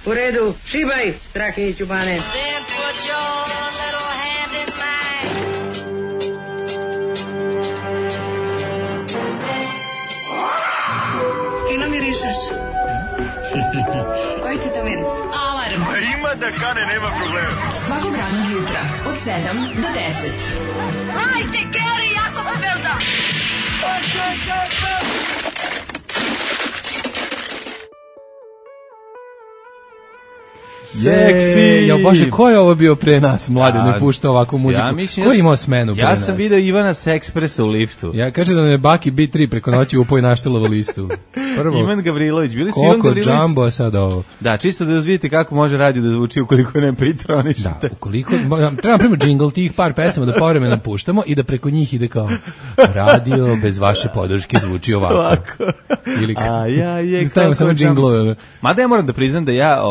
U redu, šibaj, Strahinjiću bane. Fino mirišeš. Koji ti to miris? Alarm. Ima da kane, nema problema. Svakog radnog jutra, od 7 do 10. Hajde, Geri, jako se velda! Seksi! Ja bože, ko je ovo bio pre nas? Mlade, ne pušta ovakvu muziku. Ko je imao smenu pre nas? Ja sam video Ivana Sekspresa u liftu. Ja kaže da nam je Baki B3 preko noći upoj naštelovo listu. Prvo, Ivan Gavrilović, bili su Ivan Gavrilović. Koliko Jumbo, sad ovo. Da, čisto da vidite kako može radio da zvuči ukoliko ne pritronišete. Da, ukoliko, treba prema džingl tih par pesama da povremeno puštamo i da preko njih ide kao radio bez vaše podrške zvuči ovako. Ili stavimo samo džinglove. Mada ja moram da priznam da ja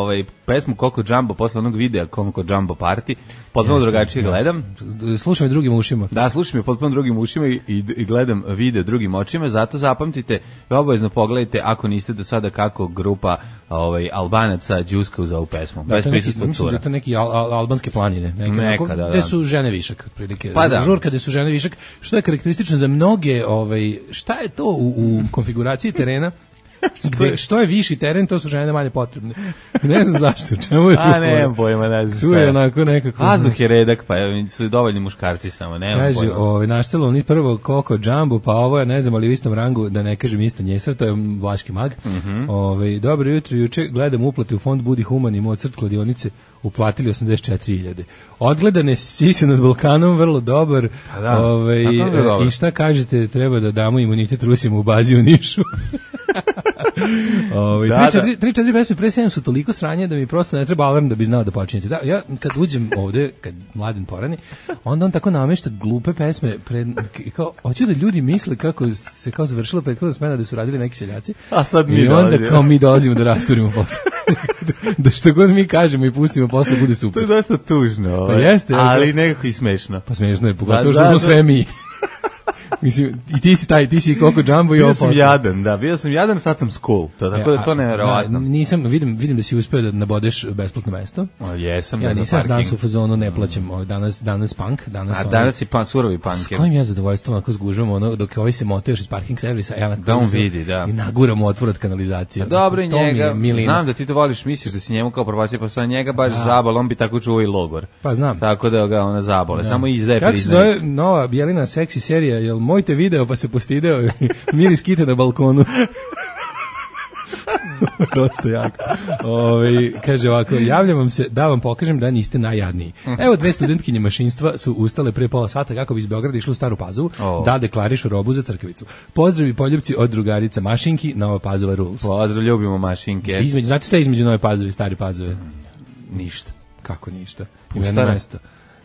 pesmu Koko Jumbo posle onog videa Koko Jumbo Party potpuno drugačije gledam. Slušam je drugim ušima. Da, slušam je potpuno drugim ušima i gledam video drugim očima, zato zapamtite i obavezno pogledajte ako niste do sada kako grupa Albanaca džuska uz ovu pesmu. Da, mislim da je to neki albanske planine. Neka, gde su žene višak, otprilike. Pa da. Žurka gde su žene višak, što je karakteristično za mnoge, šta je to u konfiguraciji terena? Što je viši teren, to su žene manje potrebne. Ne znam zašto, čemu je tu. Nemam pojma, ne znam šta je. Tu je onako nekako. Vazduh je redak, pa su dovoljni muškarci samo, nemam pojma. Kaže, naštelo ni prvo Koko Jumbo, pa ovo je, ne znam, ali u istom rangu, da ne kažem isto Njesar, to je vlaški mag. Dobro jutro, juče gledam uplate u fond Budi Human i Mozart kladionice, uplatili 84.000. Odgledane sise nad Balkanom, vrlo dobar. I šta kažete, treba da damo imunitet Rusima u bazi u Nišu. 3-4 pesme pre 7 su toliko sranje da mi prosto ne treba alarm da bi znao da počinjete. Da, ja kad uđem ovde, kad Mladen porani, onda on tako namešta glupe pesme kao, hoću da ljudi misle kako se kao završila prethodna smena da su radili neki seljaci. A sad mi i onda kao mi dolazimo da rasturimo posle. Da što god mi kažemo i pustimo posle bude super. To je dosta tužno. Pa jeste. Ali nekako i smešno. Pa smešno je, pogotovo što smo sve mi. Mislim, i ti si Koko Jumbo i ovo posle. Bio sam jadan, sad sam cool. Tako da to nevjerovatno. Nisam, vidim da si uspeo da nabodeš besplatno mesto. Jesam, ja nisam danas u fazonu, ne plaćam, danas punk. Danas je surovi punk. S kojim ja zadovoljstvom onako zgužvam, dok ovaj se mote još iz parking servisa, ja da on vidi, da. I naguram u otvor od kanalizacije. Dobro i njega, znam da ti to voliš, misliš da si njemu kao probacija, pa sa njega baš zabal, on bi tako čuvao i logor. Pa znam. Tako da ga ona zabole, samo izdaje priznanicu. Kako se zove nova Bjelina seksi serija, jel moj te video pa se postideo miris kite na balkonu. Dosta jako. Kaže ovako, javljam vam se da vam pokažem da niste najjadniji. Evo, 2 studentkinje mašinstva su ustale pre pola sata kako bi iz Beograda išli u Staru Pazovu da deklarišu robu za Crkavicu. Pozdrav i poljubci od drugarica Mašinki, Nova Pazova rules. Pozdrav, ljubimo Mašinke. Znate šta je između Nove Pazove i Stare Pazove? Ništa. Kako ništa? Pustara. Mesto.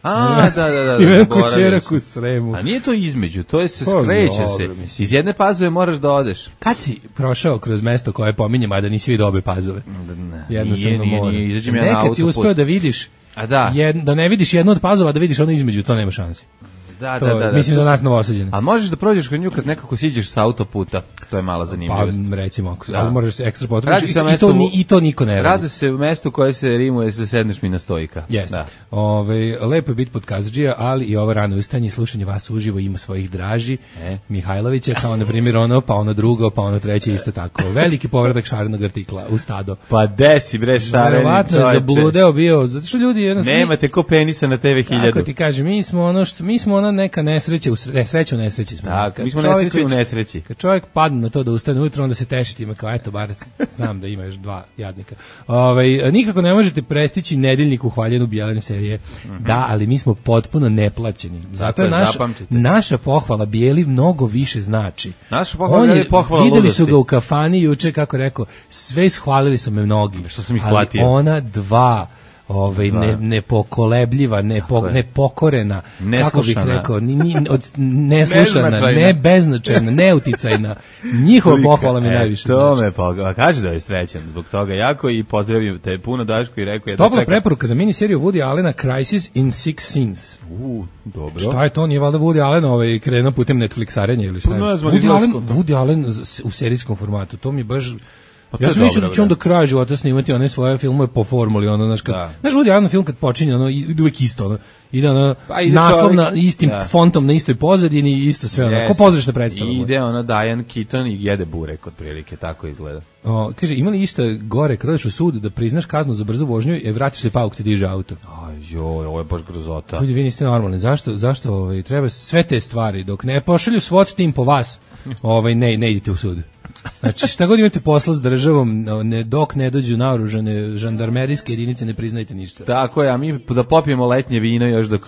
Da. Ima kućerak u Sremu. A nije to između, to je skreće se. Iz jedne Pazove moraš da odeš. Kad si prošao kroz mesto koje pominjem, a da nisi vidio obe Pazove? Jednostavno mora. Nekad si uspeo da vidiš, da ne vidiš jednu od Pazova, da vidiš ono između, to nema šansi. Da. Mislim za nas Novosađane. A možeš da prođeš kod nju kad nekako siđeš sa autoputa. To je mala zanimljivost. Pa recimo, ali moraš se ekstra potrudiš i to niko ne radi. Radi se u mestu koje se rimuje da sedneš mi na stojka. Jeste. Lepo je biti podkazadžija, ali i ovo rano ustajanje i slušanje vas uživo ima svojih draži. Mihajlovića, kao na primjer ono, pa ono drugo, pa ono treće isto tako. Veliki povratak šarenog artikla u stado. Pa desi bre šareni čovječe. Verovatno je zabludeo bio, zato što ljudi jednostavno... Nemate ko penisa na TV 1000. Kako ti kažem, mi smo ono neka nesreća u nesreći smo. Tako, mi smo nesreće u nesreći. Kad čovjek padne na to da ustane ujutro, onda se teši time kao, eto, bar znam da ima još 2 jadnika. Nikako ne možete prestići nedeljnik u hvaljenu Bjelene serije. Da, ali mi smo potpuno neplaćeni. Zato je naša pohvala Bijeli mnogo više znači. Naša pohvala je pohvala ludosti. Videli su ga u kafani juče, kako rekao, sve ishvalili su me mnogi. Što sam ih platio. Ali ona 2 nepokolebljiva, nepokorena, kako bih rekao, neslušana, nebeznačajna, neuticajna. Njihova pohvala mi najviše. To me kaže da je srećan zbog toga jako i pozdravim te puno Daško i rekao je da topla preporuka za miniseriju Woody Allena Crisis in Six Scenes. Dobro. Šta je to? Nije valjda Woody Allen krenuo putem Netflixarenja ili šta je? Woody Allen u serijskom formatu. To mi baš Ja sam mislio da će on do kraja života snimati one svoje filmove po formuli, ono, znaš, znaš, Woody Allen film kad počinje, ono, ide uvijek isto, ono, ide ono, naslov na istim fontom, na istoj pozadini, isto sve, ono, ko pozorišna predstava. Ide ono Diane Keaton i jede burek, otprilike, tako izgleda. Kaže, ima li išta gore kad odeš u sud da priznaš kaznu za brzu vožnju i vratiš se pauk ti diže auto? Joj, ovo je baš grozota. Ljudi, vi niste normalni. Zašto treba sve te stvari dok ne pošalju SWAT tim po vas, ne idite u sud. Znači, šta god imate posla s državom, dok ne dođu naoružane žandarmerijske jedinice, ne priznajte ništa. Tako je, a mi da popijemo letnje vino još dok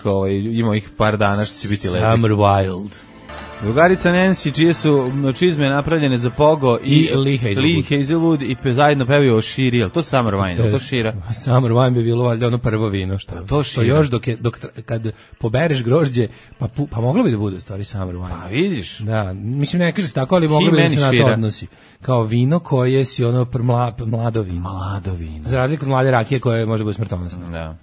ima ih par dana što će biti lepi. Summer Wild. Drugarica Nancy, čije su čizme napravljene za Pogo i Lee Hazelwood i zajedno pevaju o širi, ali to Summer Wine, to šira? Summer Wine bi bilo valjda ono prvo vino, što još kad pobereš grožđe, pa moglo bi da bude u stvari Summer Wine. Pa vidiš. Da, mislim ne kaže se tako, ali moglo bi da se na to odnosi. Kao vino koje si ono mlado vino. Mlado vino. Za razliku od mlade rakije koje može biti smrtonosno. Da.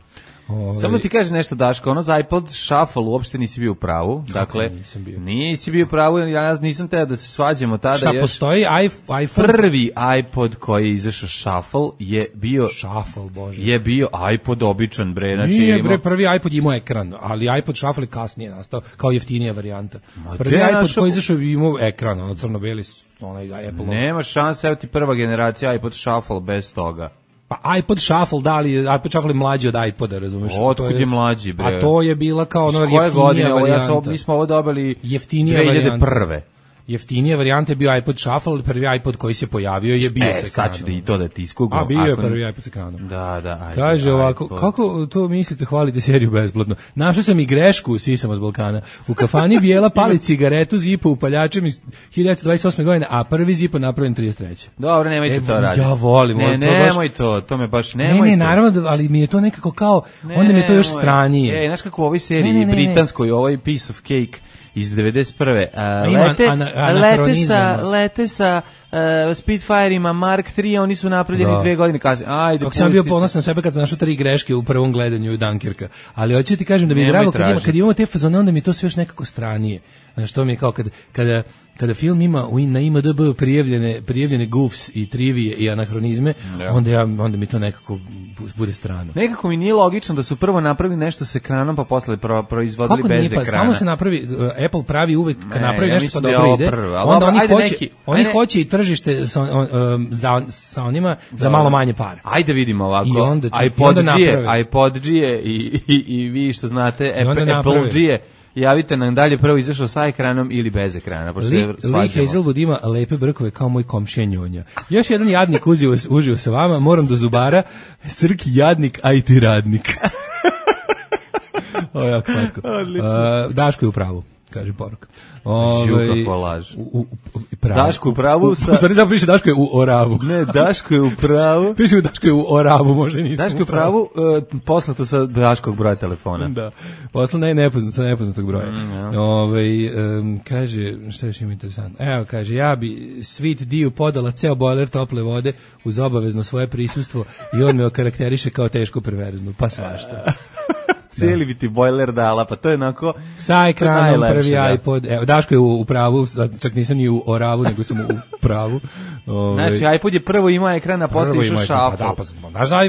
Samo ti kaže nešto, Daško, ono za iPod Shuffle uopšte nisi bio u pravu. Dakle, nisi bio u pravu, ja nisam teo da se svađamo tada. Šta postoji iPhone? Prvi iPod koji je izašao Shuffle je bio Shuffle, bože. Je bio iPod običan, bre, znači nije, bre, prvi iPod imao ekran, ali iPod Shuffle je kasnije nastao kao jeftinija varijanta. Prvi iPod koji izašao imao ekran, ono crno-beli, onaj Apple. Nema šanse, evo ti prva generacija iPod Shuffle bez toga. Pa iPod Shuffle, da li iPod Shuffle je mlađi od iPoda, razumeš? Otkud je mlađi, bre? A to je bila kao ono jeftinija varijanta. Mi smo ovo dobili jeftinija 2001. Jeftinija varijanta je bio iPod Shuffle, prvi iPod koji se pojavio je bio sa ekranom. Sad ću da i to da ti iskugam. A bio je prvi iPod sa ekranom. Da, ajde. Kaže ovako, kako to mislite, hvalite seriju besplatno? Našao sam i grešku, sisamo s Balkana. U kafani Bijela pali cigaretu Zipo upaljačem iz 1928. godine, a prvi Zipo napravljen 33. Dobro, nemojte to raditi. Ja volim. Nemoj to me baš nemoj. Ne, naravno, ali mi je to nekako kao, onda mi je to još stranije. Znaš kako u ovoj seriji britanskoj, ovaj Piece of Cake iz 91. Lete sa Spitfireima Mark III, oni su napravljeni 2 godine kasnije. Ajde, kako sam bio ponosan sebe kad sam našao 3 greške u prvom gledanju Dunkirka. Ali hoću ti kažem da mi je drago kad imamo te fazone, onda mi je to sve još nekako stranije. Znaš, to mi je kao kada film ima na IMDb prijavljene goofs i trivije i anahronizme, onda mi to nekako bude strano. Nekako mi nije logično da su prvo napravili nešto s ekranom, pa posle proizvodili bez ekrana. Stalno se napravi, Apple pravi uvek kad napravi nešto pa dobro ide, onda oni hoće i tržište sa onima za malo manje para. Ajde vidimo ovako, iPod-G i vi što znate, Apple-G javite nam dalje prvo izašao sa ekranom ili bez ekrana. Lee Hazelwood ima lepe brkove kao moj komšija Njonja. Još jedan jadnik uživo sa vama, moram do zubara, Srki jadnik, a i ti radnik. Ovo je jako slatko. Daško je u pravu, kaže poruka. Kako laž. Daško u pravu sa... U stvari zapravo piše Daško je u Oravu. Ne, Daško je u pravu. Piše u Daško je u Oravu, možda nisam. Daško je u pravu, poslato sa Daškog broja telefona. Da, poslato sa nepoznatog broja. Kaže, šta još ima interesantno? Evo, kaže, ja bi Sweet Diju podala ceo bojler tople vode uz obavezno svoje prisustvo i on me okarakteriše kao teško perverznu, pa svašta. Cijeli bi ti bojler dala, pa to je onako... Sa ekranom prvi iPod. Evo, Daško je u pravu, čak nisam ni u Oravu, nego sam u pravu. Znači, iPod je prvo imao ekran, a posle išao Shuffle. Znaš da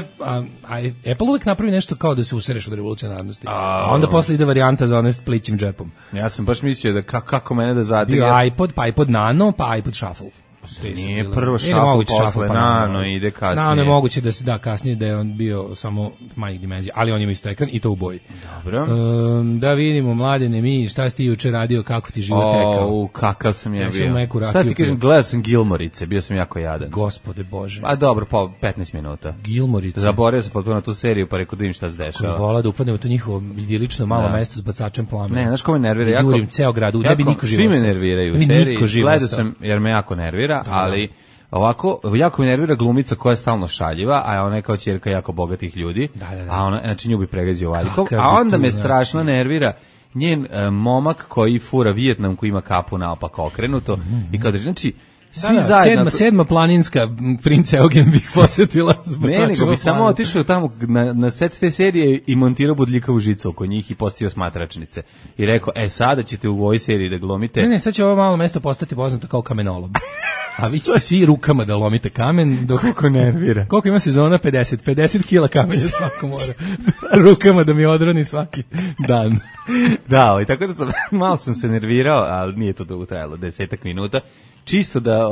Apple uvek napravi nešto kao da se usereš od revolucionarnosti. A onda posle ide varijanta za one s plićim džepom. Ja sam baš mislio da kako mene da zadire. Bio iPod, pa iPod Nano, pa iPod Shuffle. Nije prvo Shuffle, posle Nano ide kasnije. Nano je moguće da se kasnije da je on bio samo manjih dimenzija, ali on ima isto ekran i to u boji. Dobro. Da vidimo, Mladene, mi, šta si ti juče radio, kako ti život tekao? Kakav sam ja bio. Šta ti kažem, gledao sam Gilmorice, bio sam jako jadan. Gospode Bože. A dobro, 15 minuta. Gilmorice. Zaboravio sam potpuno na tu seriju, pa rekao da im šta se dešava. Vola da upadne u to njihovo idilično malo mesto s bacačem plamena. Ne, znaš ko me nervira? Jurim ceo grad, ne bi niko živo. Svi me nerviraju u seriji, gledao sam jer me jako nervira, ali ovako, jako me nervira glumica koja je stalno šaljiva, a ona je kao ćerka jako bogatih ljudi, a ona, znači nju bi pregazio valjkom, a onda me strašno nervira njen momak koji fura Vijetnam, koji ima kapu naopako okrenuto, i kao da, znači, svi zajedno. Sedma planinska princ Eugen bih posjetila zbog ne, nego bi samo otišao tamo na set te serije i montirao bodljikavu žicu oko njih i postavio smatračnice. I rekao, sada ćete u ovoj seriji da glumite. Ne, sad će ovo malo mesto postati poznato kao kamenolom. A vi ćete svi rukama da lomite kamen. Kako nervira. Koliko ima sezona? 50 kila kamenja svako mora. Rukama da mi odroni svaki dan. Da, tako da malo sam se nervirao, ali nije to dugo trajalo, 10 minuta. Čisto da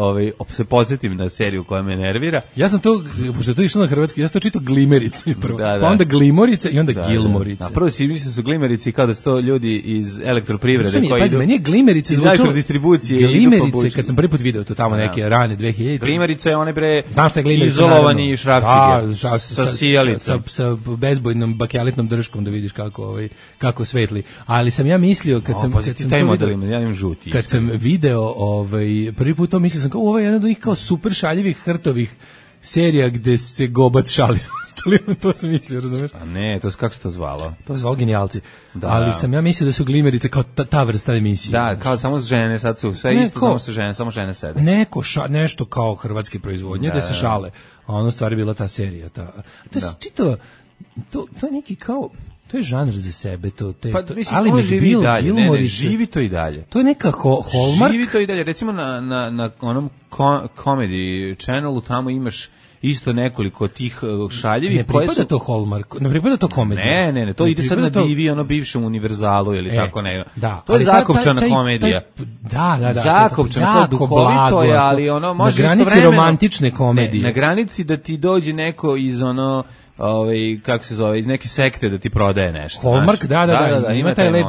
se podsjetim na seriju koja me nervira. Ja sam to, pošto to išlo na hrvatski, ja sam to čitao Glimerice prvo. Pa onda Glimorice i onda Gilmorice. A prvo si mislio da su Glimerici kao da su to ljudi iz elektroprivrede koji idu. Meni je Glimerice iz elektrodistribucije. Glimerice, kad sam prvi put video to tamo neke rane 2000. Glimerice, one bre izolovani šrafcige sa sijalicom. Sa bezbojnom bakelitnom držkom da vidiš kako svetli. Ali sam ja mislio kad sam video prvi put to mislio sam kao ovo je jedan od njih kao super šaljivih hrtovih serija gde se Gobac šali s ostalima, to sam mislio, razumeš? A ne, to kako se to zvalo? To se zvalo Genijalci. Ali sam ja mislio da su Glimerice kao ta vrsta emisije. Da, kao samo žene, sad su sve isto, samo žene sede. Nešto kao hrvatske proizvodnje, da se šale. A ono stvari bila ta serija. To je čitava, to je neki kao... To je žanr za sebe, ali McBeal, Gilmore, živi to i dalje. To je neka Hallmark. Živi to i dalje. Recimo na onom Comedy Channelu tamo imaš isto nekoliko tih šaljevih. Ne pripada to Hallmark, ne pripada to komedija. Ne, to ide sad na divi, ono bivšem Univerzalu ili tako ne. To je zakopčana komedija. Da. Zakopčana, to duhovito je, ali ono može istovremeno. Na granici romantične komedije. Na granici da ti dođe neko iz ono... kako se zove, iz neke sekte da ti prodaje nešto. Hallmark, da, ima taj lep,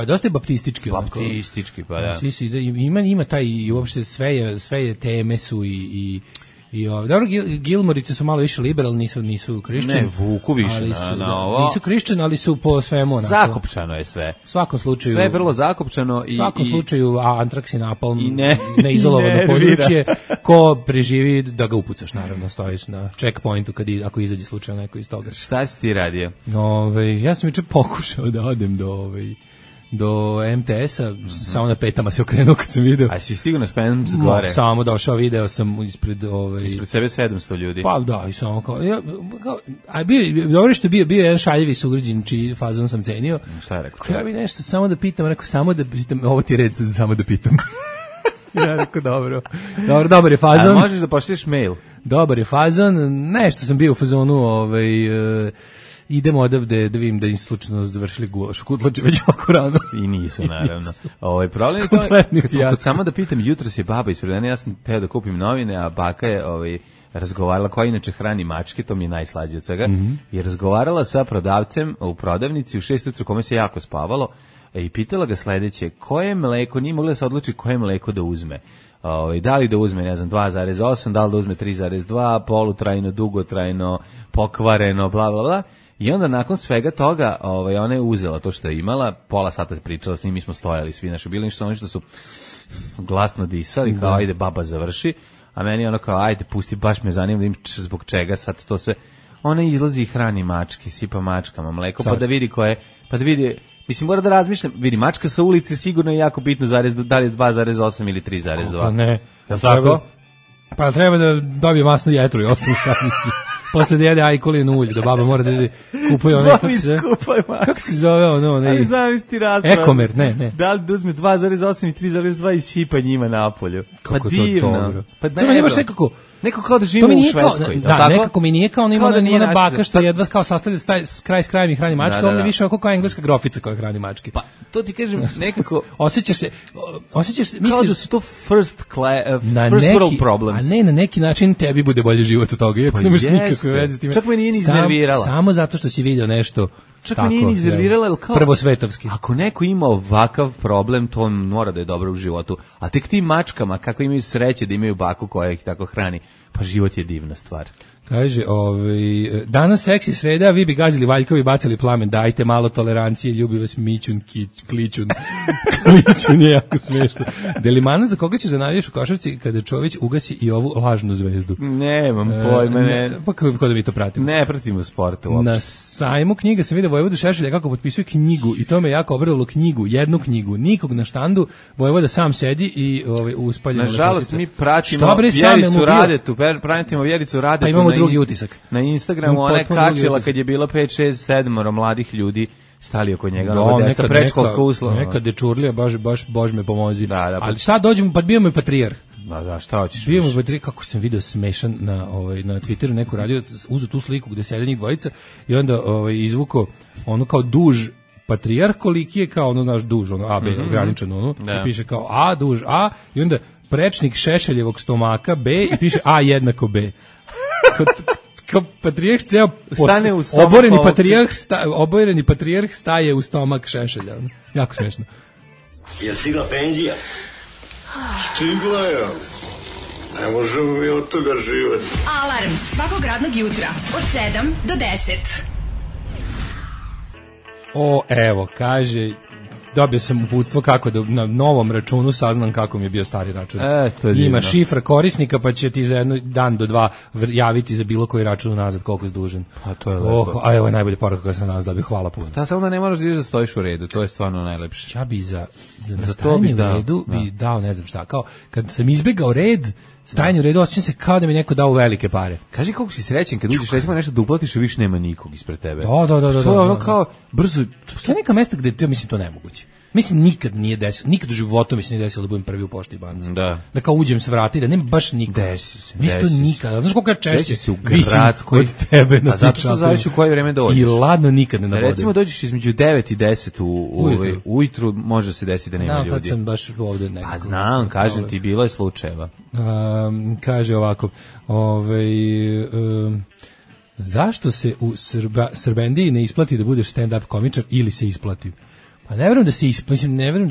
dosta je baptistički. Baptistički, pa da. Svi su, ima taj, i uopšte sve je teme su i dobro, Gilmorice su malo više liberalni, nisu Christian. Ne, vuku više na ovo. Nisu Christian, ali su po svemu. Zakopčano je sve. U svakom slučaju. Sve je vrlo zakopčano. U svakom slučaju, Antraks i Napalm, neizolovano područje, ko preživi da ga upucaš, naravno, stojiš na checkpointu ako izađe slučajno neko iz toga. Šta si ti radio? Ja sam juče pokušao da odem do MTS-a, samo na petama se okrenuo kad sam video. A si stigao na Spence gore? Samo došao, video sam ispred sebe 700 ljudi. Pa da, i samo dobro što bio jedan šaljivi sugrađin čiji fazon sam cenio. Šta je rekao? Ja bi nešto samo da pitam, ovo ti je red samo da pitam. Ja rekao, dobar je fazon. A možeš da pošliš mail? Dobar je fazon, nešto sam bio u fazonu, idemo odavde da vidim da im slučajno završili gulaš u Kutlači već oko rano. I nisu, naravno. Problem je to, kad samo da pitam, jutros je baba ispred mene, ja sam teo da kupim novine, a baka je razgovarala, koja inače hrani mačke, to mi je najslađe od svega, je razgovarala sa prodavcem u prodavnici u 6 ujutru, kome se jako spavalo, i pitala ga sledeće, koje mleko, nije mogla da se odluči koje mleko da uzme. Da li da uzme, 2,8, da li da uzme 3,2, polutrajno, dugotrajno, pokvareno, bla, bla, bla. I onda nakon svega toga ona je uzela to što je imala, pola sata pričala s njim, mi smo stojali svi naši bili, oni što su glasno disali, kao ajde baba završi, a meni ono kao ajde pusti, baš me zanima da im zbog čega sad to sve. Ona izlazi i hrani mačke, sipa mačkama mleko, pa da vidi koje, pa da vidi, mislim mora da razmišljam, vidi mačka sa ulice sigurno je jako bitno da li je 2,8 ili 3,2. Pa ne. Jel' tako? Pa treba da dobije masnu jetru i ostanu šanicu. Posle da jede ajkolinu ulje, da baba mora da kupuje one, kako se zove ono, ali zamisli raspravo. Ekomer, ne. Da li da uzme 2,8 i 3,2 i sipa njima napolju. Kako pa divno. To dobro. Pa to mi nemaš neko kao da živimo u Švedskoj. Da, nekako mi nije kao ona baka što jedva kao sastavlja kraj s krajem i hrani mačke, on je više kao engleska grofica koja hrani mačke. Pa to ti kažem, nekako osjećaš se kao da su to first world problems. A ne, na neki način tebi bude bolje život od toga, iako nemaš nikakve veze s time. Čak me nije ni iznervirala. Samo zato što si video nešto čak me nije ni iznervirala, jer kao prvosvetovski. Ako neko ima ovakav problem, to mora da je dobro u životu. A tek tim mačkama, kako imaju sreće da imaju baku koja ih tako hrani, pa život je divna stvar. Kaže, danas seksi sreda, vi bi gazili valjkovi i bacali plamen, dajte malo tolerancije, ljubi vas Mićun, Klićun. Klićun je jako smiješno. Delimana, za koga ćeš da navijaš u košarci kada Čović ugasi i ovu lažnu zvezdu? Nemam pojma, Pa kako da mi to pratimo? Ne pratimo sporta uopšte. Na sajmu knjiga sam vidio Vojvodu Šešelja kako potpisuje knjigu i to me jako obradovalo, jednu knjigu, nikog na štandu, Vojvoda sam sedi i uspaljeno. Nažalost, mi pratimo Vjericu Radetu, pratimo Vjericu Radetu. Pa imamo drugi utisak. Na Instagramu ona je kačila kad je bilo 5, 6, 7 mladih ljudi stali oko njega, deca, predškolska uslova. Neka dečurlija, baš Bož me pomozi. Da, ali sad dođemo, pa bio me patrijarh. Da, šta hoćeš? Bio me patrijarh, kako sam video smešan na Twitteru, neko radio, uzeo tu sliku gde sede njih dvojica i onda izvuko ono kao duž patrijarh, koliki je kao ono naš duž, ono AB, ograničeno, i piše kao A, duž A, i onda prečnik Šešeljevog stomaka B i piše A jednako B. Kao patrijarh ceo oboreni patrijarh staje u stomak Šešelja. Jako smiješno. Je stigla penzija? Stigla je. Ne možemo mi od toga živeti. Alarm svakog radnog jutra od 7 do 10. Evo, kaže, dobio sam uputstvo kako da na novom računu saznam kako mi je bio stari račun. Ima šifra korisnika, pa će ti za dan do 2 javiti za bilo koji račun nazad koliko je dužan. Pa to je lepo. A evo je najbolje poruka koja sam danas dobio, hvala puno. Samo da ne moraš da stojiš u redu, to je stvarno najlepše. Ja bi za stajanje u redu bi dao ne znam šta, kao kad sam izbegao red, stajanje u redu, osjećam se kao da mi neko dao velike pare. Kaži koliko si srećen kad uđeš recimo nešto da uplatiš i više nema nikog ispred tebe. Da. To je ono kao brzo. To je neka mesta gde ja mislim to nemoguće. Mislim nikad nije desilo, nikad u životu mi se nije desilo da budem prvi u pošti i banci. Da kao uđem s vrata i da nema baš nikog. Mislim to nikada. Znaš koliko češće se u gradskoj od tebe na. A zato što zavisi u koje vreme dođeš. I ladno nikad ne nabodim. Recimo dođeš između 9 i 10 ujutru može se desiti da nema ljudi. Sad sam baš ovde nekako. A znam, kažem ti, bilo je slučajeva. Kaže ovako, zašto se u Srbendiji ne isplati da budeš stand-up komičar ili se isplati? Pa ne verujem da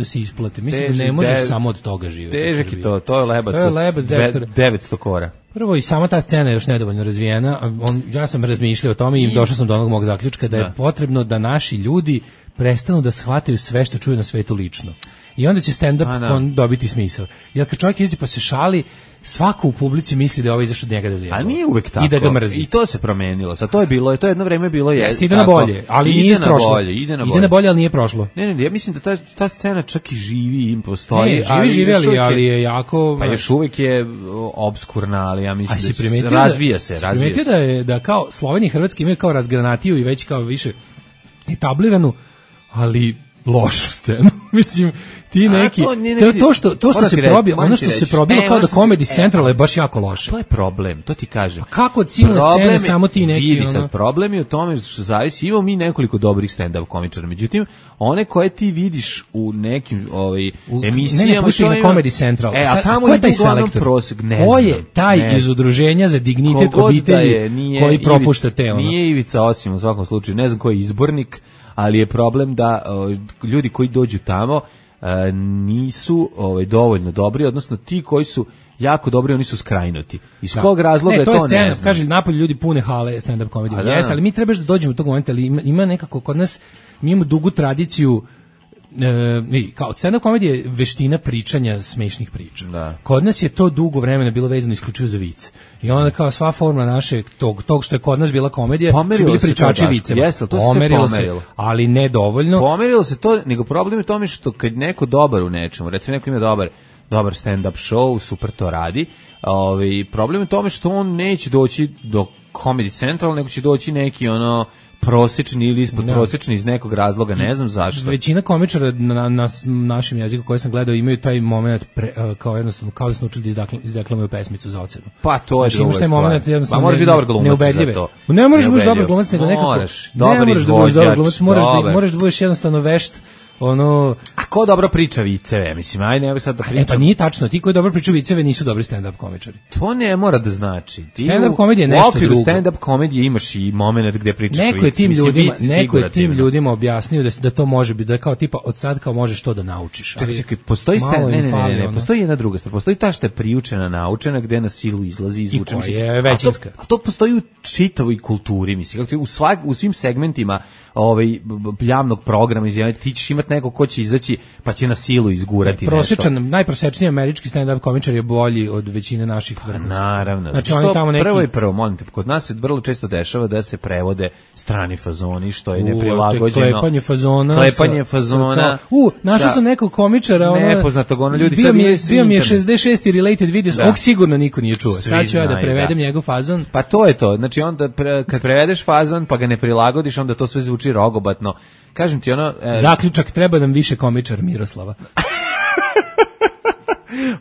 se isplati. Mislim da ne možeš samo od toga živjeti. Težak je to je lebac 900 kora. Prvo i sama ta scena je još nedovoljno razvijena. Ja sam razmišljao o tome i došao sam do onog mog zaključka da je potrebno da naši ljudi prestanu da shvataju sve što čuju na svetu lično. I onda će stand-up dobiti smisao. Jer kad čovjek izađe pa se šali, svako u publici misli da je ovo izašao od njega da zajebava. A nije uvek tako. I da ga mrzi. I to se promenilo. Sad to je bilo, to jedno vreme bilo jeste. Ide na bolje, ali nije prošlo. Ide na bolje, ali nije prošlo. Ne, ja mislim da ta scena čak i živi i postoji. Živi, ali je jako. Pa još uvek je obskurna, ali ja mislim da razvija se. Primetio da kao Slovenija i Hrvatska imaju kao razgranatiju i već kao više etabliranu, ali lošu scenu. Mislim, ti neki to što se probio, ono što se probilo kao da Comedy Central je baš jako loše. To je problem, to ti kažem. Kako od silne scene samo ti neki vidi sad, problem je u tome što zavisi, imamo mi nekoliko dobrih stand-up komičara, međutim one koje ti vidiš u nekim emisijama, ne pusti na Comedy Central. A tamo je taj selektor. Ko je taj iz udruženja za dignitet obitelji koji propušta te? Nije Ivica Osim u svakom slučaju, ne znam ko je izbornik, ali je problem da ljudi koji dođu tamo nisu dovoljno dobri, odnosno ti koji su jako dobri, oni su skrajnuti. Iz kog razloga je to ne znam. Kaže, napolje ljudi pune hale stand-up komedije. Jeste, ali mi trebaš da dođemo do tog momenta, ali ima nekako kod nas, mi imamo dugu tradiciju kao stand-up komedija je veština pričanja smešnih priča. Da. Kod nas je to dugo vremena bilo vezano isključivo za vic. I onda kao sva forma našeg tog što je kod nas bila komedija, su bili pričači viceva. Jeste, to se pomerilo. Ali ne dovoljno. Pomerilo se to, nego problem je tome što kad neko dobar u nečemu, recimo neko ima dobar stand-up show, super to radi, problem je u tome što on neće doći do Comedy Central, nego će doći neki prosječni ili ispod prosječni iz nekog razloga, ne znam zašto. Većina komičara na našem jeziku koje sam gledao imaju taj moment kao jednostavno kao da su naučili da izdeklamuju pesmicu za ocenu. Pa to je druga stvar. Pa moraš biti dobar glumac za to. Ne možeš biti dobar glumac, nego nekako dobar izvođač, moraš da budeš jednostavno vešt ono... A ko dobro priča viceve, mislim, ajde, evo sad da pričam. Pa nije tačno, ti koji dobro pričaju viceve nisu dobri stand-up komičari. To ne mora da znači. Stand-up komedija je nešto drugo. U okviru stand-up komedije imaš i moment gde pričaš Neko je tim ljudima objasnio da to može biti, da kao tipa od sad kao možeš to da naučiš. Čekaj, postoji postoji jedna druga stvar. Postoji ta što je priučena, naučena, gde na silu izlazi, izvuče. I koja je većinska. A to postoji u čitavoj kulturi, mislim. U svim segmentima javnog programa, ti ćeš imati neko ko će izaći pa će na silu izgurati nešto. Najprosečniji američki stand-up komičar je bolji od većine naših vrhunskih. Naravno. Znači, oni tamo neki... Prvo, molim te, kod nas se vrlo često dešava da se prevode strani fazoni, što je neprilagođeno. Klepanje fazona. Našao sam nekog komičara, nepoznatog, ljudi sad bio mi je 66 related videos, ovog sigurno niko nije čuo. Sad ću ja da prevedem njegov fazon. Pa to je to, znači onda kad prevedeš fazon pa ga ne prilagodiš, onda to sve zvuči rogobatno. Kažem ti zaključak, treba nam više komičar Miroslava.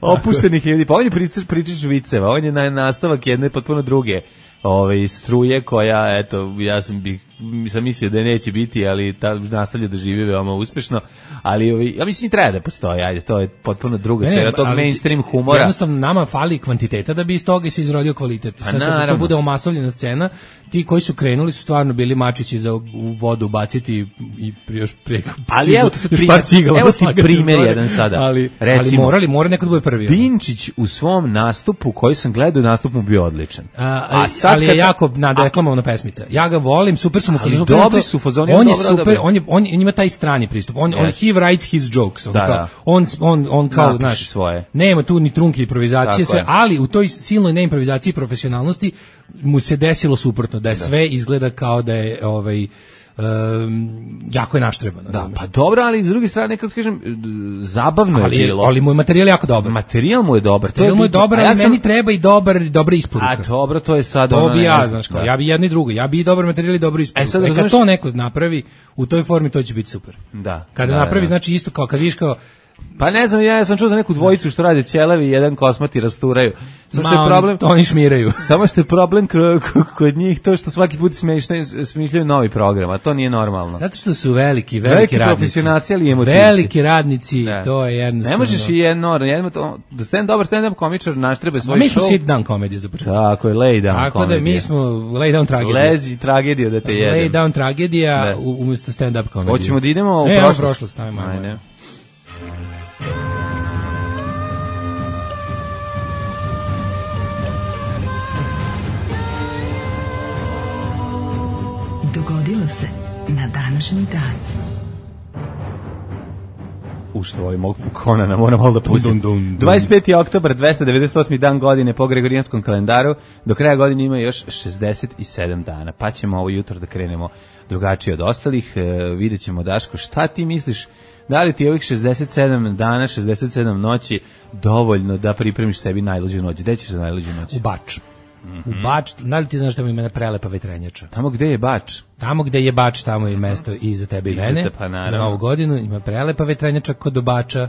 Opuštenih ljudi, pa on je pričač viceva, on je nastavak jedne potpuno druge struje koja, eto, ja sam mislio da neće biti, ali nastavlja da živi veoma uspešno, ali ja mislim treba da postoji, ajde, to je potpuno druga sfera tog mainstream humora. Jednostavno nama fali kvantiteta da bi iz toga se izrodio kvalitet. Sad kada to bude omasovljena scena, ti koji su krenuli su stvarno bili mačići za u vodu baciti i još preko. Ali evo ti primjer jedan sada. Ali mora neko da bude prvi. Pinčić u svom nastupu, koji sam gledao, nastup mu bio odličan. Ali je jako nadeklamovana pesmica. Ja ga volim, super su mu fazoni. Dobri su fazoni. On je super, on ima taj strani pristup. He writes his jokes. On kao, znaš, svoje. Nema tu ni trunke improvizacije, sve, ali u toj silnoj neimprovizaciji i profesionalnosti mu se desilo suprotno, da je sve izgleda kao da je jako je naštrebano. Da, pa dobro, ali s druge strane, kako kažem, zabavno je bilo. Ali mu je materijal jako dobar. Materijal mu je dobar. Materijal mu je dobar, ali meni treba i dobra isporuka. A dobro, to je sad to bi ja, znaš, ja bi jedno i drugo. Ja bi i dobar materijal i dobro isporuka. Kad to neko napravi u toj formi, to će biti super. Da. Kada napravi, znači isto kao kad vidiš kao pa ne znam, ja sam čuo za neku dvojicu što rade ćelevi i jedan kosmati rasturaju. Samo što je problem, oni šmiraju. Samo što je problem kod njih to što svaki put smišljaju novi program, a to nije normalno. Zato što su veliki radnici. Profesionalci, ali emotivci. Veliki radnici, to je jednostavno. Ne možeš i dobar stand-up komičar naštrebe svoj show. Mi smo sit down komedija za početak. Tako je, lay down komedija. Tako da mi smo lay down tragedija. Lezi tragedija da te jedem. Lay down tragedija umjesto stand-up komedije. Hoćemo da idemo u prošlost. Ajde. Dogodilo se na današnji dan. Što volim ovog Konana, moram malo da pustim. 25. oktobar, 298. dan godine po Gregorijanskom kalendaru. Do kraja godine ima još 67 dana. Pa ćemo ovo jutro da krenemo drugačije od ostalih. Vidjet ćemo, Daško, šta ti misliš? Da li ti ovih 67 dana, 67 noći dovoljno da pripremiš sebi najluđu noć? Gde ćeš za najluđu noć? U Bač. U Bač, da li ti znaš da ima prelepa vetrenjača? Tamo gde je Bač? Tamo gde je Bač, tamo je mesto i za tebe i mene. Za Novu godinu ima prelepa vetrenjača kod Bača.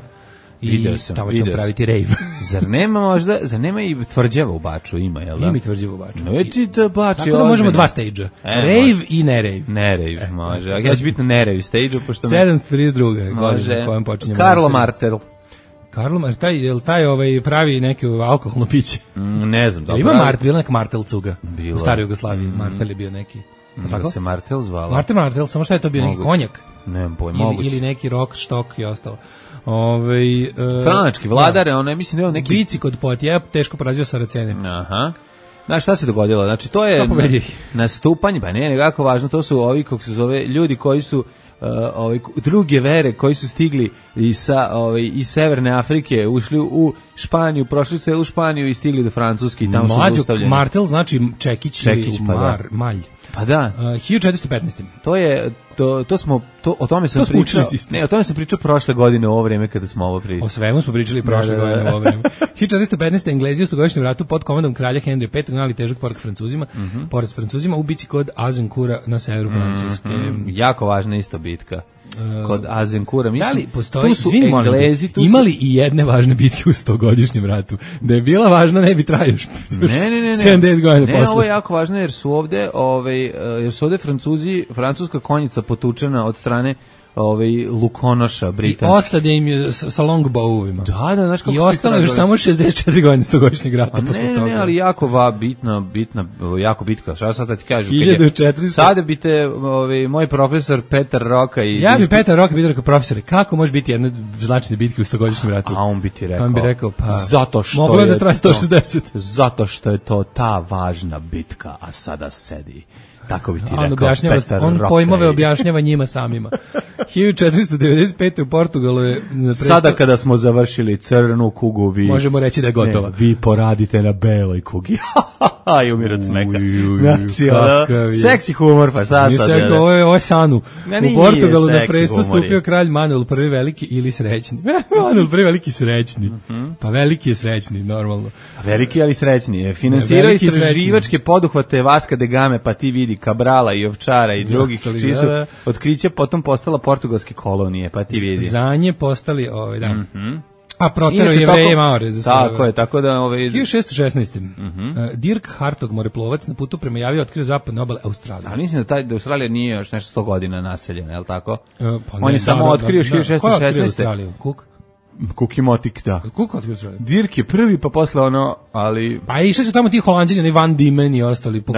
I tamo ćemo praviti rejv. Zar nema i tvrđava u Baču? Ima, jel da? Ima i tvrđava u Baču. Tako da možemo dva stage-a. Rejv i nerejv. Nerejv, može. Ja ću biti na nerejv stage-u. 732. Može. Karlo Martel. Je li taj pravi neke alkoholno piće? Ne znam. Ima bila neka Martel cuga u staroj Jugoslaviji. Martel je bio neki. Da se Martel zvala? Martel, samo šta je to bio, neki konjak? Nemam pojma, moguće. Ili neki rock, štok i ostalo. Franački vladar, mislim da je neki... Bici kod Poitiers teško porazio Saracene. Aha. Znaš šta se dogodilo? Znači to je nastupanje, pa ne, nekako važno, to su ovi, kako se zove, ljudi koji su druge vere koji su stigli iz Severne Afrike, ušli u Španiju, prošli celu Španiju i stigli do Francuske i tamo su zaustavljeni. Martel znači Čekić pa Malj. Pa da. 1415. O tome sam pričao. Ne, o tome sam pričao prošle godine u ovo vrijeme kada smo ovo pričali. O svemu smo pričali prošle godine u ovo vrijeme. 1415. Englezi u stogodišnjem ratu pod komandom kralja Henry V nanijeli težak poraz Francuzima u bici kod Azincourta na severu Francuske. Jako važna isto bitka. Kod Azincourta. Da li postoji, imali i jedne važne bitke u stogodišnjem ratu? Da je bila važna, ne bi trajao 70 godina posle. Ne, ovo je jako važno jer su ovde Francuska konjica potučena od strane lukonoša britanskih. I ostade im je sa longbowovima. Da, znaš kako. I ostalo još samo 64 godine 100-godišnjeg rata posle toga. Ne, ali jako bitna, jako bitka. Šta sad da ti kažem? 1400. Sada bi te moj profesor Petar Roka i... Ja bi Petar Roka bi rekao, profesore, kako može biti jedna značajna bitka u 100-godišnjem ratu? A on bi ti rekao... On bi rekao, pa... Zato što moglo da traje 160. Zato što je to ta važna bitka, a sada sedi. Tako bi ti rekao Petar Roka. On pojmove objašnjava njima samima. 1495. u Portugalu je... Sada kada smo završili crnu kugu, vi... možemo reći da je gotova. Ne, vi poradite na beloj kugi. I umir od smeka. Seksi humor, pa šta sad? Ovo je Sanu. U Portugalu na presto stupio kralj Manuel I veliki ili srećni. Manuel I veliki srećni. Pa veliki je srećni, normalno. Veliki, ali srećni. Finansirao istraživačke poduhvate Vasca da Game, pa ti vidi Cabrala i Ovčara i drugih, čiji su otkriće potom postala portugalske kolonije, pa ti vidi. Za nje postali, da. A protero Jevreje Maore za sve. Tako je, tako da... 1616. Dirk Hartog, moreplovac, na putu prema Javi otkrio zapadne obale Australije. A mislim da Australija nije još nešto 100 godina naseljena, je li tako? On je samo otkrio 1616. Ko je otkrio Australiju? Cook? Cook i Motik, da. Cook otkrio Australiju? Dirk je prvi, pa posle ali... Pa išli su tamo ti Holanđani, oni Van Diemen i ostali, po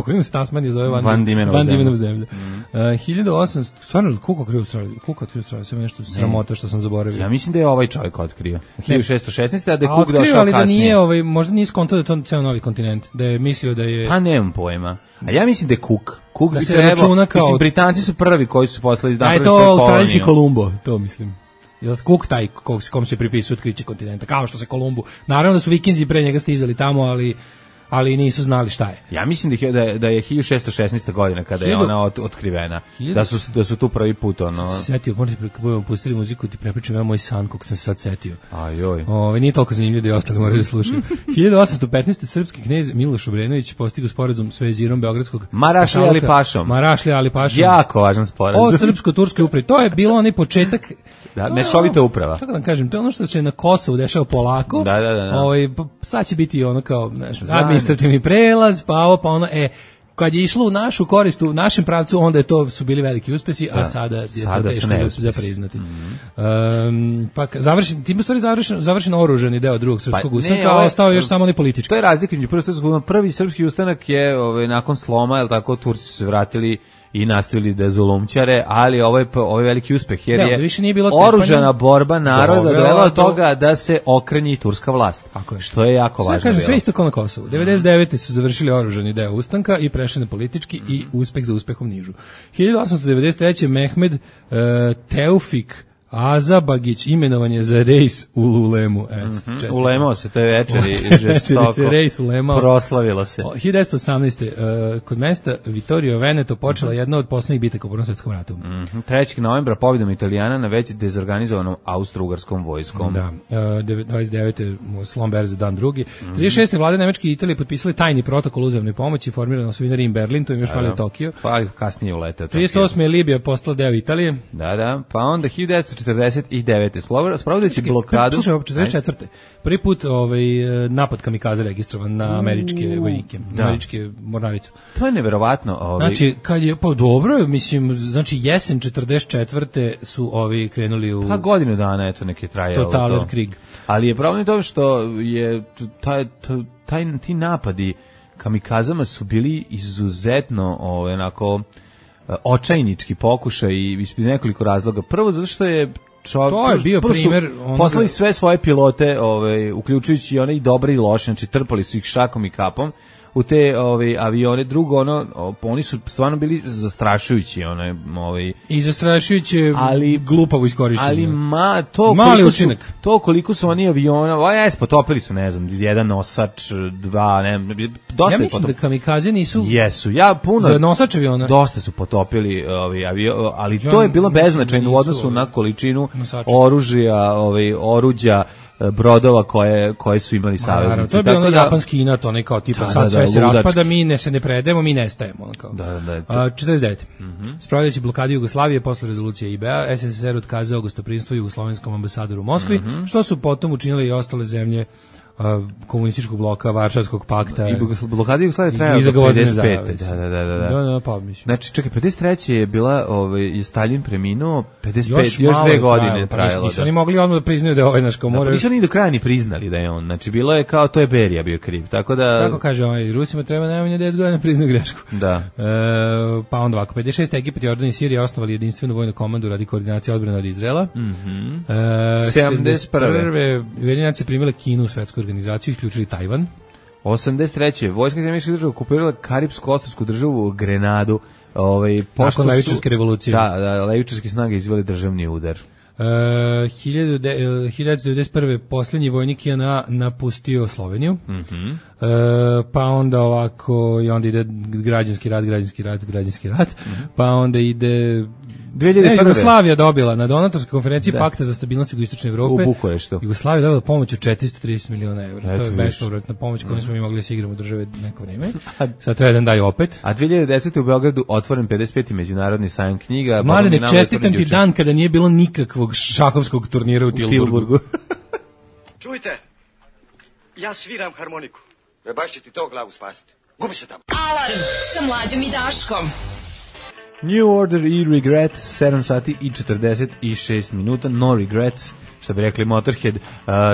kojima se Tasmanija zove Van Diemenova zemlja. 1800, stvarno, Cook otkrio Australiju? Cook otkrio Australiju, sve nešto sramota što sam zaboravio. Ja mislim da je ovaj čovjek otkrio. 1616, a da je Cook došao kasnije. Ali da nije, možda nije skontao da je to ceo novi kontinent, da je mislio da je... Pa nemam pojma. A ja mislim da je Cook. Cook da bi se trebao, računa kao... Mislim, Britanci su prvi koji su poslali iz napravili svoju koloniju. A je to australijski Kolumbo, to mislim. Je li Cook taj kom se pripisuje otkriće kontinenta, kao što se Kolumbu. Naravno da su Vikinzi pre njega stizali tamo, ali nisu znali šta je. Ja mislim da je 1616. godina kada je ona otkrivena. Da su tu prvi put Setio, možete budemo pustili muziku ti prepričam ja moj san kog sam se sad setio. Ajoj. Nije toliko zanimljivo da i ostali moraju da slušaju. 1815. srpski knez Miloš Obrenović postigao sporazum s vezirom beogradskog Marašli Ali Pašom. Jako važan sporazum. O srpsko-turskoj upravi. To je bilo onaj početak. Da, mešovita uprava. Kako da kažem, to je ono što se na Kosovu dešava polako. Da. Sad će biti ono kao, administrativni prelaz, pa ovo, pa ono, kad je išlo u našu korist, u našem pravcu, onda su bili veliki uspesi, a sada je to teško za priznati. Tim u stvari završen oružani deo drugog srpskog ustanka, a ostao još samo onaj politički. To je razlika među prvi srpski ustanak je nakon sloma, jel tako, Turci su se vratili i nastavili da zulumčare, ali ovaj veliki uspeh jer je oružana borba naroda dovela do toga da se okrenji turska vlast. Što je jako važno. Kažem, sve isto kao na Kosovu. 99. su završili oružani deo ustanka i prešli na politički i uspeh za uspehom nižu. 1893. Mehmed Teufik Azabagić imenovan je za rejs u Ulemu. Ulemao se, to je večer i žestoko. Rejs ulemao. Proslavilo se. 1918. Kod mesta Vittorio Veneto počela jedna od poslednjih bitaka u Prvom svetskom ratu. 3. novembra pobjedom Italijana na već dezorganizovanom austro-ugarskom vojskom. Da, 29. slom berze dan drugi. 36. vlade Nemačke i Italije potpisali tajni protokol uzajamnoj pomoći, formirano su Rim Berlin, to im još falio Tokio. Pa kasnije uleteo. 38. je Libija postala deo Italije. Da, pa onda 1949. Sprovodeći blokadu. Slušaj, 44. Prvi put napad kamikaze registrovan na američke vojnike, na američke mornaricu. To je neverovatno. Znači, kad je, pa dobro, mislim, znači jesen 44. su krenuli u... Pa godinu dana, eto, neki trajalo to. Totaler Krieg. Ali je problem to što je ti napadi kamikazama su bili izuzetno onako očajnički pokušaj iz nekoliko razloga. Prvo zato što je to je bio primjer poslali sve svoje pilote, uključujući i one i dobre i loše, znači trpali su ih šakom i kapom u te avione. Drugo, oni su stvarno bili zastrašujući, i zastrašujuće, ali glupavo iskorišćeni. Ali mali učinak. To koliko su oni aviona, potopili su, ne znam, jedan nosač, dva, dosta. Ja mislim da kamikaze nisu. Jesu, za nosač aviona. Dosta su potopili ali to je bilo beznačajno u odnosu na količinu oruđa, brodova koje su imali saveznici. To je bio japanski inat, onaj kao tipa sad sve se raspada, mi se ne predajemo, mi nestajemo. 49. Spravljajući blokadu Jugoslavije posle rezolucije IBA, SSSR otkazao gostoprinstvo jugoslovenskom ambasadoru u Moskvi, što su potom učinile i ostale zemlje komunističkog bloka, Varšavskog pakta. I blokada Jugoslavije trajala do 55. Da, pa mislim. Znači, čekaj, 53. je bila, je Stalin preminuo, 55, još 2 godine trajalo. Nisu oni mogli odmah da priznaju da je ovaj naš komor. Nisu ni do kraja ni priznali da je on. Znači, bilo je kao, to je Berija bio kriv. Tako da... Kako kaže Rusima treba najmanje 10 godina priznaju grešku. Da. Pa onda ovako, 56. Egipat, Jordan i Sirija osnovali jedinstvenu vojnu komandu radi koordinacije odbrane od Izraela. 71. Ujedinjene nacije primile Kinu u svetsku organizaciju, isključili Tajvan. 83. Vojska američkih država okupirala karipsko-ostrvsku državu Grenadu. Nakon levičarske revolucije. Da, levičarske snage izveli državni udar. 1991. posljednji vojnik je napustio Sloveniju. Pa onda ovako i onda ide građanski rat. Pa onda ide 2001. Jugoslavija dobila na donatorskoj konferenciji Pakta za stabilnost Jugoistočne Evrope. U Bukureštu. Jugoslavija dobila pomoć od 430 miliona evra. To je bespovratna pomoć kojom smo mi mogli da se igramo u države neko vreme. Sad treba da daju opet. A 2010. u Beogradu otvoren 55. međunarodni sajam knjiga. Mladene, čestitam ti dan kada nije bilo nikakvog šahovskog turnira u Tilburgu. Čujte, ja sviram harmoniku. Baš će ti to glavu spasiti. Gubi se tamo. Alarm sa Mlađom i Daškom. New Order i Regret, 7 sati i 46 minuta, no regrets, što bi rekli Motorhead.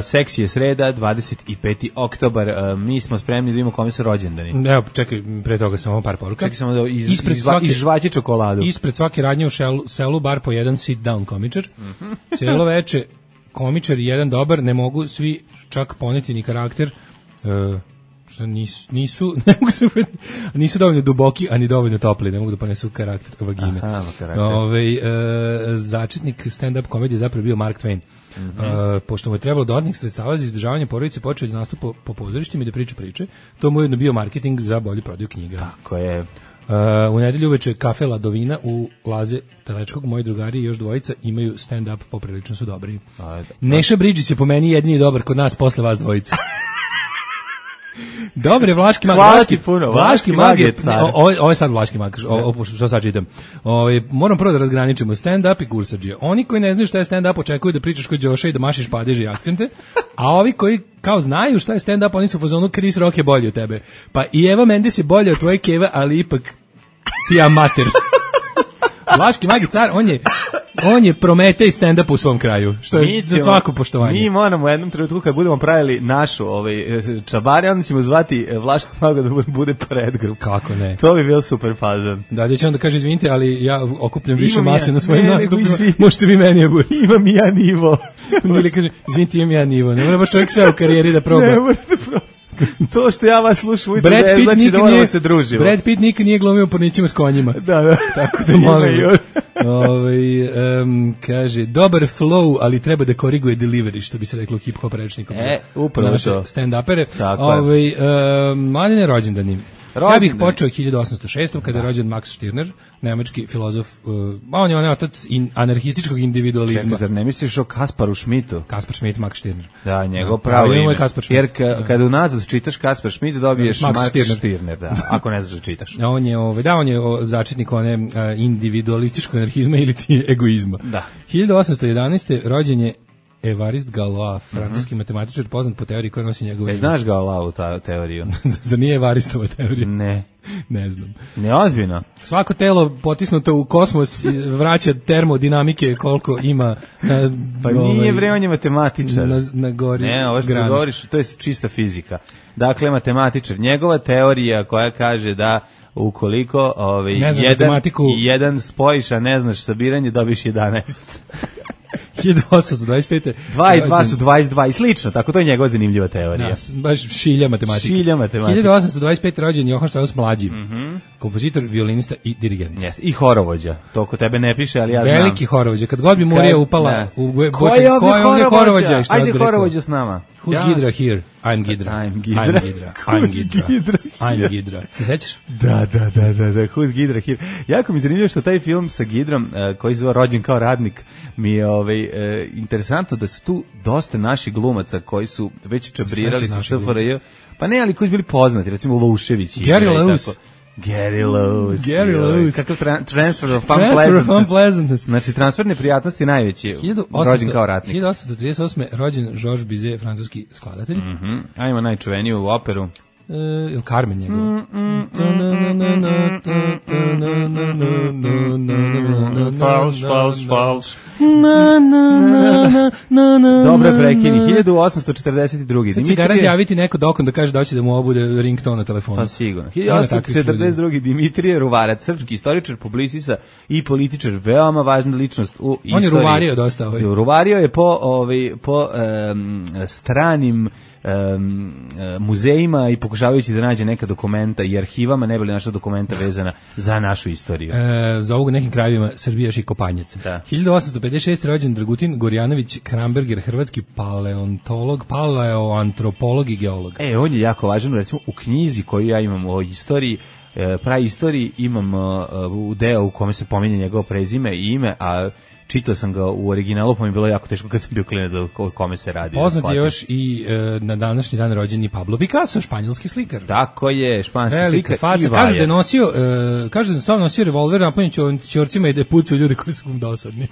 Seksi je sreda, 25. oktobar, mi smo spremni da vidimo kome su rođendani. Evo, čekaj, pre toga samo par poruka. Čekaj samo da izžvaći čokoladu. Ispred svake radnje u selu bar po jedan sit down komičar. Cijelo veče komičar i jedan dobar, ne mogu svi čak poneti ni karakter, nisu dovoljno duboki, ani dovoljno topli, ne mogu da ponesu karakter vagine. Začetnik stand-up komedije zapravo bio Mark Twain. Pošto mu je trebalo dodatnih sredstava za izdržavanje porodice, počeo da nastupa po pozorištima i da priča priče. To mu je jedno bio marketing za bolju prodaju knjiga. Tako je. U nedelju uveče kafe Ladovina u Laze Telečkog, moji drugari i još dvojica imaju stand-up, poprilično su dobri. Neša Bridges je po meni jedini dobar kod nas posle vas dvojica. Dobre, Vlaški mag. Vlaški mag je car. Ovo je sad Vlaški mag, što sad čitam. Moram prvo da razgraničimo stand-up i gursađije. Oni koji ne znaju šta je stand-up očekuju da pričaš kod Đoša i da mašiš padeže i akcente, a ovi koji kao znaju šta je stand-up, oni su u fazonu Chris Rock je bolji od tebe. Pa i Eva Mendes je bolja od tvoje keve, ali ipak ti amater. Vlaški mag je car, on je Prometej stand-up u svom kraju, što je za svako poštovanje. Mi moramo u jednom trenutku kad budemo pravili našu čabare, onda ćemo zvati Vlaškog maga da bude predgrup. Kako ne? To bi bio super fazan. Da će onda kaže, izvinite, ali ja okupljam više mase na svojim nastupima, možete vi meni budete. Imam i ja nivo. Ili kaže, izvinite, imam ja nivo. Ne mora baš čovjek sve u karijeri da proba. Ne mora da proba. To što ja vas slušam, znači da moramo se družimo. Brad Pitt nikad nije glumio pornićima s konjima. Da. Tako da molim. Kaže, dobar flow, ali treba da koriguje delivery, što bi se reklo hip-hop rečnikom. Upravo naše to. Stand-upere. Mladine rođendani. Ja bih počeo 1806. kada je rođen Max Stirner, nemački filozof, on je otac anarhističkog individualizma. Čekaj, zar ne misliš o Kasparu Schmidtu? Kaspar Schmidt, Max Stirner. Da, njegov pravo ime. Jer kada unazad čitaš Kaspar Schmidt, dobiješ Max Stirner, da, ako ne znaš da čitaš. On je začetnik one individualističkog anarhizma ili ti egoizma. Da. 1811. rođen je Évariste Galois, francuski matematičar poznat po teoriji koja nosi njegovo ime. Znaš Galois u teoriju? Zar nije Évaristova teorija? Ne znam. Neozbiljno. Svako telo potisnuto u kosmos vraća termodinamike koliko ima na... Pa nije bre, on je matematičar. Na gori. Ne, ovo što govoriš, to je čista fizika. Dakle, matematičar. Njegova teorija koja kaže da ukoliko jedan spojiš, a ne znaš sabiranje, dobiš 11. 1825. 2 i 2 su 22 i slično, tako to je njegova zanimljiva teorija. Baš šilja matematika. 1825. rođen Johann Strauss mlađi, kompozitor, violinista i dirigent. Jeste, i horovođa. To kod tebe ne piše, ali ja znam. Veliki horovođa. Kad god bi Murija upala u Ko je ovdje horovođa? Ajde horovođa s nama. Who's Gidra here? I'm Gidra. Se sećaš? Da. Who's Gidra here? Jako mi zanimljivo što taj film sa Gidrom, koji zove Rođen kao radnik, mi je interesantno da su tu dosta naših glumaca koji su već čabrirali sa SFRJ. Pa ne, ali koji su bili poznati, recimo Lušević. Gary Lewis. Gary Lewis. Gary Lewis. Kakav transfer of fun pleasantness. Znači, transfer neprijatnosti najveći. Rođen kao ratnik. 1838. rođen Georges Bizet, francuski skladatelj. Ajmo najčuveniju operu. Ili Carmen njegov. Fals. Dobro prekini. 1842. Sad će garant javiti neko dokon da kaže da hoće da mu obude ringtone na telefonu. Pa sigurno. 1842. Dimitrije Ruvarac, srpski istoričar, publicista i političar, veoma važna ličnost u istoriji. On je ruvario dosta. Ruvario je po stranim muzejima i pokušavajući da nađe neka dokumenta i arhivama, ne bi li našla dokumenta vezana za našu istoriju. Za ovog nekim krajevima Srbija još i Kopanjac. 1856. rođen Dragutin Gorjanović Kramberger, hrvatski paleontolog, paleoantropolog i geolog. On je jako važan, recimo u knjizi koju ja imam o istoriji, praistoriji, imam deo u kome se pominje njegovo prezime i ime, a čitao sam ga u originalu, pa mi je bilo jako teško kad sam bio klinac o kome se radi. Poznat je još i na današnji dan rođeni Pablo Picasso, španjolski slikar. Tako je, španski slikar faca. Kaže da je nosio, sam nosio revolver napunjen ćorcima i da je pucao ljudi koji su dosadni.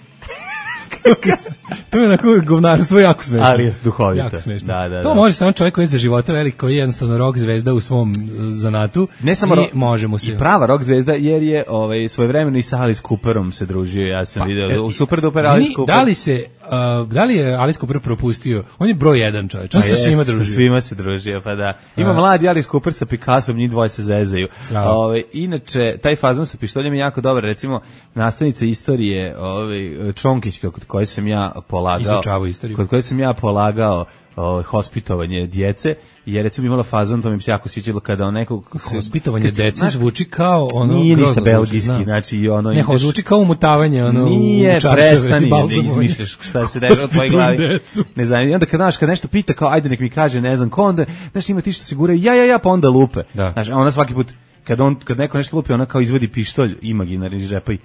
To je onako govnarstvo jako smešno. Ali je duhovito. Jako smešno. Da. To može samo čovjek koji je za života velik, koji je jednostavno rock zvezda u svom zanatu. Ne samo može mu se. I prava rock zvezda, jer je svojevremeno i sa Alice Cooperom se družio. Ja sam video u Super Duper Alice Cooper. Da li je Alice Cooper propustio? On je broj 1 čovjek. On se svima družio. Sa svima se družio, pa da. Ima mladi Alice Cooper sa Picassom, njih dvoje se zezaju. Inače, taj fazon sa pištoljem je jako dobar. Recimo, nastavnica istorije Čonkić, kod koje sam ja polagao hospitovanje djece, je recimo imala fazon, to mi se jako sviđalo kada on nekog... Hospitovanje djece zvuči kao ono... Nije ništa belgijski, znači ono... Ne, zvuči kao umutavanje, ono... Nije, prestani, ne izmišljaš šta se dešava u tvojoj glavi. Ne znam, i onda kad nešto pita, kao ajde nek mi kaže, ne znam, ko onda, znaš, ima ti što se guraju, ja, pa onda lupe. Znaš, a ona svaki put... Kad neko nešto lupi, ona kao izvodi pištolj imaginarni iz džepa i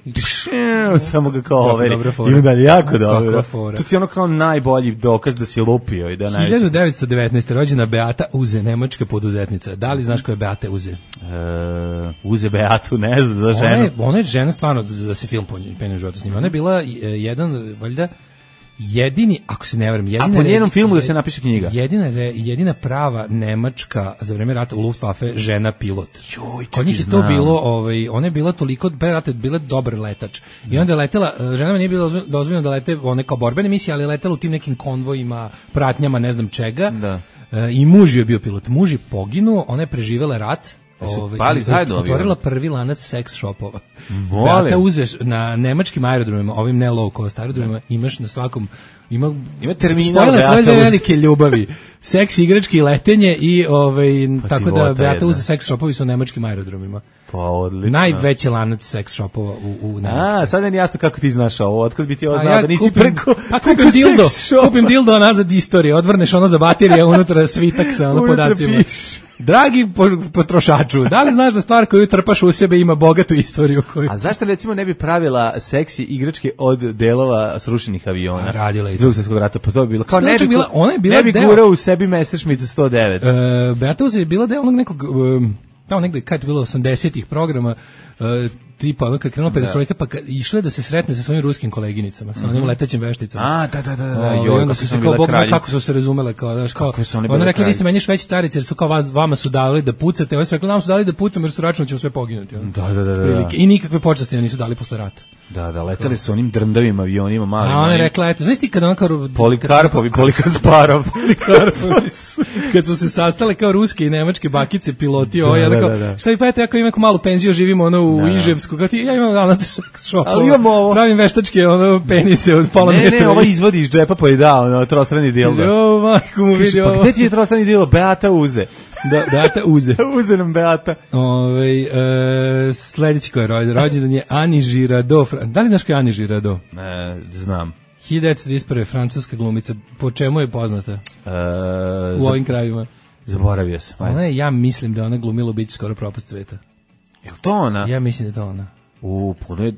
samo ga kao overi. I onda je jako dobro. To ti je ono kao najbolji dokaz da si lupio. 1919. rođena Beata Uze, nemačka poduzetnica. Da li znaš ko je Beata Uze? Uze Beatu, ne znam, za ženu. Ona je žena stvarno da se film po njenom životu snima. Ona je bila valjda, jedini, ako se ne varam, a po njenom filmu da se napiše knjiga. Jedina prava nemačka za vreme rata u Luftwaffe žena pilot. Kod njih je to bilo, ona je bila toliko pre rata, bila dobar letač. I onda je letela, ženama nije bilo dozvoljeno da lete one kao borbene misije, ali je letela u tim nekim konvojima, pratnjama, ne znam čega. I muž je bio pilot. Muž je poginuo, ona je preživela rat. Otvorila prvi lanac seks shopova. Beata Uzeš na nemačkim aerodromima, ovim ne low cost aerodromima, imaš na svakom ima terminal, spojila svoje dve velike ljubavi, seks, igrački, letenje i tako da Beata Uzeš seks shopovi su na nemačkim aerodromima. Pa odlično. Najveći lanac seks shopova u Nemačkoj. Sad meni jasno kako ti znaš ovo, otkad bi ti ovo znao da nisi preko kupim dildo nazad istorije, odvrneš ono za baterije, unutra svitak sa ono podacima. Dragi potrošaču, da li znaš da stvar koju trpaš u sebe ima bogatu istoriju? A zašto recimo ne bi pravila seksi igračke od delova srušenih aviona? Radila i Drugog svjetskog rata, pa to bi bilo. Kao ne bi gurao u sebi Messerschmitt 109. Beata Uzeš je bila deo onog nekog, tamo negde, kad je bilo 80-ih programa, tipa ono kad krenuo perestrojka, pa išla da se sretne sa svojim ruskim koleginicama, sa onim letećim vešticama. Da. Onda su se kao Bog zna kako su se razumele, kao znaš, kao ona rekla vi ste meni šveći carice jer su kao vama su dali da pucate, oni su rekli nam su dali da pucamo jer su računali ćemo sve poginuti. Da. I nikakve počasti nisu dali posle rata. Da, leteli su onim drndavim avionima malim. A ona je rekla, eto, znaš ti kada ona kao... Polikarpovi, Polikasparov. Kad su se sastale kao ruske i nemačke bakice, piloti, šta vi pa eto, ja kao imam malu penziju, živimo ono u Iževsku, kao ti, ja imam danas šopova. Ali imamo ovo. Pravim veštačke, ono, penise od pola metra. Ne, ovo izvodi iz džepa pa je dao, trostrani dildo. Jo, majko mu vidi ovo. Pa gde ti je trostrani dildo? Beata Uze. Beata Uze. Uze nam Beata. Sljedeći ko je rođendan je Ani Girardot. Da li znaš ko je Ani Girardot? Znam. 1931. francuska glumica. Po čemu je poznata? U ovim krajima. Zaboravio sam. Ja mislim da ona glumila biće skoro propast sveta. Je li to ona? Ja mislim da je to ona.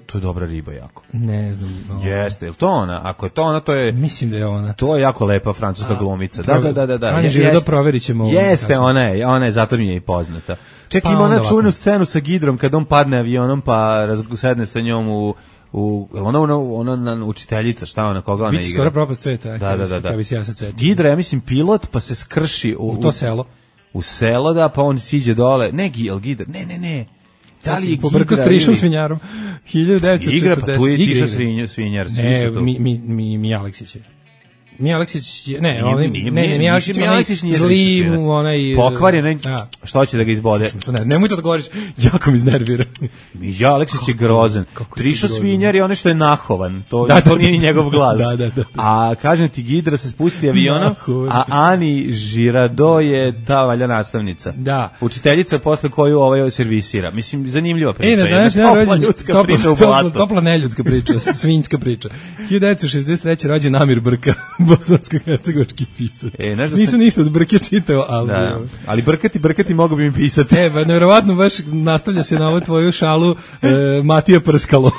To je dobra riba jako. Ne znam. Jeste, je li to ona? Ako je to ona, to je... Mislim da je ona. To je jako lepa francuska glumica. Da. Anja Žirado, proverit ćemo. Jeste, ona je, zato mi je i poznata. Čekaj, ima ona čuvenu scenu sa Gidrom kad on padne avionom pa sedne sa njom ona učiteljica, šta ona, koga ona igra? Biće skoro propast sveta. Da. Bi se ja sad setio. Gidra, ja mislim, pilot, pa se skrši u to selo. U selo, da, pa on siđe dole. Ne, Gidra, ne. Da li je pobrko s Trišom Svinjarom 1940. Igra, pa tu je Triša Svinjar. Ne, mi Aleksić je. Mi Aleksić je, mi Aleksić nije zli mu onaj... Pokvarjen, što će da ga izbode? Nemoj to da govoriš, jako mi iznervira. Mi Aleksić je grozan. Triša Svinjar je onaj što je nahovan, to nije ni njegov glas. Da. A kažem ti, Gidra se spusti avionom, a Ani Žirado je ta valja nastavnica. Da. Učiteljica posle koju servisira. Mislim, zanimljiva priča. Topla neljudska priča, svinjska priča. 1963. rođen Amir Brka. Bosansko-hercegovački pisac. Nisam ništa od Brke čitao, ali... Da. Ali brkati mogu bi mi pisati. Nevjerovatno baš nastavlja se na ovu tvoju šalu Matija Prskalo.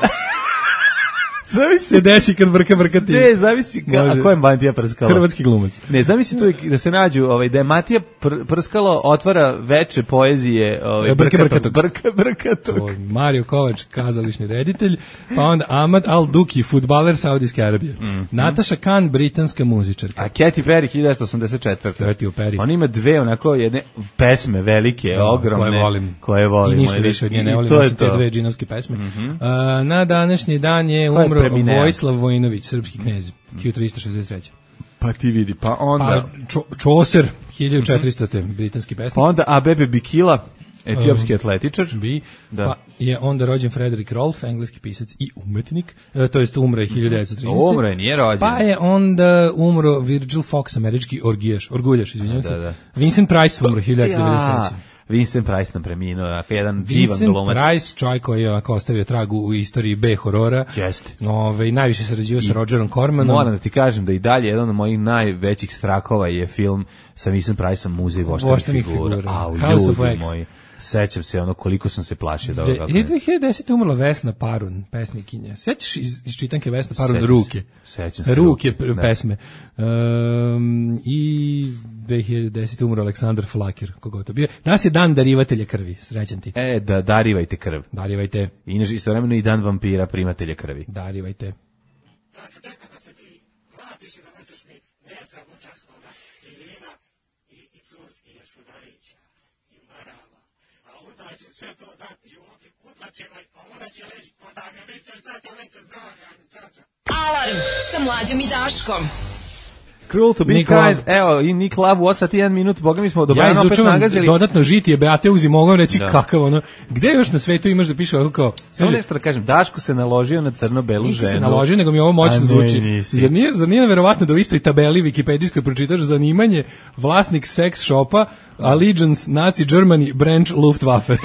Zavisi se desi kad brkati. Ne, zavisi a ko je Matija Prskalo? Hrvatski glumac. Ne, zavisi tu da se nađu, da je Matija Prskalo otvara veče poezije, Brkatog. Mario Kovač, kazališni reditelj, pa onda Ahmad Al-Duki, fudbaler Saudijske Arabije. Nataša Khan, britanska muzičarka. A Katy Perry 1984. Katy Perry. On ima dve onako jedne pesme velike, ogromne, koje volim. I ništa više od nje ne volim, osim te dve džinovske pesme. Na današnji dan je umro Vojislav Vojinović, srpski knez, 1363. Pa ti vidi, pa onda... Čoser, 1400. britanski pesnik. Pa onda Abebe Bikila, etiopski atletičar. Pa je onda rođen Frederick Rolfe, engleski pisac i umetnik, to jest umro je 1913. Umro je, nije rođen. Pa je onda umro Virgil Fox, američki orguljaš, izvinjam se. Vincent Price umro 1993. Vincent Price nam preminuo, jedan divan glumac. Vincent Price, čovjek koji je ostavio tragu u istoriji B-horora. Jeste. Najviše sarađivao sa Rogerom Cormanom. Moram da ti kažem da i dalje jedan od mojih najvećih strahova je film sa Vincent Priceom, Muzej voštanih figura. Ljudi moji. Sećam se koliko sam se plašio da ovoga. 2010. umrla Vesna Parun, pesnikinja. Sećaš iz čitanke Vesna Parun Ruke? Sećam se. Ruke pesme. I 2010. umro Aleksandar Flakir, kogo to bio. Nas je dan darivatelja krvi, srećan ti. Darivajte krv. Darivajte. I istovremeno i dan vampira, primatelja krvi. Darivajte. Ja ću čekati da se ti vratiš i da neseš mi Neca Bučarskoga i Lina i Curski i Šudarića i Marama. A onda će sve to dati ovdje kutlačima, a onda će leći podane, vidite šta će leći zdravlja. Alarm sa Mlađom i Daškom. Cruel to be kind. Evo, i Nick Love u 8 minut, boga mi smo dobrano opet nagazili. Dodatno žitije Beate Uzi, mogu reći kakav gde još na svetu imaš da piše ovako kao... Samo nešto da kažem, Daško se naložio na crno-belu ženu. Nisi se naložio, nego mi ovo moćno zvuči. Zar nije verovatno da u istoj tabeli wikipedijskoj pročitaš zanimanje vlasnik sex shopa, Allegiance, Nazi Germany, Branch, Luftwaffe.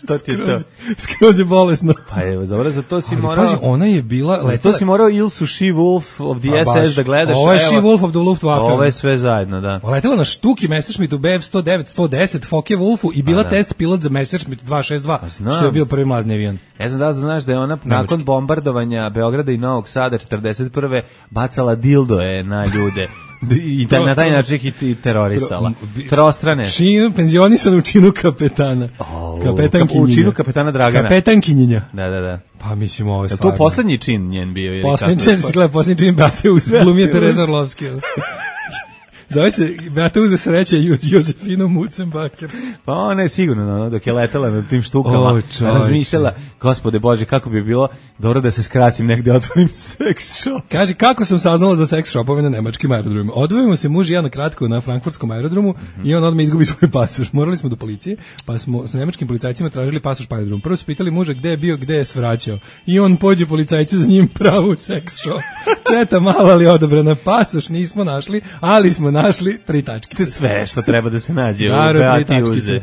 Što ti je to? Skroz je bolesno. Pa evo, dobro, za to si morao... Pazi, ona je bila... Za to si morao Ilsu She-Wolf of the SS da gledaš. Ovo je She-Wolf of the Luftwaffe. Ovo je sve zajedno, da. Letela na štuki Messerschmittu Bf-109, 110, Focke-Wulfu i bila test pilot za Messerschmitt 262, što je bio prvi mlazni avion. Ja znam da znaš da je ona nakon bombardovanja Beograda i Novog Sada 41. bacala dildoje na ljude. I na taj način ih terorisala. Trostrane. Penzionisan u činu kapetana. U činu kapetana Dragana. Kapetankinjenja. Da. Pa mislim ovo je stvarno. Je to poslednji čin njen bio? Poslednji čin Beate Uzi, glumije Tereza Orlovski. Zove se Beate Uzi sreće Josefino Mucenbaker. Pa ona je sigurno, dok je letela na tim štukama, razmišljala, gospode Bože, kako bi bilo dobro da se skrasim negde, otvorim sex shop. Kaže, kako sam saznala za sex shopove na nemačkim aerodromima? Odvojimo se muž i ja na kratko na frankfurtskom aerodromu i on odmah izgubi svoj pasoš. Morali smo do policije, pa smo sa nemačkim policajcima tražili pasoš po aerodromu. Prvo su pitali muža gde je bio, gde je svraćao. I on pođe policajci za njim pravu sex shop. Četa mala ali odobrana, pasoš nismo našli, ali smo našli 3 tačke. Sve što treba da se nađe u Beati Uze.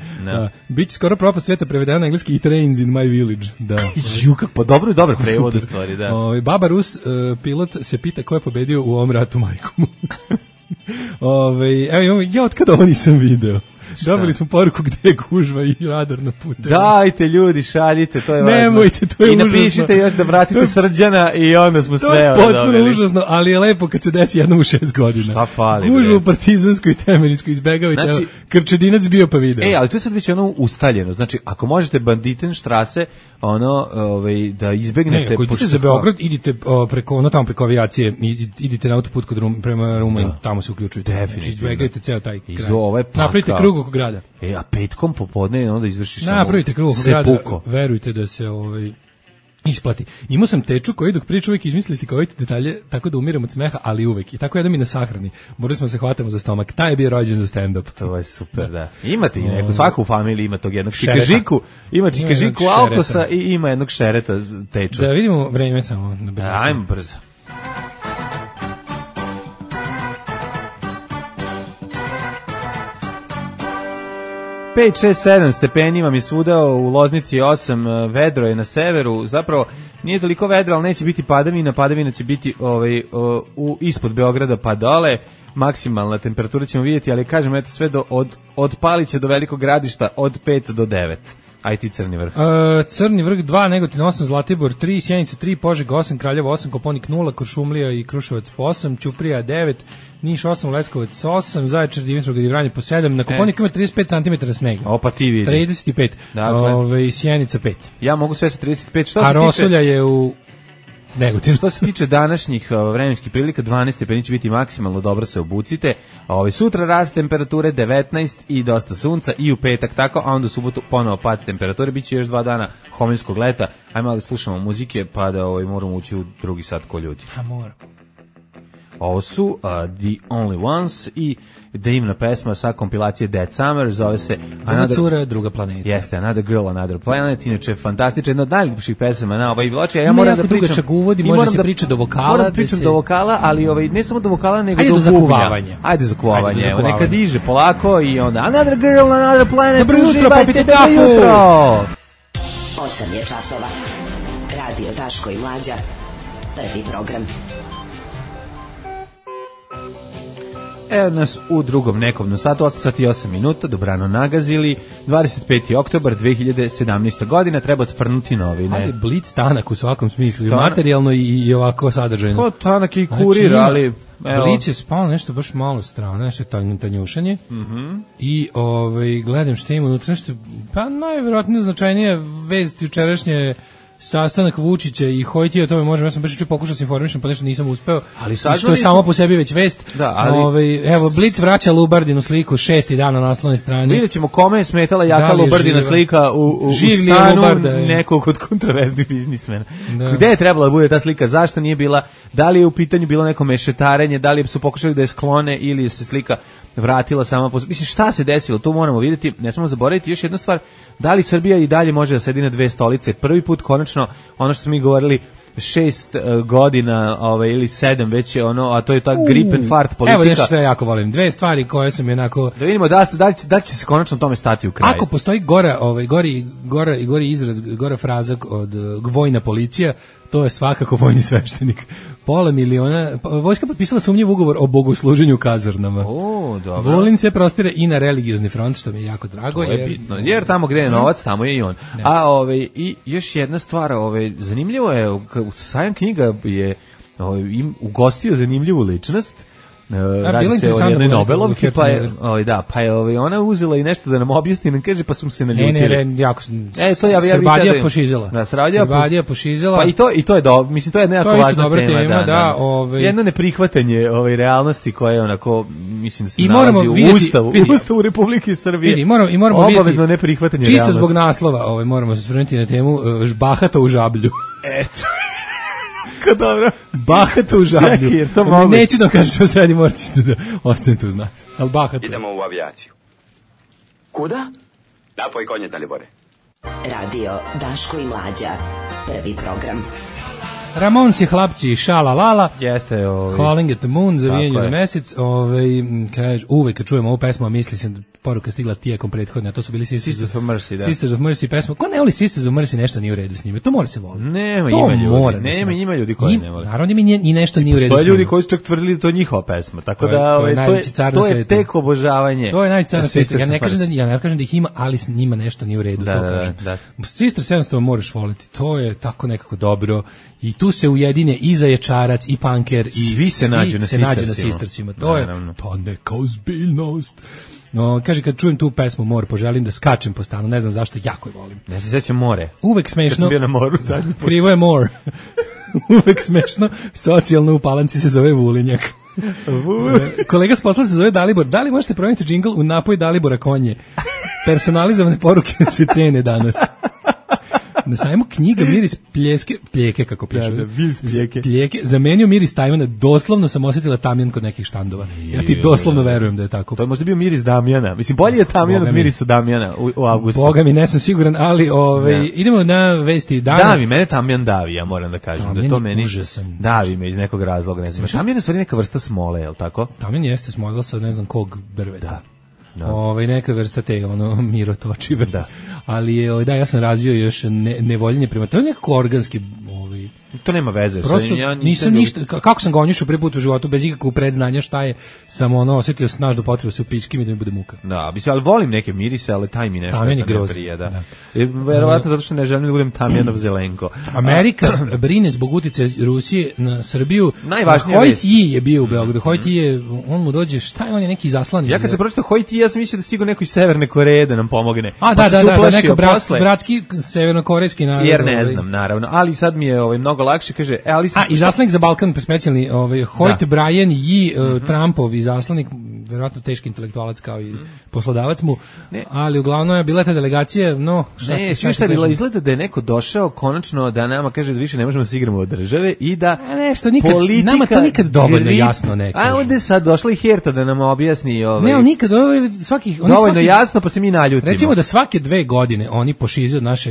Biće skoro propast sveta prevedeno na engleski i Trains in my village. Pa dobro prevod u stvari, da. Baba Rus, pilot, se pita ko je pobedio u ovom ratu, majkomu. Evo, ja od kada ovo nisam video. Dobili smo poruku gde je gužva i radar na putu. Dajte ljudi, šaljite, to je važno. Nemojte, to je užasno. I napišite još da vratite Srđana i onda smo sve dobili. To je potpuno užasno, ali je lepo kad se desi jednom u 6 godina. Šta fali? Gužva u Partizanskoj i Temeljskoj izbegavajte. Znači, Krčedinac bio pa video. Ali to je sad već ono ustaljeno. Znači, ako možete Banditenštrase, da izbegnete... Ne, ako idete za Beograd, idite preko avijacije, idite na autoput prema Rumuniji, tamo se uključujete. Definitivno. Znači, izbegajte ceo taj kraj. Napravite krug oko grada. A petkom popodne onda izvršiš samo napravite krug oko grada, verujte da se isplati. Imao sam teču koji dok priča uvijek izmisli slikovite detalje tako da umiram od smeha, ali uvek. I tako jedan mi na sahrani. Morali smo se hvatamo za stomak. Taj je bio rođen za stand-up. To je super, da. Imate i neko, svaka u familiji ima tog jednog čikažiku. Ima čikažiku alkosa i ima jednog šereta teču. Da vidimo vreme samo. Ajmo brzo. 5, 6, 7 stepeni vam je svuda, u Loznici 8, vedro je na severu, zapravo nije toliko vedro, ali neće biti padavina će biti ispod Beograda pa dole, maksimalna temperatura ćemo vidjeti, ali kažem, eto sve od Palića do Velikog Gradišta od 5 do 9. Aj ti Crni vrh. Crni vrh 2, Negotin 8, Zlatibor 3, Sjenica 3, Požega 8, Kraljevo 8, Koponik 0, Kuršumlija i Kruševac po 8, Ćuprija 9, Niš 8, Leskovac 8, Zaječar, Dimitrovgrad i Vranje po 7, na Koponiku ima 35 cm snega. Opa ti vidi. 35, dakle. Sjenica 5. Ja mogu sve sa 35. Što a Rosulja je u Negotin. Što se tiče današnjih vremenskih prilika, 12 stepeni će biti maksimalno, dobro se obucite. Sutra rast temperature 19 i dosta sunca i u petak tako, a onda u subotu ponovo pad temperature, biće još 2 dana hominskog leta. Ajmo da slušamo muzike pa da moramo ući u drugi sat ko ljudi. A mora. Ovo su The Only Ones i divna pesma sa kompilacije Dead Summer, zove se Druga cura, druga planeta. Jeste, Another Girl, Another Planet, inače fantastična, jedna od najljepših pesama na ovaj ploči. Ja moram da pričam, uvodi, može se priča do vokala. Moram da pričam do vokala, ali ne samo do vokala, nego do zakuvavanja. Ajde za kuvavanje. Evo, neka diže polako i onda Another Girl, Another Planet. Dobro jutro, popite kafu. 8 je časova. Radio Daško i Mlađa. Prvi program. Evo nas u drugom nekovnom satu, 8 sati i 8 minuta, dobrano nagazili, 25. oktobar 2017. godina, treba otprnuti novine. Ali blic tanak u svakom smislu, i materijalno i ovako sadržajno. To tanak i kurir, ali... Blic je spalo nešto baš malo strano, nešto tanjušanje i gledam što ima unutra, nešto, pa najvjerojatnije značajnije vest jučerašnje sastanak Vučića i Hojtija, o tome možemo, ja sam baš pokušao se informišem, pa nešto nisam uspeo, ali što je samo po sebi već vest. Da, ali... Evo, Blic vraća Lubardinu sliku 6. dan na naslovnoj strani. Vidjet ćemo kome je smetala jaka Lubardina slika u stanu nekog od kontraverznih biznismena. Da. Gde je trebala da bude ta slika, zašto nije bila, da li je u pitanju bilo neko mešetarenje, da li su pokušali da je sklone ili se slika vratila sama po... Mislim, šta se desilo, to moramo vidjeti, ne smemo zaboraviti još jednu stvar, da li Srbija i dalje može da sedi na 2 stolice, prvi put konačno, ono što smo mi govorili, 6 godina ili 7 već je a to je ta grip and fart politika. Evo nešto što ja jako volim, 2 stvari koje su mi onako... Da vidimo da će se konačno tome stati u kraj. Ako postoji gori izraz, gora fraza od vojna policija, to je svakako vojni sveštenik. Pola miliona, vojska potpisala sumnjiv ugovor o bogosluženju u kazarnama. Dobro. Vulin se prostire i na religiozni front, što mi je jako drago. To je bitno, jer tamo gde je novac, tamo je i on. Ne. I još jedna stvar, zanimljivo je, Sajam knjiga je ugostio zanimljivu ličnost. Radi se o jednoj Nobelovki, pa je ona uzela i nešto da nam objasni, nam kaže, pa su se naljutili. Ne, jako Srbadija pošizela. Da, Srbadija pošizela. Pa i to je dobro, mislim, to je nekako važna tema. Da, jedno neprihvatanje realnosti koja je onako, mislim da se nalazi u Ustavu Republike Srbije. I moramo obavezno neprihvatanje realnosti. Čisto zbog naslova, moramo se osvrnuti na temu Bahato u Žablju. Eto. Dobro. Bahato u Žablju. Neću da kažem što sredi, morate da ostanete uz nas. Ali bahato. Idemo u avijaciju. Kuda? Napoj konje, Dalibore. Radio Daško i Mlađa. Prvi program. Ramonsi hlapci šala lala. Jeste, Calling at the Moon, zavijenju na mesec. Kaže, uvek kad čujemo ovu pesmu, misli se poruka stigla tijekom prethodne, a to su bili Sisters of Mercy, da. Sisters of Mercy pesma. Ko ne voli Sisters of Mercy, nešto nije u redu s njime. To mora se voliti. Ima ljudi koji ne vole. Naravno i nešto nije u redu. To je ljudi koji su čak tvrdili da to je njihova pesma. Tako da to je tek obožavanje. To je najveći car na svijetu. Ja ne kažem da ih ima, ali s njima nešto nije u redu. Da. Sisters jednostavno moraš voliti. To je tako nekako dobro. I tu se ujedine i Zaječarac i Punker i svi se nađu na Sistersima. To je to neka ozbiljnost. No, kaže, kad čujem tu pesmu More, poželim da skačem po stanu, ne znam zašto, jako je volim. Ja se sjećam More. Uvek smešno. Kad sam bio na moru zadnji put. Krivo je More. Uvek smešno, socijalno u Palanci se zove Vulinjak. Kolega s posla se zove Dalibor. Da li možete promijeniti džingl u napoj Dalibora konje? Personalizovane poruke se cene danas. Na sajmu knjiga miris pljeke, kako piše. Pljeke. Zamenio miris Tajvana, doslovno sam osjetila tamjan kod nekih štandova. Ja ti doslovno verujem da je tako. To je možda bio miris Damjana. Mislim, bolje je tamjan od mirisa Damjana u avgustu. Boga mi, nisam siguran, ali idemo na vesti dana. Davi, mene tamjan davi, ja moram da kažem. Da to meni davi me iz nekog razloga. Ne znam. Tamjan je u stvari neka vrsta smole, je li tako? Tamjan jeste smola sa ne znam kog drveta. Neka vrsta te mirotočive. Da. Ali ja sam razvio još nevoljenje prema, to je nekako organski to nema veze. Prosto nisam ništa, kako sam ga onjušao prvi put u životu bez ikakvog predznanja šta je, sam osjetio snažnu potrebu se u pičkim i da mi bude muka. Da, ali volim neke mirise, ali taj mi nešto ne prije. Verovatno zato što ne želim da budem Tamjanov Zelenko. Amerika brine zbog uticaja Rusije na Srbiju. Najvažnija vest. Hoj je bio u Beogradu. Hoj je, on mu dođe, šta je, on je neki zaslanik. Ja kad se pročitao Hoj ja sam mislio da stigo neko iz Severne Koreje da nam pomogne. Da, neko bratski severnokorejski narod. Jer ne znam, naravno, ali sad mi je mnogo lakše, kaže, ali izaslanik za Balkan specijalni, Hoyt Bryan i Trumpov izaslanik, verovatno teški intelektualac kao i poslodavac mu, ali uglavnom je bila ta delegacija, šta je bilo, izgleda da je neko došao konačno da nama kaže da više ne možemo da se igramo od države i da politika, nama to nikad dovoljno jasno ne kaže. A onda je sad došla i Herta da nam objasni Ne, nikad dovoljno jasno, pa se mi naljutimo. Recimo da svake 2 godine oni pošize od naše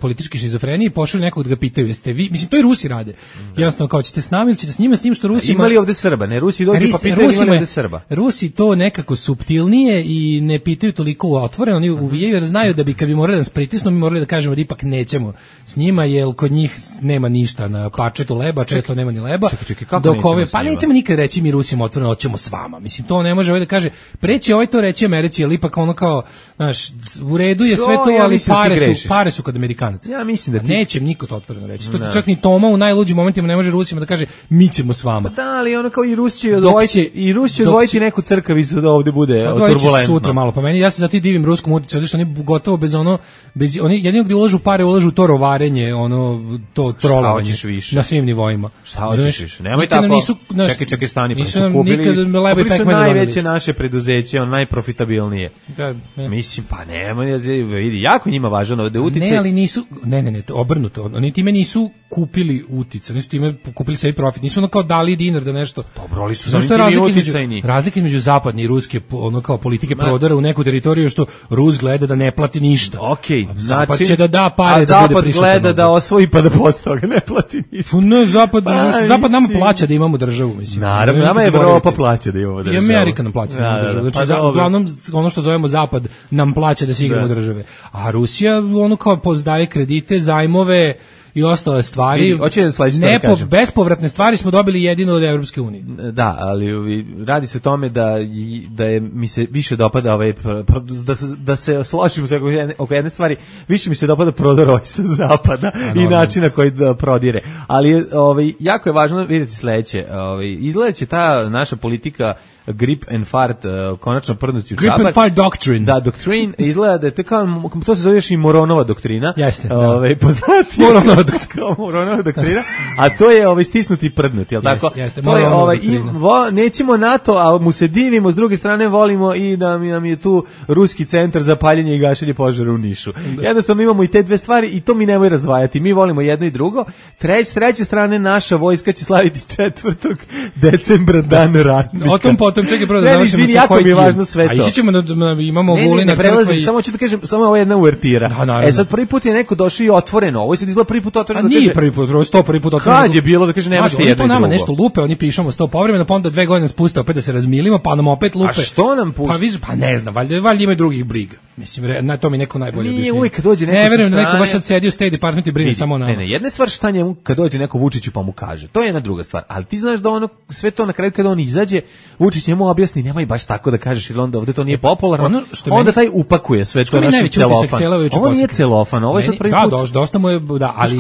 političke šizofrenije, pošalju nekog da ga pitaju, jeste vi, mislim, to i Rusi rade. Jednostavno, kao ćete s nama ili ćete s njima, s tim što Rusi imali ovde Srba, ne, Rusi dođu pa pitaju imali ovde Srba. Rusi to nekako suptilnije i ne pitaju toliko otvoreno, oni uvijaju jer znaju da bi kad bi morali da nas pritisnu, mi morali da kažemo da ipak nećemo s njima, jer kod njih nema ništa na pačetu leba, često nema ni leba. Čekaj, kako nećemo nikad reći mi Rusima otvoreno, hoćemo s vama. Mislim, to ne može da kaže, preći to reći Americi, ali ipak ono kao, znaš, u redu je sve to, ali pare su kod Amerikanaca. Ja mislim da neće niko to otvoreno reći. To čak ni Toma u najluđim momentima ne može Rusima da kaže mi ćemo s vama. Da, ali ono kao i Rusi će odvojiti neku crkavicu da ovde bude turbulentno. Sutra malo, pa meni, ja se zato i divim ruskom uticaju, što oni gotovo bez oni jedino gdje ulažu pare, ulažu to rovarenje, to trolovanje na svim nivoima. Šta hoćeš više? Nemoj tako. Čekaj, stani, pa su kupili najveće naše preduzeće, najprofitabilnije. Mislim, pa nemoj, vidi, jako njima važno da utice. Ne, ali nisu, ne, obrnuto. Oni time nisu kupili uticaj, nisu time kupili sebi profit, nisu ono kao dali dinar da nešto. Dobro, ali su zanimljivi uticajni. Razlika između zapadne i ruske ono kao politike prodora u neku teritoriju što Rus gleda da ne plati ništa. Okej, Zapad će da da pare da bude prisutan. A Zapad gleda da osvoji pa da posle toga ne plati ništa. Ne, Zapad nama plaća da imamo državu, mislim. Naravno, nama Evropa plaća da imamo državu. I Amerika nam plaća da imamo državu. Znači, uglavnom, ono što zovemo Zapad nam plaća da se igramo države. A Rusija ono kao daje kredite, zajmove i ostale stvari. Bespovratne stvari smo dobili jedino od Evropske unije. Da, ali radi se o tome da mi se više dopada da se složimo oko jedne stvari, više mi se dopada prodor sa zapada i načina koji da prodire. Ali jako je važno vidjeti sledeće. Izgleda će ta naša politika grip and fart konačno prdnuti u čapak. Grip and fart doctrine. Da, doctrine izgleda da je to se zove još i Moronova doktrina. Jeste. Poznati Moronova doktrina, a to je stisnuti i prdnuti, jel tako? Jeste, to je nećemo NATO, ali mu se divimo, s druge strane volimo i da nam je tu ruski centar za paljenje i gašenje požara u Nišu. Jednostavno imamo i te dve stvari i to mi nemoj razdvajati. Mi volimo jedno i drugo. S treće strane naša vojska će slaviti 4. decembra dan ratnika. O tom potom putem, čekaj prvo da završimo sa jako mi je važno sve to. A ići ćemo imamo Vulina crkva i... Samo ću da kažem, samo ovo jedna uvertira. Sad prvi put je neko došao i otvoreno, ovo je sad izgleda prvi put otvoreno. A nije prvi put, prvi put otvoreno. Kad je bilo da kaže nemaš ti jedno i drugo. Nama nešto lupe, oni pišemo 100 povremeno, pa onda 2 godine spuste opet da se razmilimo, pa nam opet lupe. A što nam pušta? Pa ne znam, valjda ima drugih briga. Mislim, na to mi neko najbolje objašnjenje. Nije uvijek kad dođe neko sa strane. Ne verujem da neko baš sad sedi u State Department i brine samo o nama. Ne, jedna stvar šta njemu kad dođe neko Vučiću pa mu kaže. To je jedna druga stvar. Ali ti znaš da ono sve to na kraju kada on izađe, Vučić njemu objasni, nemoj baš tako da kažeš, jer onda ovde to nije popularno. Onda taj upakuje sve to naši celofan. Ovo nije celofan, ovo je sad prvi put. Da, dosta mu je, da, ali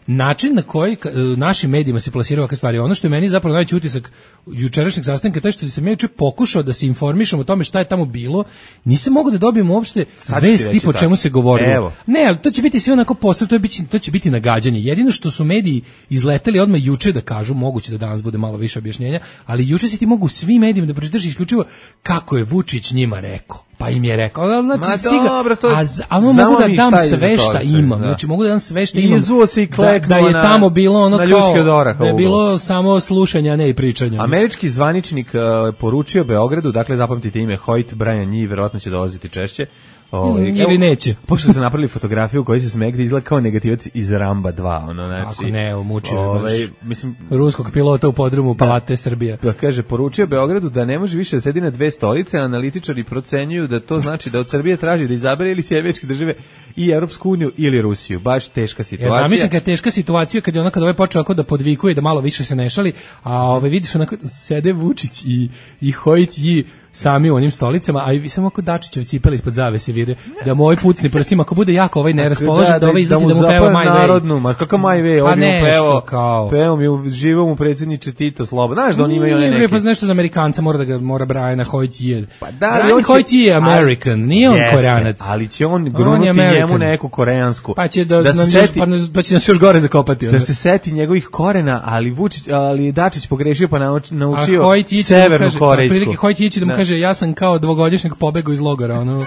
način na koji našim medijima se plasiraju ovakve stvari, ono što je meni zapravo najveći utisak jučerašnjeg sastanka, taj što sam ja juče pokušao da se informišem o tome šta je tamo bilo, nisam mogao da dobijem uopšte vesti po čemu se govorilo. Ne, ali to će biti sve onako posle, to će biti nagađanje. Jedino što su mediji izleteli odmah juče da kažu, moguće da danas bude malo više objašnjenja, ali juče si ti mogu svim medijima da pročitaš isključivo kako je Vučić njima rekao. Pa im je rekao, znači ono mogu da dam sve šta imam, znači mogu da dam sve šta imam, da je tamo bilo ono kao, da je bilo samo slušanje, a ne i pričanje. Američki zvaničnik poručio Beogradu, dakle zapamtite ime Hoyt, Brian Njih, verovatno će dolaziti češće, ili neće. Pošto su napravili fotografiju u kojoj se smegde izgleda kao negativac iz Ramba 2, ono, znači. Kako ne, umučio mislim ruskog pilota u podrumu Palate Srbije. Da kaže, poručio Beogradu da ne može više da sedi na 2 stolice, analitičari procenjuju da to znači da od Srbije traži da izabere ili Sjevečke države i Evropsku uniju ili Rusiju. Baš teška situacija. Ja zamišljam kad je teška situacija, kad je ona kad ovaj počeo da podvikuje da malo više se ne šali, a vidiš onako sede Vučić i Hoyt sami u onim stolicama, a i samo ako Dačićev cipeli ispod zavese vire, da moj pucni prstima, ako bude jako ovaj neraspoložen, da ovaj izleti da mu peva My Way. Narodnu, ma kakav My Way, on mi pevao mi živom u predsjedniče Tito Slobo. Znaš da on ima i one neke. Pa nešto za Amerikanca mora Brian Hoyt. Pa da, Hoyt je American, nije on Koreanac. Ali će on grunuti njemu neku koreansku. Pa će pa će nas još gore zakopati. Da se seti njegovih korena, ali Dačić pogrešio pa naučio severnu korejsku. Hoyt da mu kaže, ja sam kao 2-godišnjak pobegao iz logora, ono.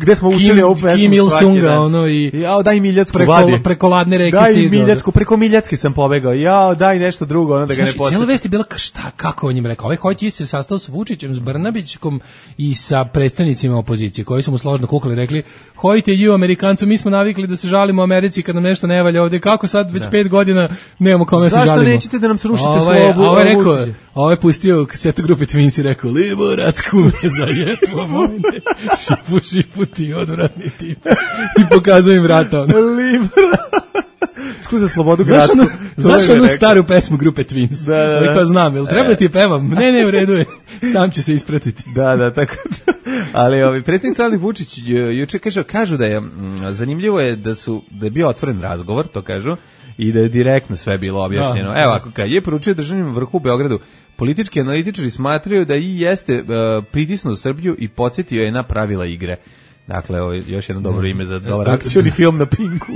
Gde smo učili ovu pesmu Kim Il-sunga, ono, i daj Miljacku preko ladne reke stigao. Daj Miljacku, preko Miljacke sam pobegao, daj nešto drugo, ono da ga ne podsjetim. Cijela vest je bila, kako on njim rekao, ovaj Hoyt se sastao s Vučićem, s Brnabićkom i sa predstavnicima opozicije, koji su mu složno kukali, rekli, Hoyt je Amerikancu, mi smo navikli da se žalimo u Americi kad nam nešto ne valja ovde, kako sad već 5 godina nemamo kome se žalimo. Zašto nećete da nam srušite slobu? Ovo je pustio kasetu grupe Twins i rekao, Liborac me zajetvo vojne, šipu ti odvratni tip. I pokazujem vrata. Skuza slobodu gradsku. Znaš onu staru pesmu grupe Twins? Da. Pa znam, jel treba ti pevam? Ne, u redu je. Sam će se ispratiti. Da, tako. Ali predsjednik Aleksandar Vučić juče kažu da je zanimljivo je da je bio otvoren razgovor, to kažu, i da je direktno sve bilo objašnjeno. Evo, ako je poručio državnom vrhu u Beogradu, politički analitičari smatraju da i jeste pritisnuo Srbiju i podsjetio je na pravila igre. Dakle, ovo je još jedno dobro ime za dobar akcioni film na Pinku.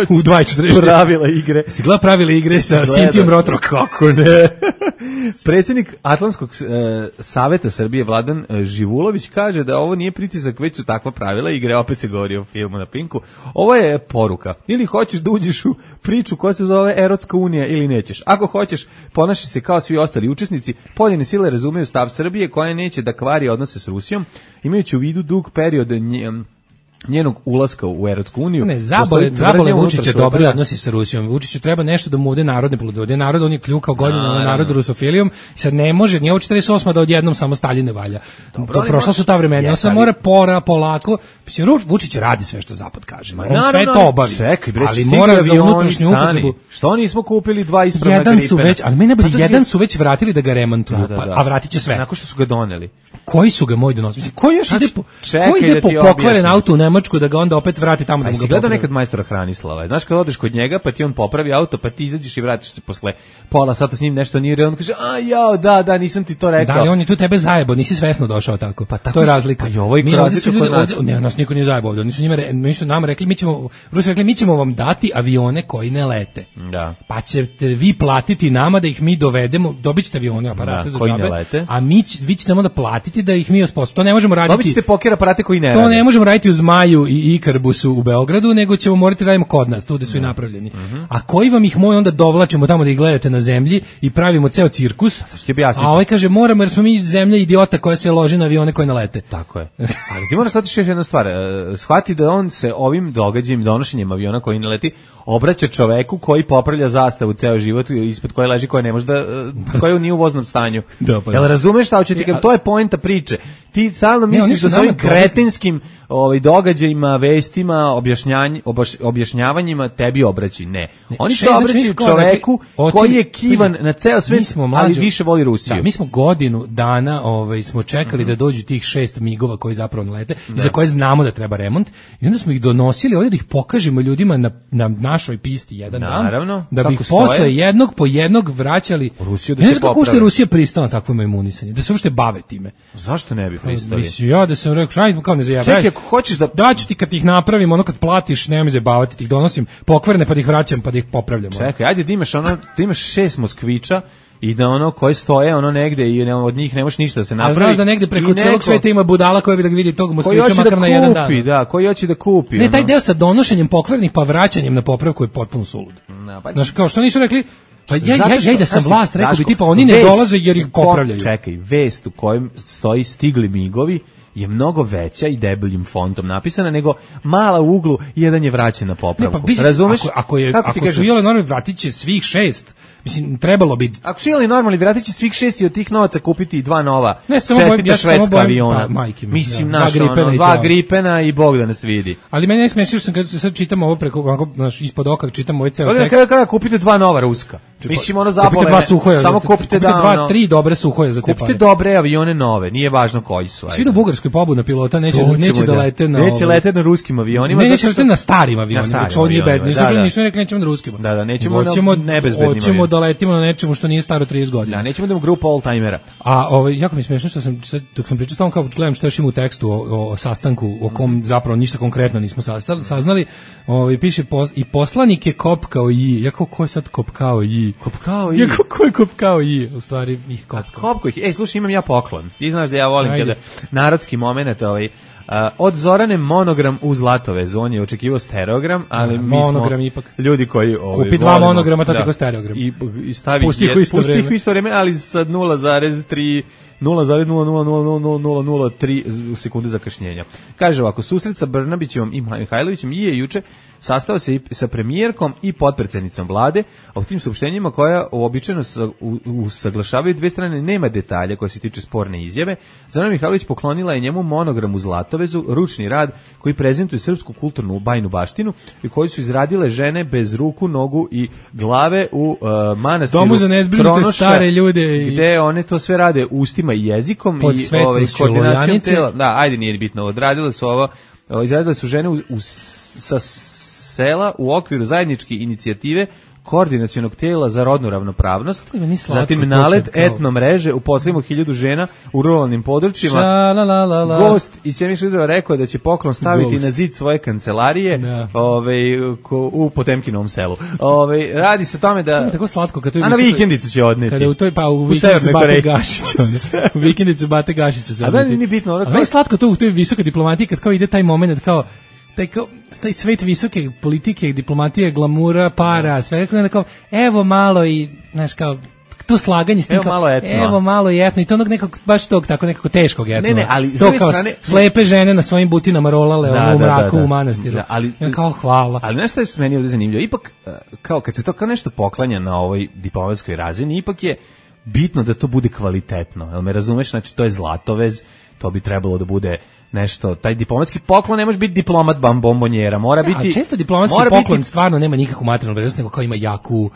U 2:40. Pravila igre. Si gleda pravila igre sa Sintijom Rotro? Kako ne? Predsjednik Atlantskog saveta Srbije Vladan Živulović kaže da ovo nije pritisak, već su takva pravila igre. Opet se govori o filmu na Pinku. Ovo je poruka. Ili hoćeš da uđeš u priču koja se zove Erotska unija ili nećeš. Ako hoćeš, ponaši se kao svi ostali učesnici. Poljene sile razumeju stav Srbije koja neće da kvari odnose s Rusijom, imajući u vidu dug period njenog ulaska u Evropsku uniju. Ne, zabole Vučića dobri odnosi sa Rusijom. Vučiću treba nešto da mu ode narodne plodove. Narod, on je kljukao godinama na narodu rusofilijom i sad ne može, nije ovo 48 da odjednom samo Stalin ne valja. Prošla su ta vremena, on se mora polako. Vučić radi sve što Zapad kaže. On sve to obavi. Ali mora za unutrašnju upotrebu. Što nismo kupili 2 ispravna Gripena? Ali mene jedan su već vratili da ga remontuju, a vratit će sve. Nakon što su ga doneli. Koji su ga moji donosili? Mislim, koji još ide po pokvaren auto u Nemačku da ga onda opet vrati tamo da mu ga popravi? Gledao nekad majstora Hranislava. Znaš kad odeš kod njega pa ti on popravi auto pa ti izađeš i vratiš se posle pola sata s njim nešto nije, on kaže da, nisam ti to rekao. Da, ali on je tu tebe zajebo, nisi svesno došao tako. Pa to je razlika. Pa i ovo je razlika kod nas. Ne, nas niko nije zajebo ovde. Oni su nam rekli, mi ćemo vam dati avione koji ne lete. Da. Pa ćete vi platiti nama da ih mi dovedemo, dobićete avione, aparate za džabe, a vi ćete onda platiti da ih mi osposobimo. To ne možemo raditi. Dobićete poker aparate koji ne rade. To ne možemo raditi uz Maju i Ikarbusu u Beogradu, nego ćemo morati radimo kod nas, tu gde su i napravljeni. A koji vam ih moj onda dovlačimo tamo da ih gledate na zemlji i pravimo ceo cirkus? A ovaj kaže moramo jer smo mi zemlja idiota koja se loži na avione koje nalete. Tako je. Ali ti moraš shvatiti još jednu stvar. Shvati da on se ovim događajem, donošenjem aviona koji naleti, obraća čoveku koji popravlja zastavu ceo život ispod koje leži, koja ne može da, koja nije u voznom stanju. Jel razumeš šta hoće ti kažem? To je poenta priče. Ti stalno misliš da sa ovim kretinskim događajima, vestima, objašnjavanjima tebi obraći. Ne. Oni se obraćaju čoveku koji je kivan na ceo svet, ali više voli Rusiju. Da, mi smo godinu dana smo čekali da dođu tih 6 migova koji zapravo nalete i za koje znamo da treba remont i onda smo ih donosili ovdje da ih pokažemo ljudima na našoj pisti jedan dan, da bi ih posle jednog po jednog vraćali. Rusiju da se popravi. Kako je Rusija pristala na takvo imunisanje, da se uopšte bave time. Zašto ne bi pristali? Mislim, ja da sam rekao, ajde kao ne zajebaj. Čekaj, ako hoćeš da daću ti kad ih napravim, ono kad platiš, nemoj me zabavati, ti ih donosim pokvarene pa da ih vraćam, pa da ih popravljamo. Čekaj, ajde da imaš da imaš 6 Moskvića i da koji stoje negde i od njih ne možeš ništa da se napravi. A znaš da negde preko celog sveta ima budala koja bi da vidi tog Moskvića makar na jedan dan. Da, koji hoće da kupi. Ne, taj deo sa donošenjem pokvarenih pa vraćanjem na popravku je potpuno sulud. Znaš, kao što nisu rekli, pa ja da sam vlast, rekao bi tipa oni ne dolaze jer ih popravljaju. Čekaj, vest u kojem stoji stigli migovi je mnogo veća i debeljim fontom napisana nego mala u uglu jedan je vraćen na popravku. Razumeš? Ako su jele normalni vratit će svih 6. Mislim, trebalo bi... Ako su jeli normalni, vratit će svih 6 i od tih novaca kupiti i 2 nova čestita švedska aviona. Mislim, naš, 2 Gripena i Bog da nas vidi. Ali meni ne smiješ što sam kad sad čitam ovo preko, ispod oka, čitam ovaj ceo tekst. Kada kupite 2 nova ruska? Mislim, zabole. Kupite 2 suhoja. Samo kupite 2-3 dobre suhoje za te pare. Kupite dobre avione nove, nije važno koji su. Svi do Bugarskoj pobuda pilota neće da lete na... Neće lete na ruskim avionima. Neće lete na starim avionima. Čo nije bezbedno. Nisu rekli nećemo na ruskim. Da, nećemo na nebezbednim avionima. Da letimo na nečemu što nije staro 30 godina. Da, nećemo da imamo grupu oldtimera. A jako mi je smiješno što sam dok sam pričao tamo kao gledam što još ima u tekstu o sastanku o kom zapravo ništa konkretno nismo saznali. Piše i poslanik je kopkao i jako ko je sad kopkao i jako ko je kopkao i u stvari ih kopkao. Slušaj, imam ja poklon. Ti znaš da ja volim kada narodski momenat od Zorane monogram u Zlatovez, on je očekivao stereogram, ali mi smo ipak. Ljudi koji kupi 2 monograma, to tako stereogram. I stavi pusti ih u isto vreme, ali sa 0,3 0,00003 sekunde zakašnjenja. Kaže ovako, susret sa Brnabićevom i Mihajlovićem je juče sastao se i sa premijerkom i potpredsednicom vlade, a u tim saopštenjima koja uobičajeno usaglašavaju dve strane nema detalja koje se tiče sporne izjave. Zorana Mihajlović poklonila je njemu monogram u Zlatovezu, ručni rad koji prezentuje srpsku kulturnu bajnu baštinu i koji su izradile žene bez ruku, nogu i glave u manastiru Domu za nezbrinute stare ljude gde one to sve rade ustima i jezikom pod i koordinacijom tela. Da, ajde, nije bitno. Odradile su ovo, izradile su žene sa sela u okviru zajedničke inicijative koordinacionog tela za rodnu ravnopravnost, zatim nalet etno mreže, uposlimo 1000 žena u ruralnim područjima. Gost iz Sjemiškog Hidrova rekao da će poklon staviti na zid svoje kancelarije u Potemkinovom selu. Radi se o tome da... Tako slatko, kad to je a na vikendicu će odneti. Kada u vikendicu Bate Gašića. U vikendicu Bate Gašića će odneti. A da nije bitno. A meni slatko to u toj visokoj diplomatiji kad kao ide taj moment kao taj svet visoke politike, diplomatije, glamura, para, sve kao, evo malo i, znaš, kao, to slaganje s tim, evo malo i etno, i to onog nekog, baš tog, tako nekako teškog etno. Ne, ali to kao strane, slepe žene na svojim butinama rolale u mraku u manastiru. Ali, kao hvala. Ali nešto je meni ovdje zanimljivo, ipak, kao kad se to kao nešto poklanja na ovoj diplomatskoj razini, ipak je bitno da to bude kvalitetno, jel me razumeš, znači to je Zlatovez, to bi trebalo da bude nešto, taj diplomatski poklon ne može biti diplomat bombonjera, mora biti... A često diplomatski poklon stvarno nema nikakvu materijalnu vrednost, nego kao ima jaku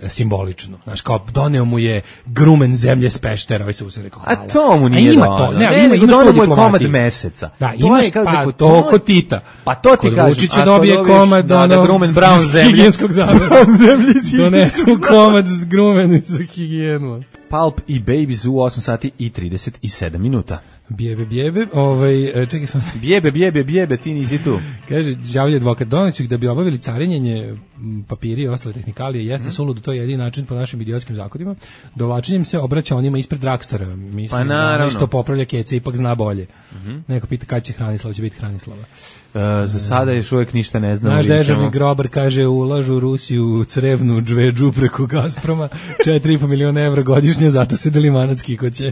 simboličnu. Znaš, kao doneo mu je grumen zemlje s Peštera, ovaj se rekao hvala. A to mu nije doneo. Ne, doneo mu je komad meseca. Da, imaš pa to kod Tita. Pa to ti kažem. Vučić dobije komad grumen brown zemlje. Higijenskog zavora. Donesu komad grumen za higijenu. Pulp i Babies u 8 sati i 37 minuta. Bijebe, čekaj sam. Bijebe, ti nisi tu. Kaže, žavlje advokat, donesu ih da bi obavili carinjenje papiri i ostale tehnikalije, jeste suludo, to je jedini način po našim idiotskim zakonima. Dovlačenjem se obraća onima ispred Dragstora. Mislim, pa što popravlja Kece, ipak zna bolje. Neko pita kada će Hranislava, će biti Hranislava. Za sada još uvijek ništa ne znam. Naš dežavni grobar kaže, ulažu Rusiju crevnu džvedžu preko Gazproma, 4,5 miliona evra godišnje, zato se Delimanat skikoće.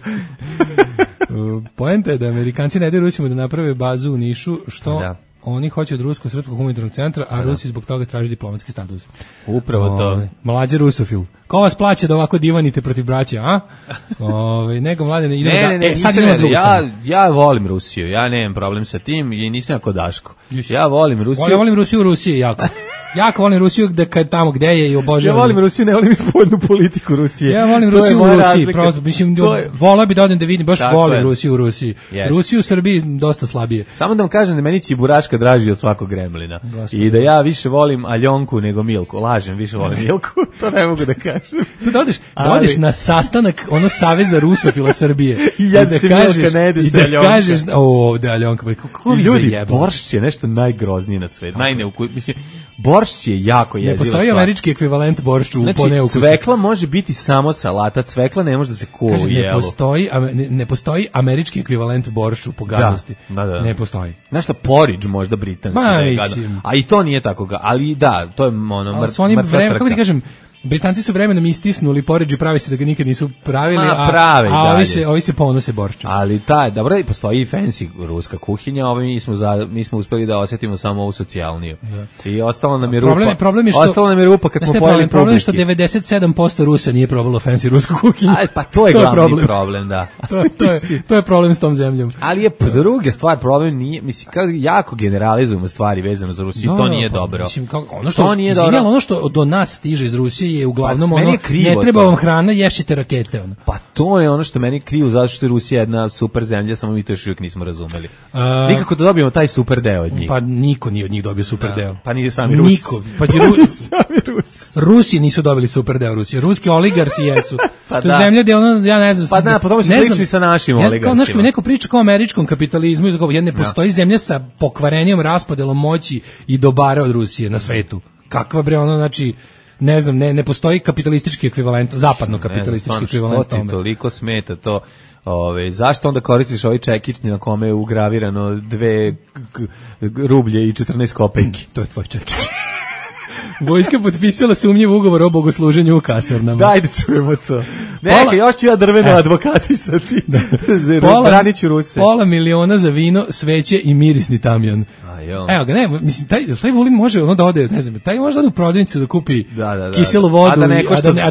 Poenta je da Amerikanci ne daju Rusima da naprave bazu u Nišu, što oni hoće od Rusko-srpskog humanitarnog centra, a Rusi zbog toga traži diplomatski status. Upravo to. Mlađe rusofil. Ko vas plaća da ovako divanite protiv braća, a? Nego mlade idemo sad idemo drugu stranu. Ja volim Rusiju, ja nemam problem sa tim i nisam jako Daško. Ja volim Rusiju. Ja volim Rusiju u Rusiji jako. Jako volim Rusiju tamo gde je i obožavam. Ja volim Rusiju, ne volim spoljnu politiku Rusije. Ja volim Rusiju u Rusiji, prosto, mislim, volao bi da odem da vidim, baš volim Rusiju u Rusiji. Rusiju u Srbiji dosta slabije. Samo da vam kažem da meni Čiburaška draži od svakog gremlina. I da ja više volim Aljonku nego Milku. Lažem, više volim Milku, to ne mogu da kažem. Tu da odeš na sastanak Saveza rusofila Srbije. I da kažeš, i da kažeš, ovde Aljonka, kako vi zajebali. Boršć je nešto najgroznije na svetu. Mislim, boršć je jako jeziva stvar. Ne postoji američki ekvivalent boršću po neukusu. Cvekla može biti samo salata, cvekla ne može da se kuva u jelu. Ne postoji američki ekvivalent boršću po gadnosti. Da. Ne postoji. Znaš šta, porridge možda britanski. A i to nije tako. Ali da, to je mrtva trka. Kako ti kažem, Britanci su vremenom istisnuli porridge i pravi se da ga nikad nisu pravili, a ovi se ponose borščom. Ali dobro, postoji i fancy ruska kuhinja, mi smo uspeli da osjetimo samo ovu socijalniju. Da. I ostalo nam je rupa. Ostalo nam je rupa kad smo pojeli problem je što 97% Rusa nije probalo fancy rusku kuhinju. Pa to je glavni problem, da. To je problem s tom zemljom. Ali je druga stvar, problem nije, mislim, kao jako generalizujemo stvari vezano za Rusiju, to nije dobro. Mislim, ono što do nas stiže iz Rusije je uglavnom ne treba vam hrana, ješite rakete. Pa to je ono što meni krivo, zato što je Rusija jedna super zemlja, samo mi to još uvijek nismo razumeli. Nikako da dobijemo taj super deo od njih. Pa niko nije od njih dobio super deo. Pa nije sami Rusi. Niko. Pa Rusi nisu dobili super deo Rusije. Ruski oligarsi jesu. To je zemlja gde ja ne znam. Pa po tome su slični sa našim oligarsima. Znaš, mi neko priča kao o američkom kapitalizmu, ne postoji zemlja sa pokvarenjem, raspodelom moći i dobara od Rusije na svetu. Kakva bre, znači ne znam, ne postoji kapitalistički ekvivalent, zapadno kapitalistički ekvivalent tome. Što ti toliko smeta to? Zašto onda koristiš ovaj čekić na kome je ugravirano 2 rublje i 14 kopejki? To je tvoj čekić. Vojska potpisala sumnjiv ugovor o bogosluženju u kasarnama. Dajde čujemo to. Neka, još ću ja drveno advokatisati. Braniću Ruse. Pola miliona za vino, sveće i mirisni tamjan. Evo ga, ne, mislim, taj Vulin može da ode, ne znam, taj može da ode u prodavnicu da kupi kiselu vodu, a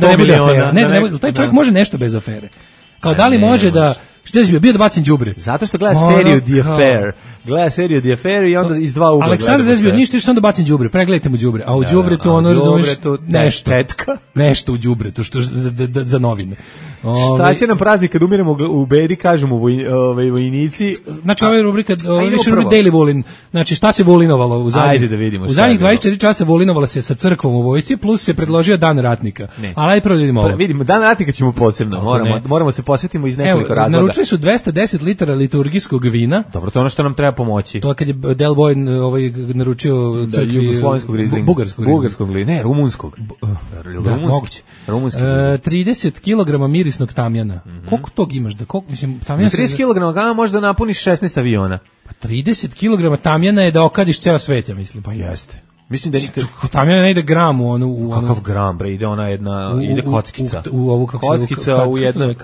da ne bude afera. Taj čovjek može nešto bez afere. Kao da li može da... Što je bio da bacim đubre? Zato što gleda seriju The Affair. Gleda seriju The Affair i onda iz dva ugla. Aleksandar Desbio ništa, što onda bacim đubre. Pregledajte mu đubre. A u đubretu ono razumeš nešto. Tetka. Nešto u đubretu što za novine. Šta će nam praznik kad umiremo u bedi, kažemo vojnici? Znači ova je rubrika više Daily Vulin. Znači šta se vulinovalo u zadnjih? Ajde da vidimo. U zadnjih 24 časa vulinovalo se sa crkvom u vojsci, plus se predložio dan ratnika. Ali ajde prvo vidimo ovo. Vidimo, dan ratnika ćemo posebno. Moramo se posvetimo iz nekoliko razloga. Naručili su 210 litara liturgijskog vina. Dobro, to je ono što nam treba pomoći. To je kad je Del Boy naručio crkvi jugoslovenskog rizlinga. Bugarskog rizlinga. Ne, rumunskog. Moguće. 30 kg mirisnog tamjana. Koliko tog imaš? Mislim, tamjana 30 kg možda napuniš 16 aviona. Pa 30 kg tamjana je da okadiš ceo svet, ja mislim. Pa jeste. Mislim da tamjana ne ide gram u kakav gram, bre, ide ona jedna, ide kockica. U ovu kockica u jednu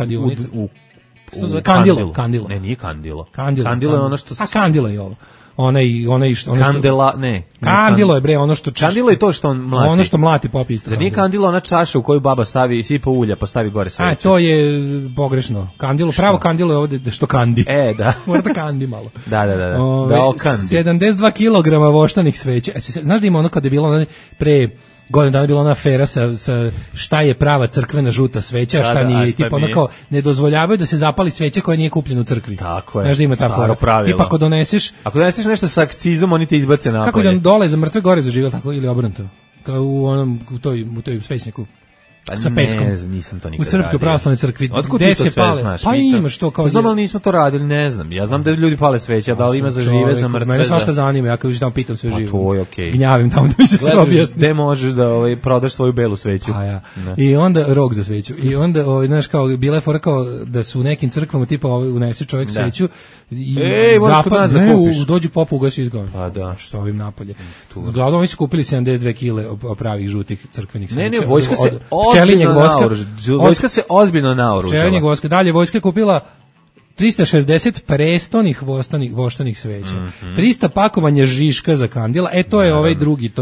kandilo. Ne, nije kandilo. Kandilo je ono što... A kandilo je ovo. Onaj što kandela, ne. Kandilo je bre ono što kandilo je to što on mlati. Ono što mlati pop isto. Zar nije kandilo ona čaša u koju baba stavi sipa ulja pa stavi gore sveće? A to je pogrešno. Kandilo, pravo kandilo je ovde što kandi. Da. Mora da kandi malo. Da. Da okandi. 72 kg voštanih sveća. Znaš da ima ono kad je bilo pre godinu dana bila ona afera sa šta je prava crkvena žuta sveća, šta nije, i tipa onako ne dozvoljavaju da se zapali sveća koja nije kupljena u crkvi. Tako je. Znaš da ima ta fora. Tipa ako doneseš nešto sa akcizom, oni te izbace napolje. Kako da dole za mrtve gore zaživjeli tako ili obrnuto? Kao u toj svećniku. sa peskom. Ne znam, nisam to nikad radio. U Srpskoj pravoslavnoj crkvi. Otkud ti to sve znaš? Pa imaš to kao... Znam, ali nismo to radili, ne znam. Ja znam da ljudi pale sveće, da li ima za žive, za mrtve. Mene svašta zanima, ja kad tamo pitam sve živo. To je okej. Gnjavim tamo da mi se sve objasni. Gde možeš da prodaš svoju belu sveću. A ja. I onda rog za sveću. I onda, znaš, kao, bila je fora kao da su u nekim crkvama, tipa, unese čovjek sveću. Možeš kod nas da kupiš. Dođu popu, ugasi izgove. Pa da. Što ovim napolje. Uglavnom, oni su kupili 72 kile pravih žutih crkvenih sveća. Ne, vojska se ozbiljno naoruža. Vojska se ozbiljno naoružala. Pčelinjeg voska. Dalje, vojska je kupila 360 prestonih voštanih sveća. 300 pakovanja žiška za kandila. To je ovaj drugi,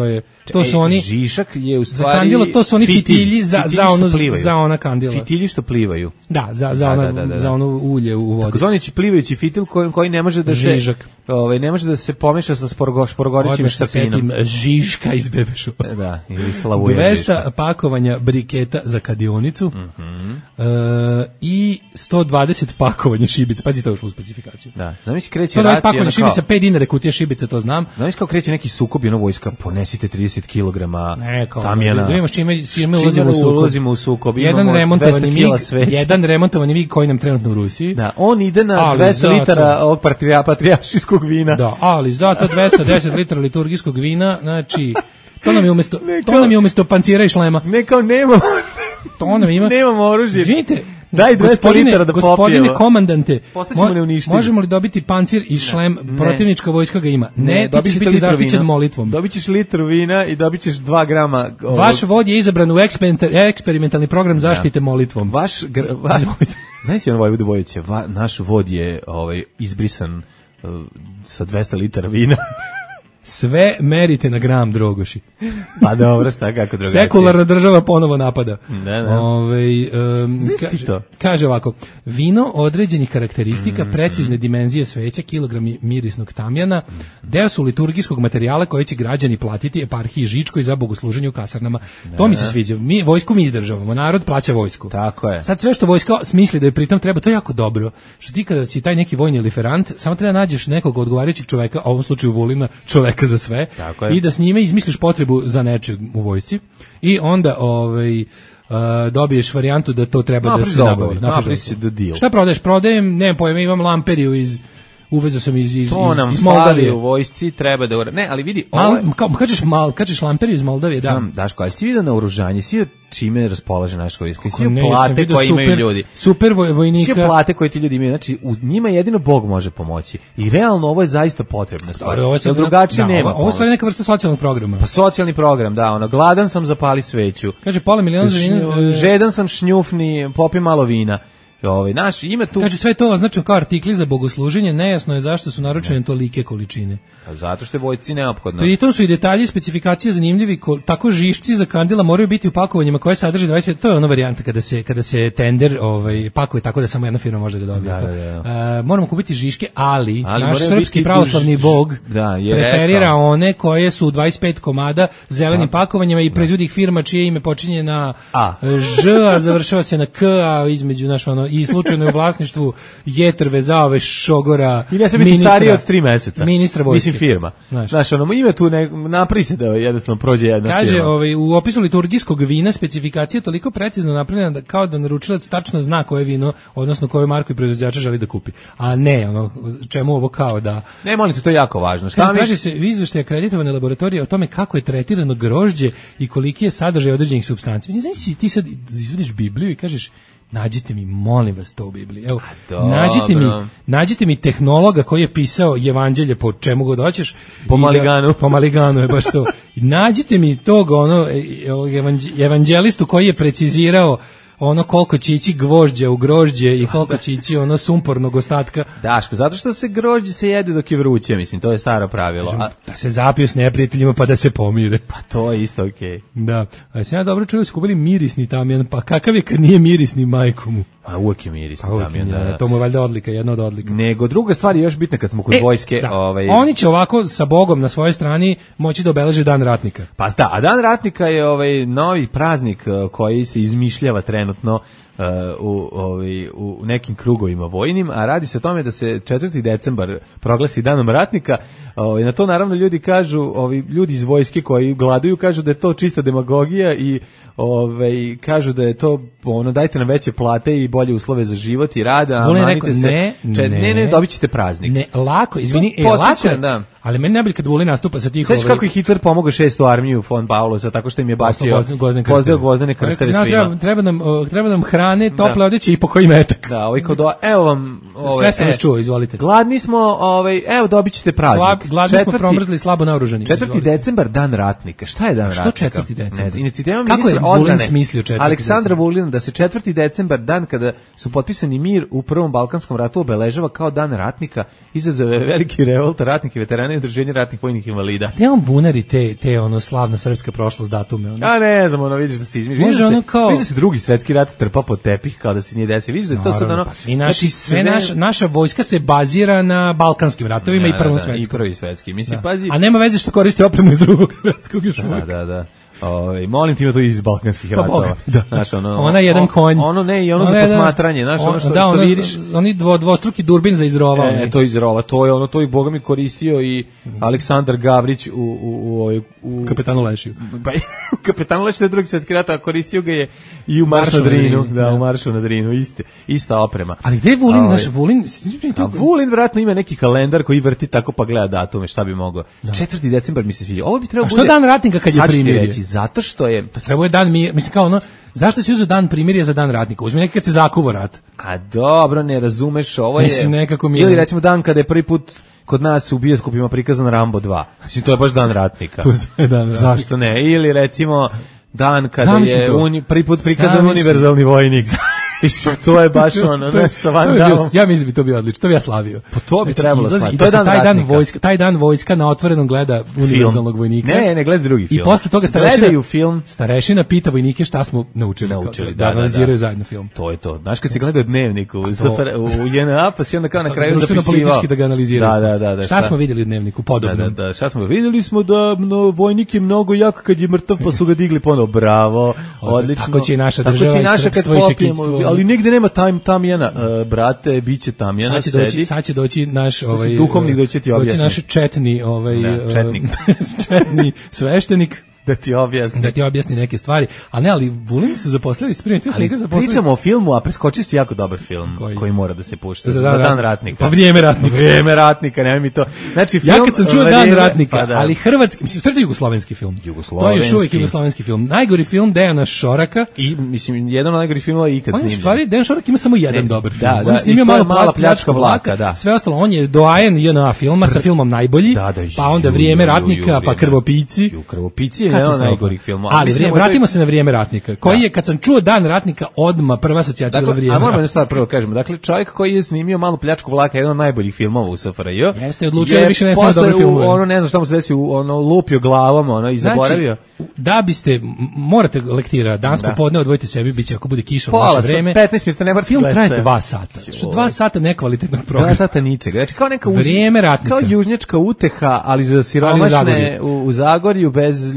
to su oni žišak je u stvari za kandila, to su oni fitilji za ona kandila. Fitilji što plivaju. Da, za ono ulje u vodi. Takozvani plivajući fitil koji ne može da se ne može da se pomeša sa šporogorićim štapinom. Žiška iz bebešu. Da, ili slavuje žiška. 200 pakovanja briketa za kadionicu i 120 pakovanja šibica. Pazi, to je ušlo u specifikaciju. Da, zamisli kreće rat. 120 pakovanja šibica, 5 dinara kutija šibica, to znam. Zamisli kao kreće neki sukob i ono vojska, ponesite 30 kg tamjana. Da imamo s čime ulazimo u sukob. Jedan remontovani mig koji nam trenutno u Rusiji. Da, on ide na 200 litara ovog patrijaršijskog vina. Da, ali zato 210 litara liturgijskog vina, znači to nam je umjesto pancira i šlema. Ne, kao nemamo. To nam ima. Nemamo oružje. Izvinite, daj 200 litara da popijemo. Gospodine komandante, možemo li dobiti pancir i šlem? Protivnička vojska ga ima. Ne, ti ćeš biti zaštićen molitvom. Dobit ćeš litru vina i dobit ćeš 2 grama... Vaš vod je izabran u eksperimentalni program zaštite molitvom. Znaš si on Vojvodu Bojića, naš vod je izbrisan sa 200 litara vina. Sve merite na gram, Drogoši. Pa dobro, šta kako drugačije. Sekularna država ponovo napada. Da. Kaže ovako, vino određenih karakteristika, precizne dimenzije sveća, kilogrami mirisnog tamjana, deo su liturgijskog materijala koji će građani platiti eparhiji Žičkoj za bogosluženje u kasarnama. To mi se sviđa. Vojsku mi izdržavamo, narod plaća vojsku. Tako je. Sad sve što vojska smisli da je pritom treba, to je jako dobro. Što ti kada si taj neki vojni liferant, samo treba nađeš nekog odgovarajućeg čoveka, u ovom slučaju Vulina, čoveka za sve, i da s njime izmisliš potrebu za nečeg u vojsci i onda dobiješ varijantu da to treba da se nabavi. Šta prodaješ? Prodajem, nemam pojma, imam lamperiju uvezao sam iz Moldavije. U vojsci treba da... Ne, ali vidi... Kažeš lamperiju iz Moldavije, da. Znam, Daško, ali si vidio na oružanje, si vidio čime raspolaže naša vojska, si vidio plate koje imaju ljudi. Super vojnika. Svi plate koje ti ljudi imaju, znači u njima jedino Bog može pomoći. I realno ovo je zaista potrebna stvar. Jer drugačije nema pomoći. Ovo je stvari neka vrsta socijalnog programa. Pa socijalni program, da, gladan sam, zapali sveću. Kaže, pola miliona za vina... Žedan sam, šnjufni, popi malo vina. Ima tu... Kaže, sve to označeno kao artikli za bogosluženje, nejasno je zašto su naručene tolike količine. Pa zato što je vojsci neophodno. Pritom su i detalji i specifikacije zanimljivi, tako žišci za kandila moraju biti u pakovanjima koje sadrže 25, to je ona varijanta kada se tender pakuje tako da samo jedna firma može da dobije. Moramo kupiti žiške, ali naš srpski pravoslavni bog preferira one koje su 25 komada zelenim pakovanjima i proizvodi ih firma čije ime počinje na Ž, a završava se na K, a između i slučajno je u vlasništvu Jetrve, Zaove, Šogora, i ne smije biti starije od 3 meseca. Ministra vojske. Mislim firma. Znaš, ima tu napri se da jednostavno prođe jedna Kaže, firma. U opisu liturgijskog vina specifikacija je toliko precizno napravljena da kao da naručilac tačno zna koje vino, odnosno koju marku i proizvođača želi da kupi. A ne, čemu ovo kao da... Ne, molim te, to je jako važno. Kaže se u izveštaju akreditovane laboratorije o tome kako je tretirano grožđe i koliki je sadržaj određenih supstanci. Mislim, ti sad izvodiš Bibliju i kažeš, nađite mi, molim vas, to u Bibliji. Evo, nađite mi tehnologa koji je pisao evanđelje po čemu god hoćeš. Po Maliganu je baš to. Nađite mi tog evanđelistu koji je precizirao koliko će ići gvožđa u grožđe i koliko će ići sumpornog ostatka. Daško, zato što se grožđe se jede dok je vruće, mislim, to je staro pravilo. Da se zapiju s neprijateljima pa da se pomire. Pa to je isto okej. Da, a sam ja dobro čuo da su kupili mirisni tamjan, pa kakav je kad nije mirisni majku mu? A uvijek je mirisni tamjan. Da. To mu je valjda odlika, jedna od odlika. Nego druga stvar je još bitna kad smo kod vojske. Oni će ovako sa Bogom na svojoj strani moći da obeleže Dan ratnika. Pa da, a Dan ratnika je novi praznik koji se izmišljava trenutno u nekim krugovima vojnim, a radi se o tome da se 4. decembar proglasi danom ratnika. Na to naravno ljudi kažu, ljudi iz vojske koji gladuju kažu da je to čista demagogija i kažu da je to dajte nam veće plate i bolje uslove za život i rad, a manite se ne, dobit ćete praznik. Ne, lako, izvini, lako, da. Ali meni najbolje kad Vulin nastupa sa tih... Sveći kako je Hitler pomogao 6. armiju von Paulosa, tako što im je bacio gvozdene krsteve svima. Treba nam hrane, tople odeće i pokoji metak. Da, evo vam... Sve sam vas čuo, izvolite. Gladni smo, evo dobit ćete praznik. Gladni smo, promrzli, slabo naoružani. 4. decembar, dan ratnika. Šta je dan ratnika? Što 4. decembar? Inicijativa kako je Vulin smislio 4. Aleksandra Vulina da se 4. decembar, dan kada su potpisani mir u Prvom Balkanskom ratu, obeležava kao dan ratnika, izazove veliki revolt ratnika i veterana i udruženja ratnih vojnih invalida. Gde on bunari te slavna srpska prošlost datume? A ne znam, vidiš da se izmišlja. Vidiš da se Drugi svetski rat trpa pod tepih kao da se nije desio. Vidiš da je to sad naša vojska se bazira na balkanskim ratovima i Prvom svetskom. I Prvi svetski. Mislim, pazi. A nema veze što koristi opremu iz Drugog svetskog još uvijek. Da. Molim ti ima to iz balkanskih ratova. Znaš, ona je jedan konj. Ono ne, i ono za posmatranje, znaš, ono što vidiš. Oni dvostruki durbin za izrova. To izrova, to i Boga mi koristio i Aleksandar Gavrić u Kapetanu Lešiju. U Kapetanu Lešiju je Drugi svetski rat, a koristio ga je i u Maršu na Drinu. Da, u Maršu na Drinu, ista oprema. Ali gde je Vulin, naš Vulin? Vulin vjerojatno ima neki kalendar koji vrti tako pa gleda datume, šta bi mogao. 4. decembar mi se sviđa. Ovo bi trebalo bude. A što dan ratnika kad je primirje? Zato što je... To treba je dan, mislim kao zašto si uzeo dan primirja za dan ratnika? Uzmi nekad se zakuvo rat. A dobro, ne razumeš, ovo je... Mislim, nekako mi... Ili recimo dan kada je prvi put kod nas u bioskopima prikazan Rambo 2. Mislim, to je baš dan ratnika. To je dan ratnika. Zašto ne? Ili recimo dan kada je prvi put prikazan univerzalni vojnik. To je baš sa Van Damme. Ja mislim bi to bio odlično, to bi ja slavio. Pa to bi trebalo slaviti. To je taj dan vojska na otvorenom gleda univerzalnog vojnika. Ne gleda drugi film. I posle toga starešina pita vojnike šta smo naučili. Da analiziraju zajedno film. To je to. Znaš kad se gleda Dnevnik u JNA, pa si onda kao na kraju zapisivao. Politički da ga analiziraju. Da. Šta smo vidjeli u Dnevniku podobno? Da, šta smo videli smo da vojnik je mnogo jak kad je mrtav, pa su ga digli ponovo. Bravo, odlično. Tako će i naša država i srpstvo i čekitstvo. Ali nigde nema Tamjana, brate, biće Tamjana, sad će doći naš duhovnik doći ti objasniti. Doći naš četni četni sveštenik da ti objasni neke stvari. A ne, ali Vulini su zaposlili Pričamo o filmu, a preskoči si jako dobar film koji mora da se pušta za dan ratnika. Pa Vrijeme ratnika, nemoj mi to. Znači, ja kad sam čuo Dan ratnika, ali hrvatski, mislim, to je jugoslovenski film. To je još uvijek jugoslovenski film. Najgori film Dejana Šoraka. I, mislim, jedan od najgorih filmova ikad snimljen. U stvari, Dejan Šorak ima samo jedan dobar film. On je snimio Mala pljačka vlaka. Sve ostalo, on je doajen JNA filma sa filmom Najbolji, pa onda Vrijeme ratnika, pa Krvopici. Krvopici je jedan od najgorih filmova. Ali vratimo se na Vrijeme ratnika. Koji je, kad sam čuo Dan ratnika, odmah prva asocijacija za Vrijeme. A moramo jednu stvar prvo kažemo. Dakle, čovjek koji je snimio Malu pljačku vlaka, jedan od najboljih filmova u SFRJ. Jeste, odlučio da više ne snima dobre filmove. Ne znam šta mu se desi, lupio glavom, i zaboravio. Da biste, morate lektira, danas popodne odvojite sebi, biće ako bude kiša u naše vreme. 15 minuta, ne morate film traje 2 sata. Što 2 sata nekvalitetnog programa. 2 sata ničega. Znači, kao neka Vrijeme ratnika. Kao južnjačka uteha, ali za siromašne u Zagorju, bez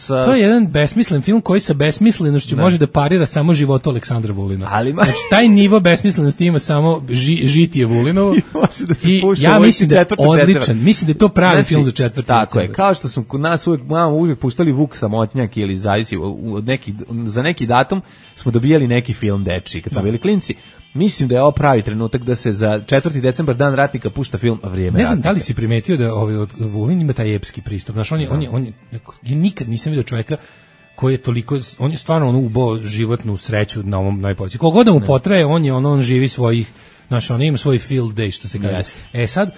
To je jedan besmislen film koji sa besmislenošću može da parira samo životu Aleksandra Vulina. Znači, taj nivo besmislenosti ima samo žitije Vulinovo. I ja mislim da je odličan. Mislim da je to pravi film za 4. decembar. Tako je. Kao što su nas uvijek puštali Vuk Samotnjak ili zavisi za neki datum smo dobijali neki film dečiji kad smo bili klinci. Mislim da je ovo pravi trenutak da se za 4. decembar Dan ratnika pušta film Vrijeme ratnika. Ne znam da li si primetio da Vulin ima taj epski pristup. Znaš, ja nikad nisam vidio čovjeka koji je toliko, on je stvarno ubao životnu sreću na ovom najpoći. Kogod da mu potraje, on živi svojih, znaš, on ima svoj field day, što se kaže. Sad,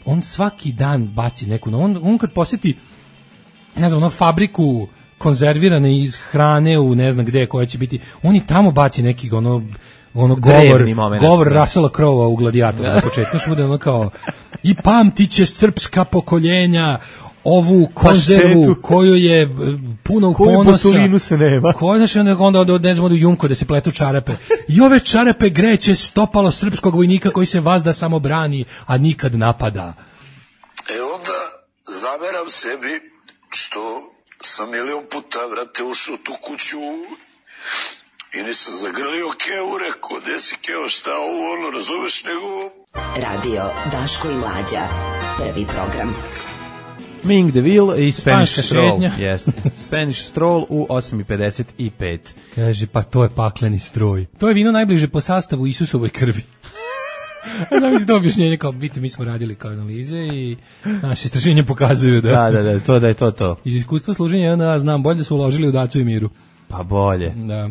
on svaki dan baci neku, on kad posjeti, ne znam, fabriku konzervirane iz hrane u ne znam gde koja će biti, on i tamo baci neki govor Russella Crowe u Gladiatoru na početku, što bude kao i pamtit će srpska pokoljenja ovu konzervu koju je puno ponosa. Koju botulinu se nema. Onda ne znam, od Jumko da se pletu čarape. I ove čarape greće stopalo srpskog vojnika koji se vazda samo brani, a nikad napada. Onda zameram sebi što sam milion puta, vrate, ušao tu kuću I nisam zagrlio Kevu, rekao, gde si Keo, šta ovo, razumeš, nego... Radio Daško i Mlađa, prvi program. Ming DeVille i Spanish Stroll. Yes. Spanish Stroll u 8:55. Kaže, pa to je pakleni stroj. To je vino najbliže po sastavu Isusovoj krvi. Znam mi se to objašnjenje, kao biti, mi smo radili kao analize i naše istraženja pokazuju da... Da je to. Iz iskustva služenja znam bolje da su uložili u Dacu i Miru. Pa bolje. Da,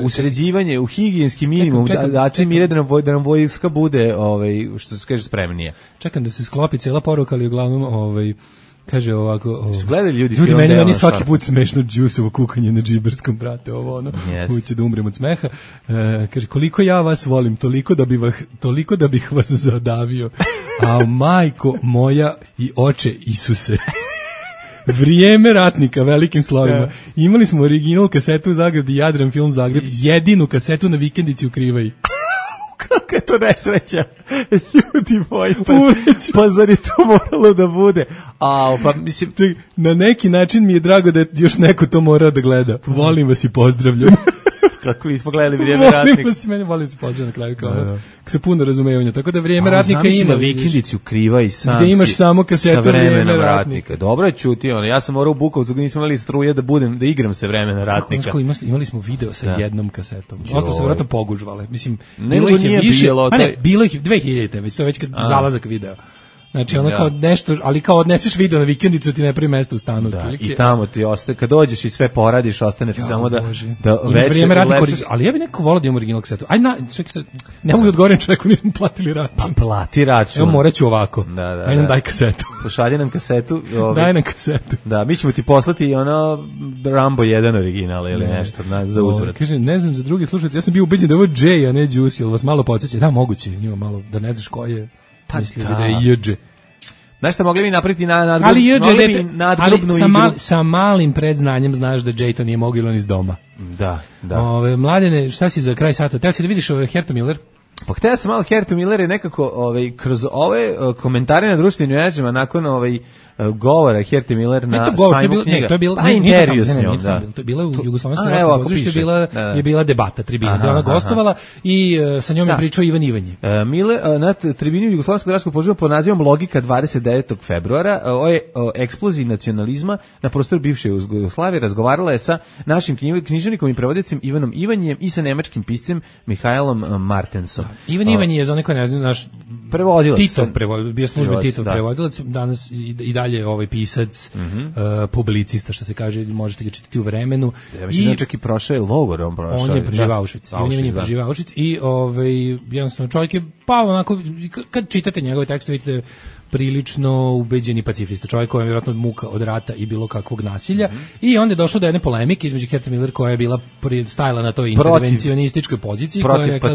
u sređivanje, u higijenski minimum, Daci i Mire da nam vojska bude, što se kaže, spremnije. Čekam da se sklopi cijela poruka, ali uglavnom, kaže ovako... Su gledali ljudi meni svaki put smešno džusovo kukanje na džiberskom, brate, uće da umrem od smeha. Kaže, koliko ja vas volim, toliko da bih vas zadavio. A majko moja i oče Isuse. Vrijeme ratnika, velikim slovima. Imali smo original kasetu u Zagradi, Jadran Film Zagreb, jedinu kasetu na vikendici u Krivaji. Kako je to nesreća, ljudi moji, pa zar je to moralo da bude? Pa mislim, na neki način mi je drago da je još neko to mora da gleda. Volim vas i pozdravljam. Kako mi smo gledali Vrijeme ratnika. Volim vas i pozdravljam na kraju, kao se puno razumevanja. Tako da Vrijeme ratnika ima. Vikendici u Kriva i sam gde imaš samo kasetu Vrijeme ratnika. Dobro je čuti, ja sam morao u Bukovcu, gdje nisam imali struje da igram se Vremena ratnika. Imali smo video sa jednom kasetom. Ostalo se vjerojatno pogužvale. Mislim, bilo ih je više. Bilo ih 2000, već to je već zalazak video. Znači kao nešto, ali kao odneseš video na vikendicu, ti ne pravi mesto u stanu. Da, i tamo ti ostaje, kad dođeš i sve poradiš, ostane ti samo da večer lešeš. Ali ja bih neko volao da imam original kasetu. Ne mogu da odgovorim čovjeku, nismo platili račun. Pa plati račun. Evo, morat ću ovako. Ajde nam daj kasetu. Pošalji nam kasetu. Daj nam kasetu. Da, mi ćemo ti poslati Rambo 1 original ili nešto za uzvrat. Kaže, ne znam za drugi slušalci, ja sam bio ubeđen da je ovo Jay, a ne Juice, jel vas malo podsjeća? Da, moguće, ima malo, da ne znaš ko je. Mislili da je J.Đ. Znaš šta, mogli bi napraviti nadgrobnu igru. Sa malim predznanjem znaš da J to nije mogao ili on iz doma. Da. Mladene, šta si za kraj sata? Teo si da vidiš Hertu Miller? Pa htio sam malo Hertu Miller je nekako kroz ove komentare na društvenim mrežama nakon govora Herti Miller na sajmu knjiga. To je bilo intervju s njom, da. To je bila u Jugoslovenskom gradskom pozorištu, je bila debata, tribina, gde ona gostovala i sa njom je pričao Ivan Ivanje. Na tribini u Jugoslovenskom gradskom pozorištu pod nazivom Logika 29. februara o eksploziji nacionalizma na prostoru bivše Jugoslavije razgovarala je sa našim književnikom i prevodicem Ivanom Ivanjem i sa nemačkim piscem Mihajlom Martensom. Ivan Ivanje je za neko ne znam naš prevodilac. Bio služben Titov prevodilac, danas i dalje pisac, publicista, što se kaže, možete ga čitati u Vremenu. I čak i prošao je logor, on je preživao Auschwitz. On je preživao Auschwitz i jednostavno čovjek je pao onako, kad čitate njegove tekste vidite prilično ubeđeni pacifista, čovjek koji je vjerojatno muka od rata i bilo kakvog nasilja i onda je došlo do jedne polemike između Herta Miller koja je bila stajala na toj intervencionističkoj poziciji, koja je rekla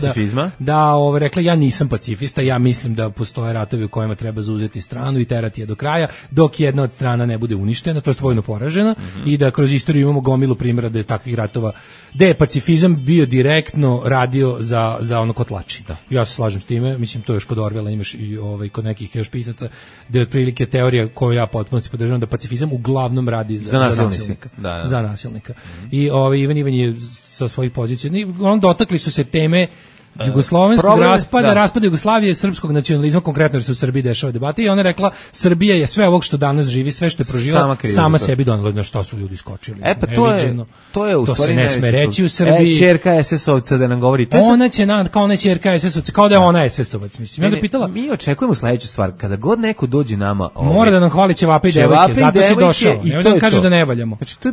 rekla ja nisam pacifista, ja mislim da postoje ratovi u kojima treba zauzeti stranu i terati je do kraja dok jedna od strana ne bude uništena, to je vojno poražena i da kroz istoriju imamo gomilu primjera da je takvih ratova gde je pacifizam bio direktno radio za ono kotlači. Ja se slažem s time, mislim to još kod Orwella imaš i kod nekih još pisaca da je otprilike teorija koju ja potpuno podržavam da pacifizam uglavnom radi za nasilnika. Za nasilnika. I Ivan Ivan je sa svojih pozicija, dotakli su se teme jugoslovenskog raspada Jugoslavije, srpskog nacionalizma, konkretno jer se u Srbiji dešava debata i ona je rekla Srbija je sve ovog što danas živi, sve što je proživjela, sama sebi donela, na što su ljudi skočili. Pa to je u stvari se ne sme reći u Srbiji. Ćerka SS-ovca da nam govori. Ona će kao ona ćerka SS-ovca, kao da je ona SS-ovac, mislim. Ja onda pitala, mi očekujemo sledeću stvar, kada god neko dođe nama, mora da nam hvali ćevape i devojke, zato si došao. Nemoj da nam kaže da ne valjamo. Znači to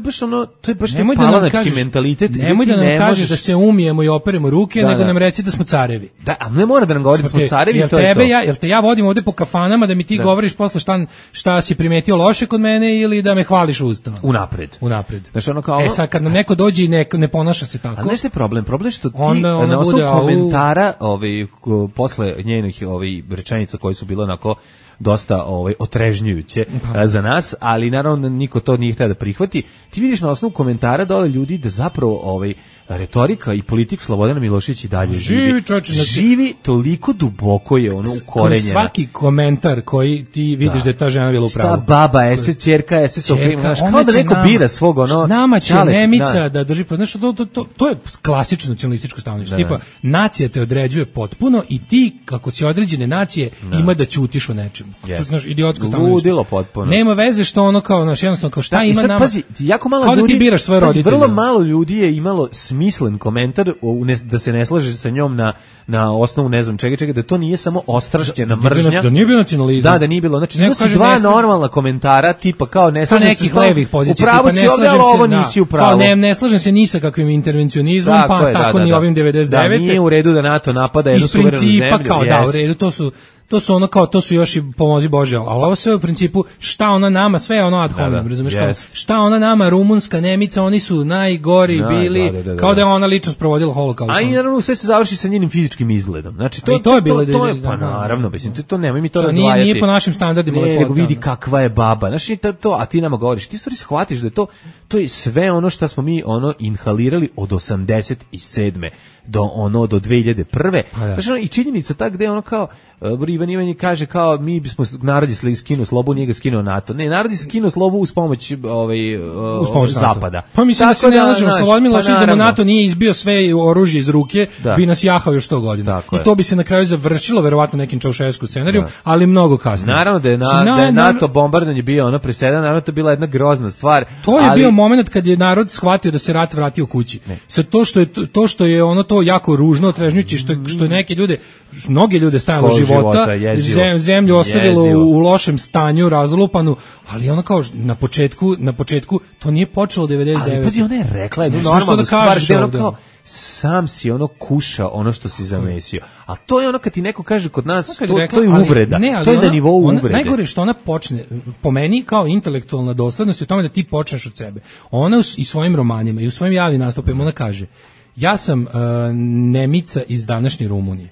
je baš palanački mentalitet. Nemoj da nam kažeš da se umijemo i operemo ruke, nego nam reci da smo carevi. Da, ali ne mora da nam govori da smo carevi, to je to. Jel te ja vodim ovde po kafanama da mi ti govoriš posle šta si primetio loše kod mene ili da me hvališ ustava? Unapred. Znači ono kao sad kad nam neko dođe i ne ponaša se tako. A nešto je problem što ti na osnovu komentara posle njenih rečenica koje su bile onako dosta otrežnjujuće za nas, ali naravno niko to nije htio da prihvati. Ti vidiš na osnovu komentara dole ljudi da zapravo retorika i politik Slobodana Miloševića i dalje živi toliko duboko je ono ukorenjena. Svaki komentar koji ti vidiš da je ta žena bila u pravu. Šta baba, ese ćerka, ese soprima, kao da neko bira svog nama će Nemica da drži, znaš, to je klasično nacionalističko stanovište. Tipa, nacija te određuje potpuno i ti, kako si određene nacije, ima da ćutiš o nečemu. Znaš, idiotsko stanovište. Ludilo potpuno. Nema veze što ono kao, znaš, jednostavno kao šta ima nama. Pazi, jako malo kao ljudi, da ti biraš svoje roditelje. Vrlo malo ljudi je imalo smislen komentar da se ne slaže sa njom na osnovu ne znam čega, da to nije samo ostrašćena mržnja. Da nije bio nacionalizam. Da nije bilo. Znači, to su dva normalna komentara, tipa kao ne slažem se nekih levih pozicija. Upravo si ovdje, ali ovo nisi upravo. Kao ne slažem se ni sa kakvim intervencionizmom, pa tako ni ovim 99. Da, nije u redu da NATO napada jednu suverenu zemlju. Iz principa kao da, u redu, to su ono kao, to su još i pomozi Bože, ali ovo sve u principu, šta ona nama, sve je ono ad hominem, razumiješ, kao, šta ona nama, Rumunska, Nemica, oni su najgori bili, kao da je ona lično sprovodila holokaust. A i naravno sve se završi sa njenim fizičkim izgledom. Znači, to je bilo pa naravno, to nemoj mi to razvajati. Nije po našim standardima lepota. Nego vidi kakva je baba. Znači, a ti nama govoriš, ti stvari shvatiš da je to je sve ono što smo mi inhalirali od 87. do 2001. Znači, i činjenica ta gde ono kao Ivan Ivanić kaže kao mi bismo narod je skinuo slobu, nije ga skinuo NATO. Ne, narod je skinuo slobu uz pomoć zapada. Pa mislim da se ne lažemo, Slobodan Milošević da mu NATO nije izbio sve oružje iz ruke, bi nas jahao još 100 godina. I to bi se na kraju završilo verovatno nekim Čaušesku scenarijom, ali mnogo kasnije. Naravno da je NATO bombardovanje bio ono presedan, naravno to je bila jedna grozna stvar. To je bio moment kad je narod shvatio da se rat vratio kući. Sad to što je ono to jako ružno, otrežnjujuće, što je neke ljude, mnoge ljude stajalo života, zemlju ostavilo u lošem stanju, razlupanu, ali ono kao na početku to nije počelo 99. Ali pazi, ona je rekla jednu normalnu stvar gde ono kao sam si ono kuša ono što si zamesio. A to je ono kad ti neko kaže kod nas, to je uvreda. To je na nivou uvrede. Najgore što ona počne, po meni kao intelektualna doslednost je u tome da ti počneš od sebe. Ona i svojim romanima i u svojim javnim nastupima ona kaže, ja sam Nemica iz današnje Rumunije.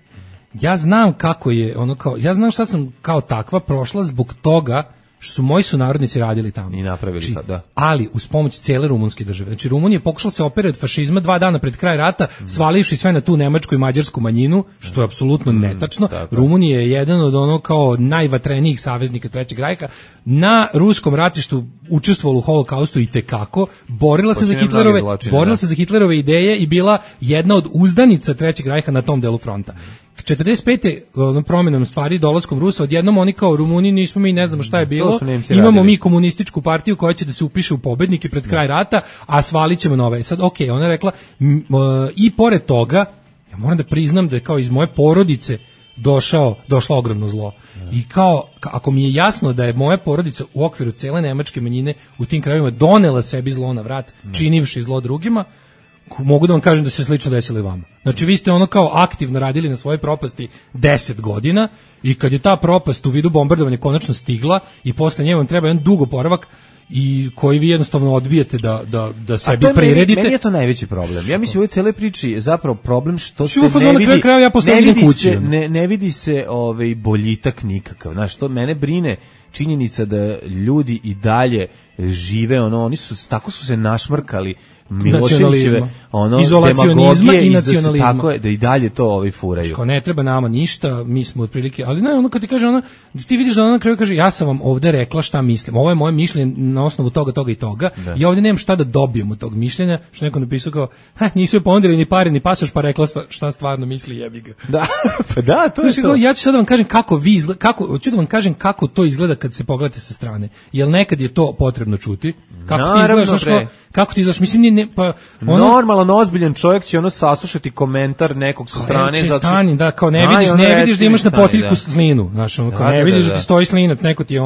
Ja znam kako je ono kao, ja znam šta sam kao takva prošla zbog toga što su moji sunarodnici radili tamo. I napravili to, da. Ali uz pomoć cele rumunske države. Znači Rumunija je pokušala se operati od fašizma 2 dana pred kraj rata, svalivši sve na tu nemačku i mađarsku manjinu, što je apsolutno netačno. Rumunija je jedan od ono kao najvatrenijih saveznika Trećeg rajha. Na ruskom ratištu učestvovala u holokaustu i tekako, borila se za Hitlerove ideje i bila jedna od uzdanica Trećeg rajha na tom delu fronta. 45. promjenom stvari dolaskom Rusa, odjednom oni kao Rumuni nismo mi, ne znamo šta je bilo, imamo mi komunističku partiju koja će da se upiše u pobednike pred kraj rata, a svalit ćemo nove. Sad, ona je rekla, i pored toga, ja moram da priznam da je kao iz moje porodice došlo ogromno zlo. I kao, ako mi je jasno da je moja porodica u okviru cele nemačke manjine u tim krajevima donela sebi zlo na vrat, činivši zlo drugima, mogu da vam kažem da se slično desilo i vama. Znači vi ste ono kao aktivno radili na svojoj propasti 10 godina i kad je ta propast u vidu bombardovanja konačno stigla i posle nje vam treba jedan dug oporavak i koji vi jednostavno odbijete da sebi priredite. Meni je to najveći problem. Ja mislim u ovoj celoj priči je zapravo problem što se ne vidi se boljitak nikakav. Znaš, to mene brine činjenica da ljudi i dalje žive, oni tako su se našmrkali Miloševićeve izolacionizma i nacionalizma. Tako je, da i dalje to furaju. Kao ne treba nama ništa, mi smo otprilike, ali ne, ono kad ti kaže ti vidiš da ona na kraju kaže ja sam vam ovde rekla šta mislim. Ovo je moje mišljenje na osnovu toga i toga. I ovdje nemam šta da dobijem od tog mišljenja, što neko napisao kao nisu joj ponudili ni pare ni pasoš, pa rekla šta stvarno misli, jebi ga. Da. Pa da, to je to. Ja ću sad da vam kažem hoću da vam kažem kako to izgleda kad se pogledate sa strane. Jel nekad je to potrebno čuti? Kako ti izgledaš? Mislim, normalan, ozbiljan čovjek će saslušati komentar nekog sa strane. Da, kao ne vidiš da imaš na potiljku slinu, znaš, kao ne vidiš da ti stoji slinac, neko ti je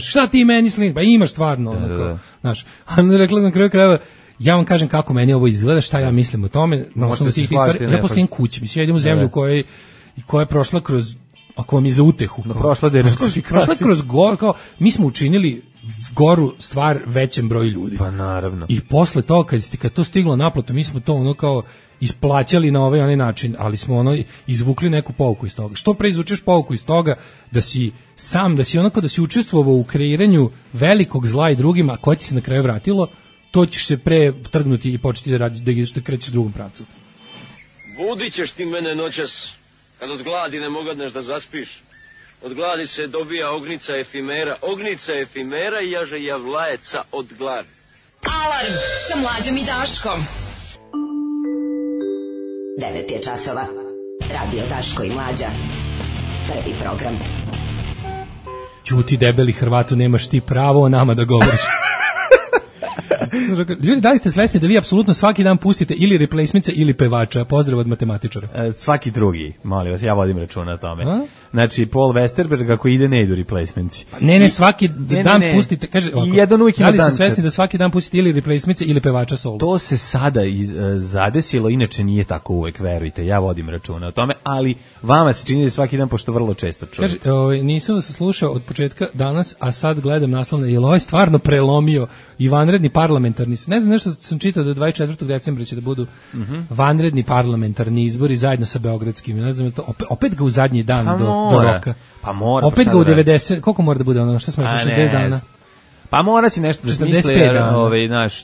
šta ti meni slin, pa imaš stvarno, znaš, a rekla na kraju krajeva, ja vam kažem kako meni ovo izgleda, šta ja mislim o tome, na osnovu tih stvari, ja postavim kući, mislim, ja idem u zemlju koja je prošla kroz ako vam je za utehu. Prošla kroz goru, kao, mi smo učinili goru stvar većem broju ljudi. Pa naravno. I posle toga, kad to stiglo naplatu, mi smo to ono kao isplaćali na ovaj onaj način, ali smo ono izvukli neku pouku iz toga. Što pre izvučeš pouku iz toga da si onako da si učestvovao u kreiranju velikog zla i drugima, koje ti se na kraju vratilo, to ćeš se pre trgnuti i početi da radiš, da krećeš drugom pravcu. Budit ćeš ti mene noćas, kad od gladi ne mogadneš da zaspiš. Od gladi se dobija ognica efimera i jaže javlajeca od gladi. Alarm sa Mlađom i Daškom. 9 je časova. Radio Daško i Mlađa. Prvi program. Ćuti debeli Hrvatu, nemaš ti pravo o nama da govoriš. Ljudi, da li ste svesni da vi apsolutno svaki dan pustite ili replacements ili pevača? Pozdrav od matematičara. Svaki drugi, molim vas, ja vodim računa o tome. Znači, Paul Westerberg, ako ide, ne idu replacements. Ne, svaki dan pustite, kaže, jedan uvijek ima dan. Da li ste svesni da svaki dan pustite ili replacements ili pevača solo? To se sada zadesilo, inače nije tako uvek, verujte, ja vodim računa o tome, ali vama se čini da svaki dan, pošto vrlo često čujete. Kaže, nisam da se slušao od početka danas, a sad gledam naslovno, je li ovaj stvarno prelomio i vanredni parlamentarni, ne znam, nešto sam čitao da 24. decembra će da budu vanredni parlamentarni izbori zajedno sa beogradskim, ne znam, to, opet ga u zadnji dan do roka. Pa mora. Opet ga u 90, koliko mora da bude ono, šta smo rekli, 60 dana? Pa mora će nešto da smisle, jer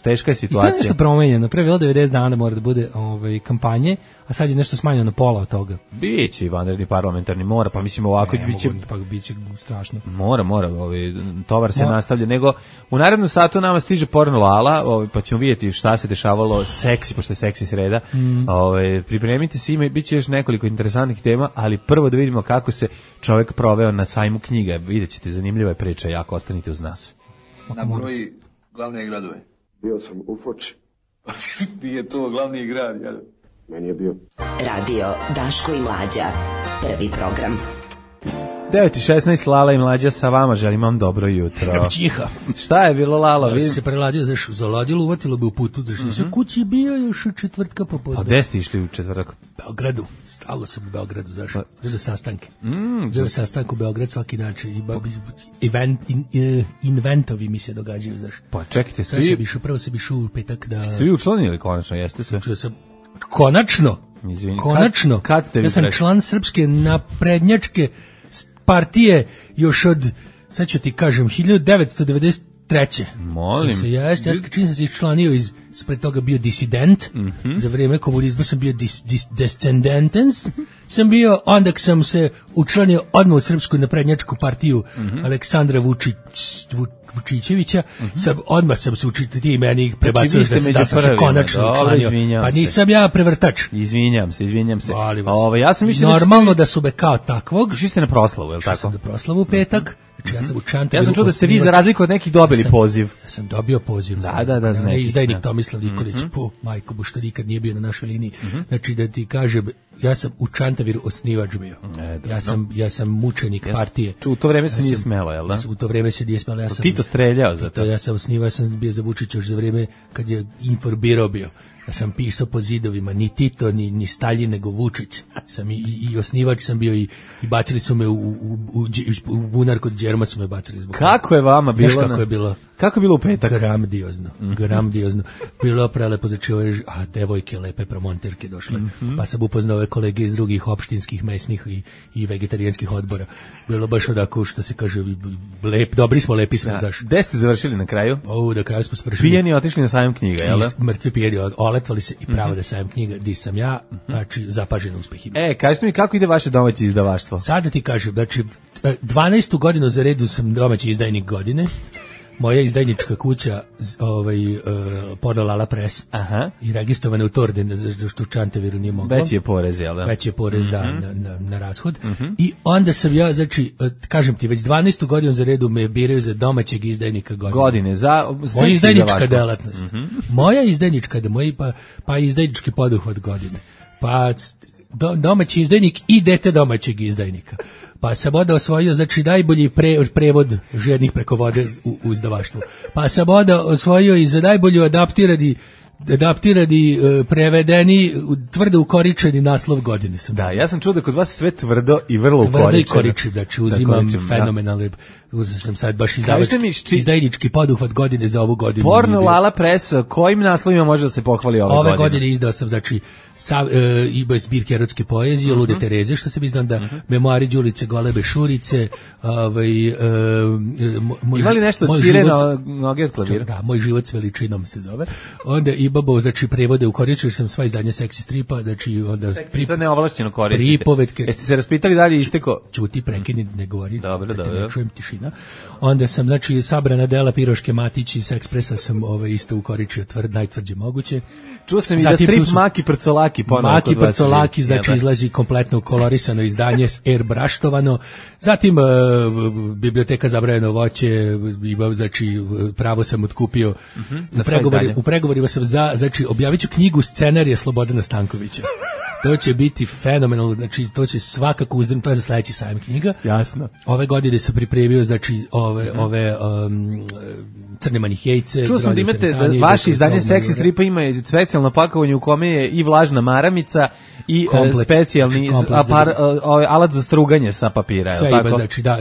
teška je situacija. I to je nešto promenjeno, pre bilo 90 dana mora da bude kampanje, a sad je nešto smanjeno na pola od toga. Biće i vanredni parlamentarni, mora, pa mislim ovako biće strašno. Mora, tovar se nastavlja, nego u narednom satu nama stiže porno Lala, pa ćemo vidjeti šta se dešavalo seksi, pošto je seksi sreda. Pripremite se, biće još nekoliko interesantnih tema, ali prvo da vidimo kako se čovjek proveo na sajmu knjiga. Vidjet ćete, zanimljiva je priča, jako ostanite uz nas. Nabroji glavne gradove. Bio sam u Foči. Nije to glavni grad, jel? Meni je bio. Radio Daško i Mlađa. Prvi program. 9:16, Lala i Mlađa sa vama, želim vam dobro jutro. Čiha. Šta je bilo, Lala? Ja se preladio, zaladilo, uvatilo bi u putu, se kući bio još u četvrtka popodne. Pa gde ste išli u četvrtak? Beogradu, stalo sam u Beogradu, znaš, za sastanke. Za sastanku u Beograd svaki način, inventovi mi se događaju, znaš. Pa čekajte, Prvo se bišu u petak da... Svi učlanili konačno, jeste sve? Konačno. Izvini, konačno. Kad ste vi ja sam član Srpske naprednjačke partije još od, sad ću ti kažem, 1993. Molim. Ja čim sam se iščlanio ispred toga bio disident, za vrijeme komunizma sam bio descendentens, sam bio, onda sam se učlanio odmah u Srpsku naprednjačku partiju Aleksandra Vučićevića, odmah sam se učiti ti meni prebacio da sam se konačno učlanio. Pa nisam ja prevrtač. Izvinjam se. Ja sam normalno da su me kao takvog. Išli ste na proslavu, je li tako? Išli sam na proslavu u petak. Znači ja sam u Čantaviru. Ja sam čuo da ste vi za razliku od nekih dobili poziv. Ja sam dobio poziv. Da, izdajnik Tomislav Nikolić, majko bu što nikad nije bio na našoj liniji. Znači da ti kažem, ja sam u Čantaviru osnivač bio. Ja sam mučenik partije. U to vreme se nije smelo, jel da? U to vreme se nije smelo. Tito streljao za to. Ja sam osnivao, sam bio za Vučića još za vrijeme kad je Inforbiro bio. Ja sam pisao po zidovima, ni Tito, ni Staljin, nego Vučić. Sam i osnivač sam bio i bacili su me u bunar kod Đerma su me bacili zbog. Kako je vama bilo? Znaš kako je bilo? Kako je bilo u petak? Gramdiozno. Bilo prelepo, znači ove devojke, lepe promonterke došle, pa sam upoznao ove kolege iz drugih opštinskih, mesnih i vegetarijanskih odbora. Bilo baš onako, što se kaže, dobri smo, lepi smo, znaš. Gde ste završili na kraju? Na kraju smo svršili. Pijeni otišli na sajam knjiga, jel da? Mrtvi pijeni, oletvali se i pravo da sajam knjiga, di sam ja, znači zapažen uspehima. Kažete mi kako ide vaše domaće izdavaštvo? Sada ti kažem, znači 12. godinu za redu sam domaći izdajnik godine. Moja izdajnička kuća, Porno Lala Press, i registrovana u Torden, zašto u Čantaviru nije moglo. Veći je porez, jel da? Veći je porez, na rashod. I onda sam ja, znači, kažem ti, već 12. godinu za redu me biraju za domaćeg izdajnika godine. Moja izdajnička delatnost. Moja izdajnička, pa izdajnički poduhvat godine. Pa domaći izdajnik i dete domaćeg izdajnika. Pa sam onda osvojio, znači, najbolji prevod žednih preko vode u izdavaštvu. Pa sam onda osvojio i za najbolju adaptirani adaptirani, prevedeni, tvrdo ukoričeni naslov godine sam. Da, ja sam čuo da kod vas sve tvrdo i vrlo ukoričeno. Tvrdo i koričen, znači uzimam fenomenalne, uzeo sam sad baš izdajnički poduhvat godine za ovu godinu. Porno Lala Press, kojim naslovima može da se pohvali ove godine? Ove godine izdao sam, znači, i zbirke erotske poezije, Lude Tereze, što sam izdao, da memoari Đulice Golebe Šurice, ima li nešto od Čire na noge od klavira? Da, Moj život s veličinom se zove. Onda Ibabo, znači, prevode u koriču, sam sva izdanja seksi stripa, znači, onda... To neovlašćeno koristite. Pripovetke. Jeste se raspitali dalje isteko? Čuti, prekini, ne govori. Dobro. Ne čujem, tišina. Onda sam, znači, sabrana dela Piroške Matić iz Ekspresa sam isto ukoričio najtvrđe moguće. Čuo sam i da strip Maki Prcolaki ponovno. Maki Prcolaki, znači izlazi kompletno kolorisano izdanje, airbrashtovano. Zatim biblioteka Zabranjeno voće, znači pravo sam otkupio. U pregovorima sam znači objavit ću knjigu scenarija Slobodana Stankovića. To će biti fenomenalno, znači to će svakako uzdrnuti, to je za sledeći sajam knjiga. Jasno. Ove godine sam pripremio, znači ove Crne manihejce. Čuo sam da imate, vaše izdanje seksi stripa ima specijalno pakovanje u kome je i vlažna maramica i specijalni alat za struganje sa papira. Sve ima, znači da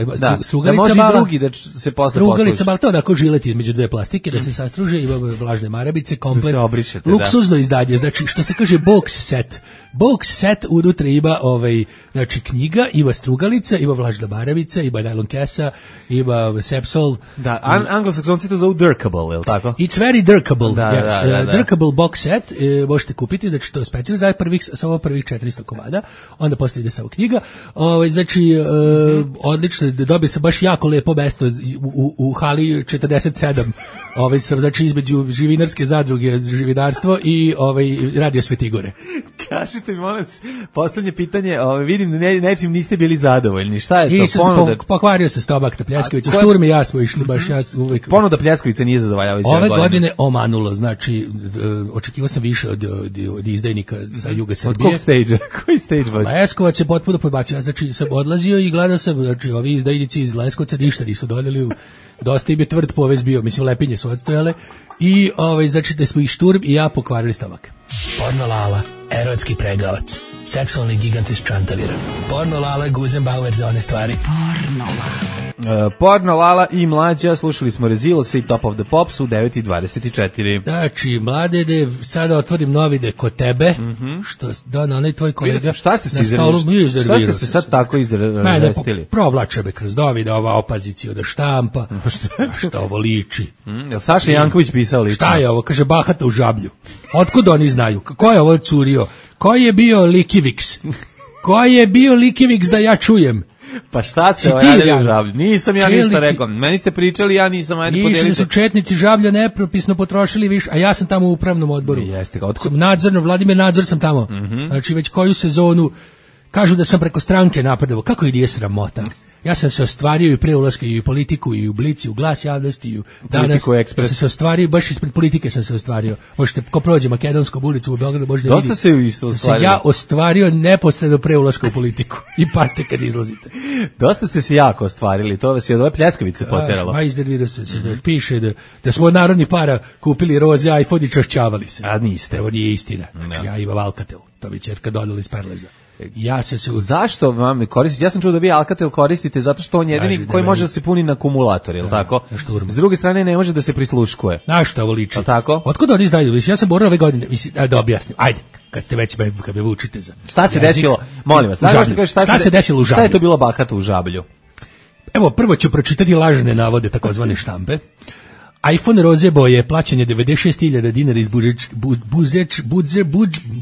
može i drugi da se posle strugalica, ali to onako žilet između dve plastike, da se sastruže, ima vlažne maramice, komplet, luksuzno izdanje, znači što se kaže box set. Box set unutra ima znači knjiga, ima strugalica, ima vlažna maramica, ima nylon kesa, ima sepsol. Da, anglosaksonci to zovu dirkable, je li tako? It's very dirkable, yes. Dirkable box set, možete kupiti, znači to je specijalno za prvih 400 komada, onda posle ide samo knjiga. Znači, odlično, dobio sam baš jako lepo mesto u hali 47, sam, znači, između živinarske zadruge, živinarstvo i radio Svetigore. Kažite mi, molim se, poslednje pitanje, vidim da nečim niste bili zadovoljni, šta je to? Pokvario se stomak na Pljeskovicu, Šturm i ja smo išli baš, ja uvek... Ponuda Pljeskovice nije zadovoljavajuća ove godine omanulo, znači, očekivao sam više od izdajnika sa juga Srbije. Od kog stage-a? Koji stage vas? Leskovac je potpuno podbacio, znači sam odlazio i gledao sam, znači ovi izdajnici iz Leskovca ništa nisu doneli, dosta im je tvrd povez bio, mislim lepinje su odstojale i znači da smo i Šturm i ja pokvarili stomak. Porno Lala, erotski pregavac, seksualni gigant iz Čantavira. Porno Lala, Guzenbauer za one stvari. Porno Lala. Porno Lala i Mlađa, slušali smo Rezilose i Top of the Pops u 9:24. Znači, Mladene, sada otvorim novine kod tebe, što na onaj tvoj kolega. Šta ste se izrevili? Šta ste se sad tako izrevestili? Provlače me kroz novine, ova opozicija da štampa, šta ovo liči. Jel Saša Janković pisao liči? Šta je ovo? Kaže, bahata u žablju. Otkud oni znaju? Ko je ovo curio? Ko je bio Likiviks? Ko je bio Likiviks da ja čujem? Pa šta ste radili u Žablju? Nisam ja ništa rekao. Meni ste pričali, ja nisam. Išli su četnici Žablja nepropisno potrošili više, a ja sam tamo u upravnom odboru. Jeste, nadzorno, Vladimir Nadzor sam tamo. Znači već koju sezonu kažu da sam preko stranke napredovao. Kako je sramota? Ja sam se ostvario i pre ulaska i u politiku, i u Blici, u Glas javnosti, i u Danas. Ja sam se ostvario, baš ispred politike sam se ostvario. Možete, ko prođe Makedonskom ulicu u Beogradu, možete vidjeti. Dosta se isto ostvario. Ja ostvario neposredno pre ulaska u politiku. I pazite kad izlazite. Dosta ste se jako ostvarili, to vas je od ove Pljeskavice poteralo. Iznervirao se, piše da smo od narodnih para kupili roze, iPhone i čašćavali se. A niste. Evo nije istina. Znači, ja imam Alcatel, to bi ćerka dodala iz Perleza. Zašto vam koristite? Ja sam čuo da vi Alcatel koristite zato što on je jedini koji može da se puni na akumulator, je li tako? S druge strane ne može da se prisluškuje. Na što ovo liči? Tako? Otkud oni znaju? Ja sam borio ove godine, da objasnim. Ajde, kad ste već kad me učite za. Šta se desilo? Molim vas, šta se desilo u Žablju? Šta je to bilo bahato u Žablju? Evo, prvo ću pročitati lažne navode takozvane štampe. iPhone roze boje, plaćanje 96.000 dinara iz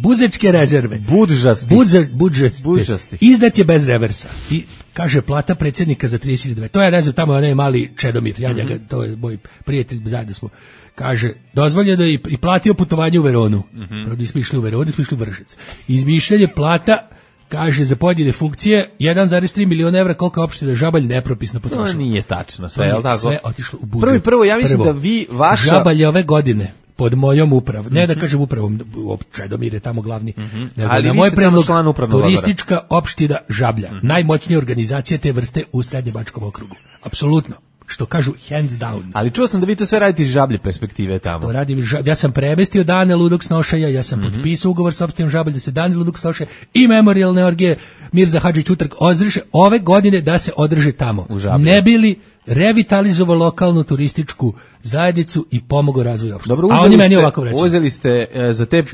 buzečke rezerve. Budžasti. Izdat je bez reversa. I kaže plata predsjednika za 30.000. To je, ne znam, tamo onaj mali Čedomir, ja njega, to je moj prijatelj, zajedno smo. Kaže, dozvoljeno je i platio putovanje u Veronu. Prvo smo išli u Veronu, smo išli u Vršac. Izmišljanje plata, kaže, za pojedine funkcije 1,3 miliona evra, koliko je opština Žabalj nepropisno potrošila. To nije tačno sve, je li tako? Sve otišlo u budžet. Prvo, ja mislim da vi, vaša... Žabalj je ove godine pod mojom upravom, ne da kažem upravom, Čedomir je tamo glavni, nego ali na moj predlog turistička opština Žablja, najmoćnija organizacija te vrste u Srednjebačkom okrugu. Apsolutno. što kažu hands down. Ali čuo sam da vi to sve radite iz žablje perspektive tamo. To radim, ja sam premestio dane ludog snošaja, ja sam potpisao ugovor sa opštinom Žabalj da se dane ludog snošaja i memorijalne orgije Mirza Hadžić Utrk održe ove godine da se održe tamo. Ne bili revitalizovao lokalnu turističku zajednicu i pomogao razvoju opštine. Dobro, a oni meni ovako reći. Uzeli ste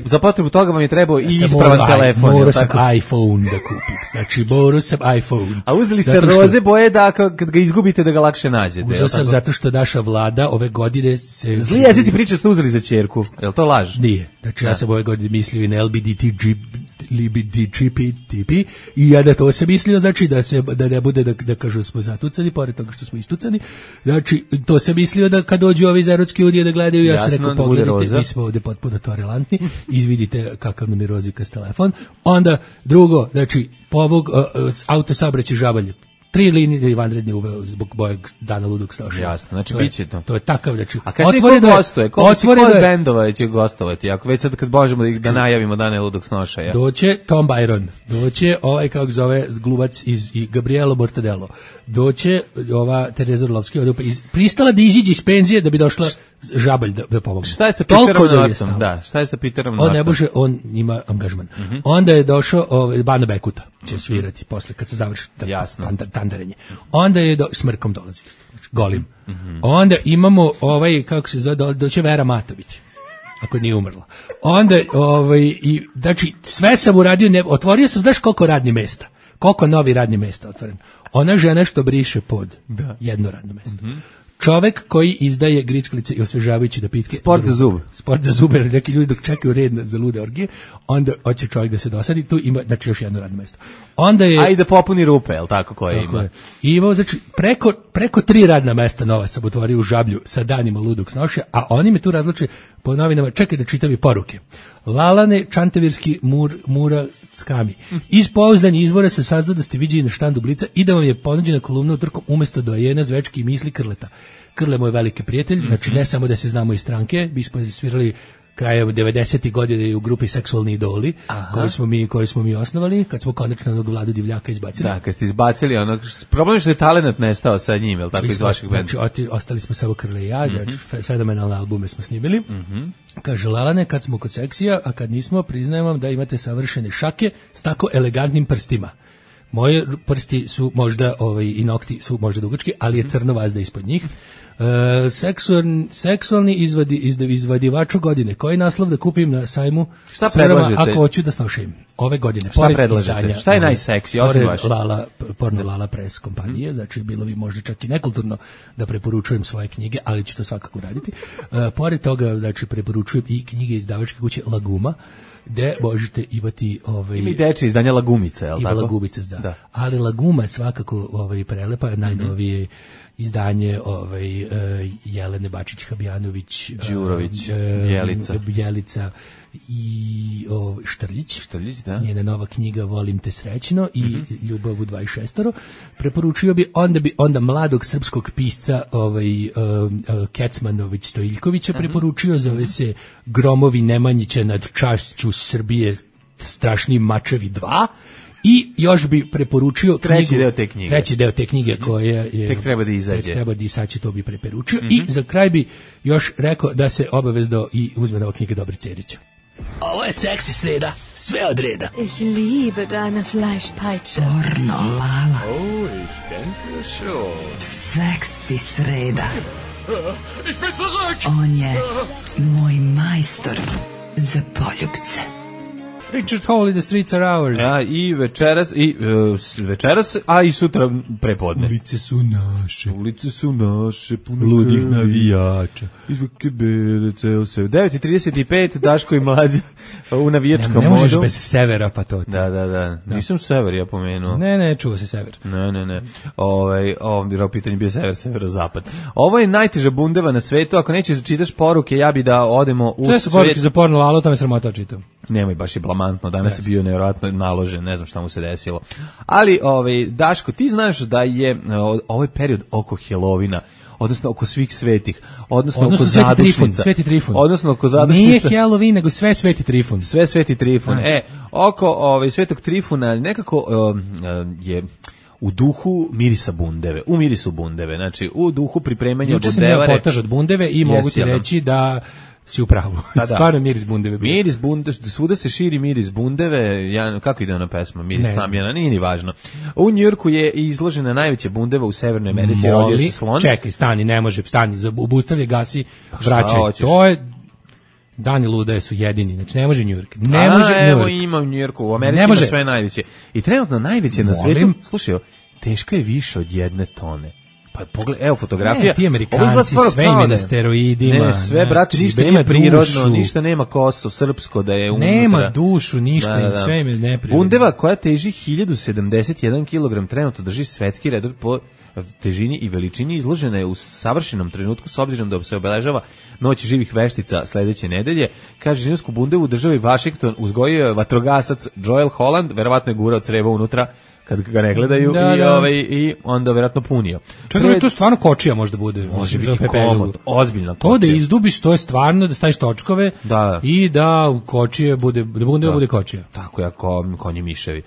za potrebu toga vam je trebao i ispravan telefon. Morao sam iPhone da kupim. Znači, morao sam iPhone. A uzeli ste roze boje da kad ga izgubite da ga lakše nađete. Uzeo sam zato što naša vlada ove godine se... Zli jezici priča ste uzeli za ćerku. Je li to laž? Nije. Znači, ja sam ove godine mislio i na LBDTGP i ja da to sam mislio, znači da ne bude da kažu smo zatucani, pored toga što smo istucani. Znači, to sam mislio da kad dođu ovi iz Evropske unije da gledaju, ja sam rekao pogledajte, mi smo ovdje potpuno tolerantni, izvidite kakav nam je rozikas telefon. Onda drugo, znači, povog autosaobraćaj Žabalj. 3 linije vanredne uveo zbog mojeg dana ludog snošaja. Jasno, znači biće to. To je takav, znači. A kad ko gostuje? Koliko bendova će gostovati? Ako već sad kad možemo da najavimo dane ludog snošaja. Doće Tom Byron, doće ovaj kako zove glumac iz Gabrielo Mortadelo, doće ova Tereza Orlovski, pristala da iziđe iz penzije da bi došla Žabalj da pomogne. Šta je sa Peterom Nortom? Da, šta je sa Peterom Nortom? On ne može, on ima angažman. Onda je došao Bana Bekuta, će svirati posle kad se završi tandarenje. Onda je Smrkom dolazi isto, znači golim. Onda imamo kako se zove, doće Vera Matović, ako nije umrla. Onda i znači sve sam uradio, otvorio sam, znaš koliko radnih mesta, koliko novi radnih mesta otvoren. Ona žena što briše pod jedno radno mesto. Čovek koji izdaje grickalice i osvežavajuće napitke. Sport za zub. Sport za zub, jer neki ljudi dok čekaju red za lude orgije, onda hoće čovjek da se dosadi, tu ima, znači još jedno radno mesto. Onda je... A i da popuni rupe, je li tako koje ima? Je. I imao, znači, preko 3 radna mesta nova sam otvorio u Žablju sa danima ludog snošaja, a oni me tu razluče po novinama, čekaj da čitam i poruke. Lalane Čantavirski Mura Skami. Iz pouzdanih izvora se saznao da ste viđeni na štandu Blica i da vam je ponuđena kolumna utorkom umjesto dojena Zvečki i misli Krleta. Krle moj veliki prijatelj, znači ne samo da se znamo iz stranke, mi smo svirali krajem 90. godine u grupi Seksualni idoli, koju smo mi osnovali, kad smo konačno onog Vladu Divljaka izbacili. Da, kad ste izbacili onog, problem je što je talenat nestao sa njim, je li tako iz vašeg benda? Znači, ostali smo samo Krle i ja, fenomenalne albume smo snimili. Kaže Lalane, kad smo kod seksija, a kad nismo, priznajem vam da imate savršene šake s tako elegantnim prstima. Moje prsti su možda, i nokti su možda dugački, ali je crno vazda ispod njih. Seksualni izvadivaču godine. Koji naslov da kupim na sajmu? Šta predlažete? Ako hoću da snošim ove godine. Šta predlažete? Šta je najseksi? Porno Lala Press kompanije, znači bilo bi možda čak i nekulturno da preporučujem svoje knjige, ali ću to svakako raditi. Pored toga, znači, preporučujem i knjige izdavačke kuće Laguma, gde možete imati ima i dečje izdanje Lagumice, je li tako? Ima Lagumice, da. Ali Laguma svako prelepa, najnovije izdanje Jelene Bačić-Habjanović, Đurović, Bjelica i Štrljić, da. Njena nova knjiga Volim te srećno i Ljubav u 26. Preporučio bi onda mladog srpskog pisca Kecmanović Stojiljkovića preporučio, zove se Gromovi Nemanjića nad čašću Srbije, strašni mačevi 2. I još bi preporučio treći deo te knjige koja je tek treba da izađe. Tek treba da izaći, to bi preporučio. I za kraj bi još rekao da se obavezno i uzme nova knjiga Dobri Cerića. Ovo je seksi sreda, sve od reda. Ich liebe deine Fleischpeitsche. Pornolala. Oh, ich denke schon. Seksi sreda. Ich bin zurück. On je moj majstor za poljubce. Richard Hall i The Streets Are Ours. Ja, i večeras, a i sutra prepodne. Ulice su naše, puno ludih navijača. Izvuke bere, ceo se. 9:35, Daško i Mlađa u navijačkom modu. Ne možeš bez severa, pa to. Da. Nisam sever, ja pomenuo. Ne, čuva se sever. Ne. Ovo pitanje bio severozapad. Ovo je najteža bundeva na svetu. Ako nećeš da čitaš poruke, ja bi da odemo u svet. Sve su poruke za porno lalo, to me sramota čitam. Nemoj, baš je blamantno, danas je bio nevjerojatno naložen, ne znam šta mu se desilo. Ali, Daško, ti znaš da je ovaj period oko Helovina, odnosno oko svih svetih, odnosno oko zadušnica. Sveti Trifun. Odnosno oko zadušnica. Nije Halloween, nego sve Sveti Trifun. Sve Sveti Trifun. Oko Svetog Trifuna nekako je u duhu mirisa bundeve, u mirisu bundeve, znači u duhu pripremanja bundevare. Juče sam imao potaž od bundeve i mogu ti reći da si u pravu. Stvarno miris bundeve. Miris bundeve, svuda se širi miris bundeve. Kako ide ona pesma? Miris tamjana, nije ni važno. U Njujorku je izložena najveća bundeva u Severnoj Americi, rodio se slon. Čekaj, stani, obustavlja, gasi, vraćaj. To je Dani lude su jedini, znači ne može Njujork. Ne može Njujork. Evo ima u Njujorku, u Americi ima sve najveće. I trenutno najveće na svetu, slušaj, teška je više od 1 tone. Pa pogledaj, evo fotografija. Ti Amerikanci sve ime na steroidima. Ne, sve, brate, ništa nije prirodno, ništa nema kosu, srpsko da je unutra. Nema dušu, ništa, sve ime neprirodno. Bundeva koja teži 1071 kg trenutno drži svetski rekord po težini i veličini, izložena je u savršenom trenutku s obzirom da se obeležava Noć živih veštica sledeće nedelje. Kaže, ženevsku bundevu državi Washington uzgojio je vatrogasac Joel Holland, verovatno je gurao creva unutra kad ga ne gledaju i onda verovatno punio. Čekaj, to stvarno kočija možda bude. Može biti komod, ozbiljna kočija. To da izdubiš, to je stvarno da staviš točkove i da kočije bude, da bundeva bude kočija. Tako je, konji miševi.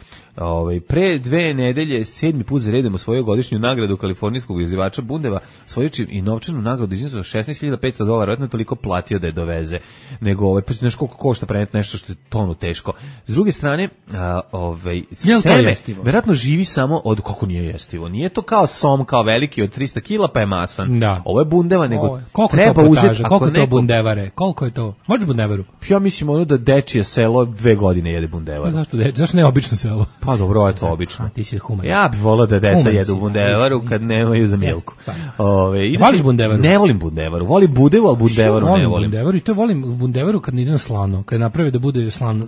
Pre 2 nedelje 7. put za redom osvojio godišnju nagradu kalifornijskog izvođača bundeva, osvojući i novčanu nagradu iznosu $16.500, vjerojatno je toliko platio da je doveze. Nego pa znaš koliko košta preneti nešto što je tonu teško. S druge strane, seme verovatno živi samo od, kako nije jestivo. Nije to kao som, kao veliki od 300 kila pa je masan. Da. Ovo je bundeva, nego koliko treba uzeti. Koliko je to bundevare? Koliko je to? Možeš bundevaru? Ja mislim da dečije selo 2 godine jede bundevaru. Zašto ne obično selo? Pa dobro, je to obično. Ti si human. Ja bih volao da deca jedu bundevaru kad nemaju za milku. Voliš bundevaru? Ne volim bundevaru. Volim budevu, ali bundevaru ne volim. Bundevaru i to volim bundevaru kad ne ide na slano. Kad napravi da bude slana,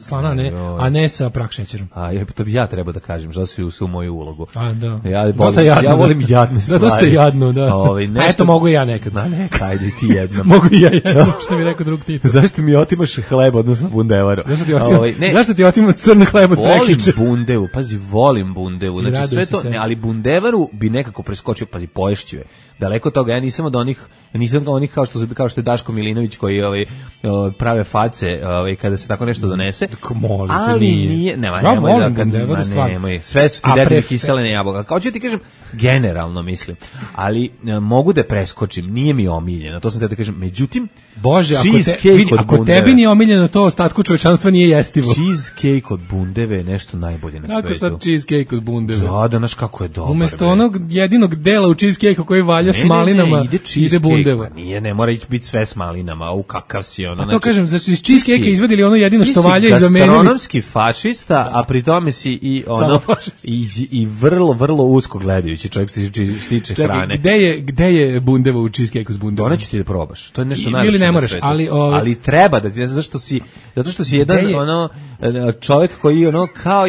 a ne sa prah šećerom. To bi ja trebao da kažem, što si u moju ulogu. Dosta jadno. Ja volim jadne stvari. Dosta jadno, da. A eto mogu i ja nekad. Neka, ajde ti jednom. Mogu i ja jednom, što mi rekao drug tip. Zašto mi otimaš hleb, odnosno bundevaru? Zašto ti otimam crni hleb od prekiče? Volim bundevu, pazi, volim bundevu, znači sve to, ali bundevaru bi nekako preskočio, pazi, poješću je. Daleko od toga, ja nisam od onih kao što je Daško Milinović koji prave face kada se tako nešto donese. Ali nije, nemoj, sve su ti dedine kiselene jabuka. Kao ću ti kažem, generalno mislim, ali mogu da preskočim, nije mi omiljeno, to sam te da kažem, međutim, Bože, ako tebi nije omiljeno to, ostatku čovečanstva nije jestivo. Cheesecake od bundeve je nešto najbolje na svetu. Kako sad cheesecake od bundeve? Da, znaš kako je dobar. Umesto onog jedinog dela u cheesecake-u koji valja s malinama, ide bundeva. Nije, ne mora biti sve s malinama, u kakav si ono. A to kažem, znači iz cheesecake-a izvadili ono jedino što valja i zamenili. Ti si gastronomski fašista, a pri tome si i vrlo, vrlo usko gledajući čovjek što se tiče hrane. Gde je bundeva u cheesecake-u s bundevom? To neću ti da probaš, to je nešto najlepše. Ne moraš, ali treba da ti, zato što si jedan čovjek koji kao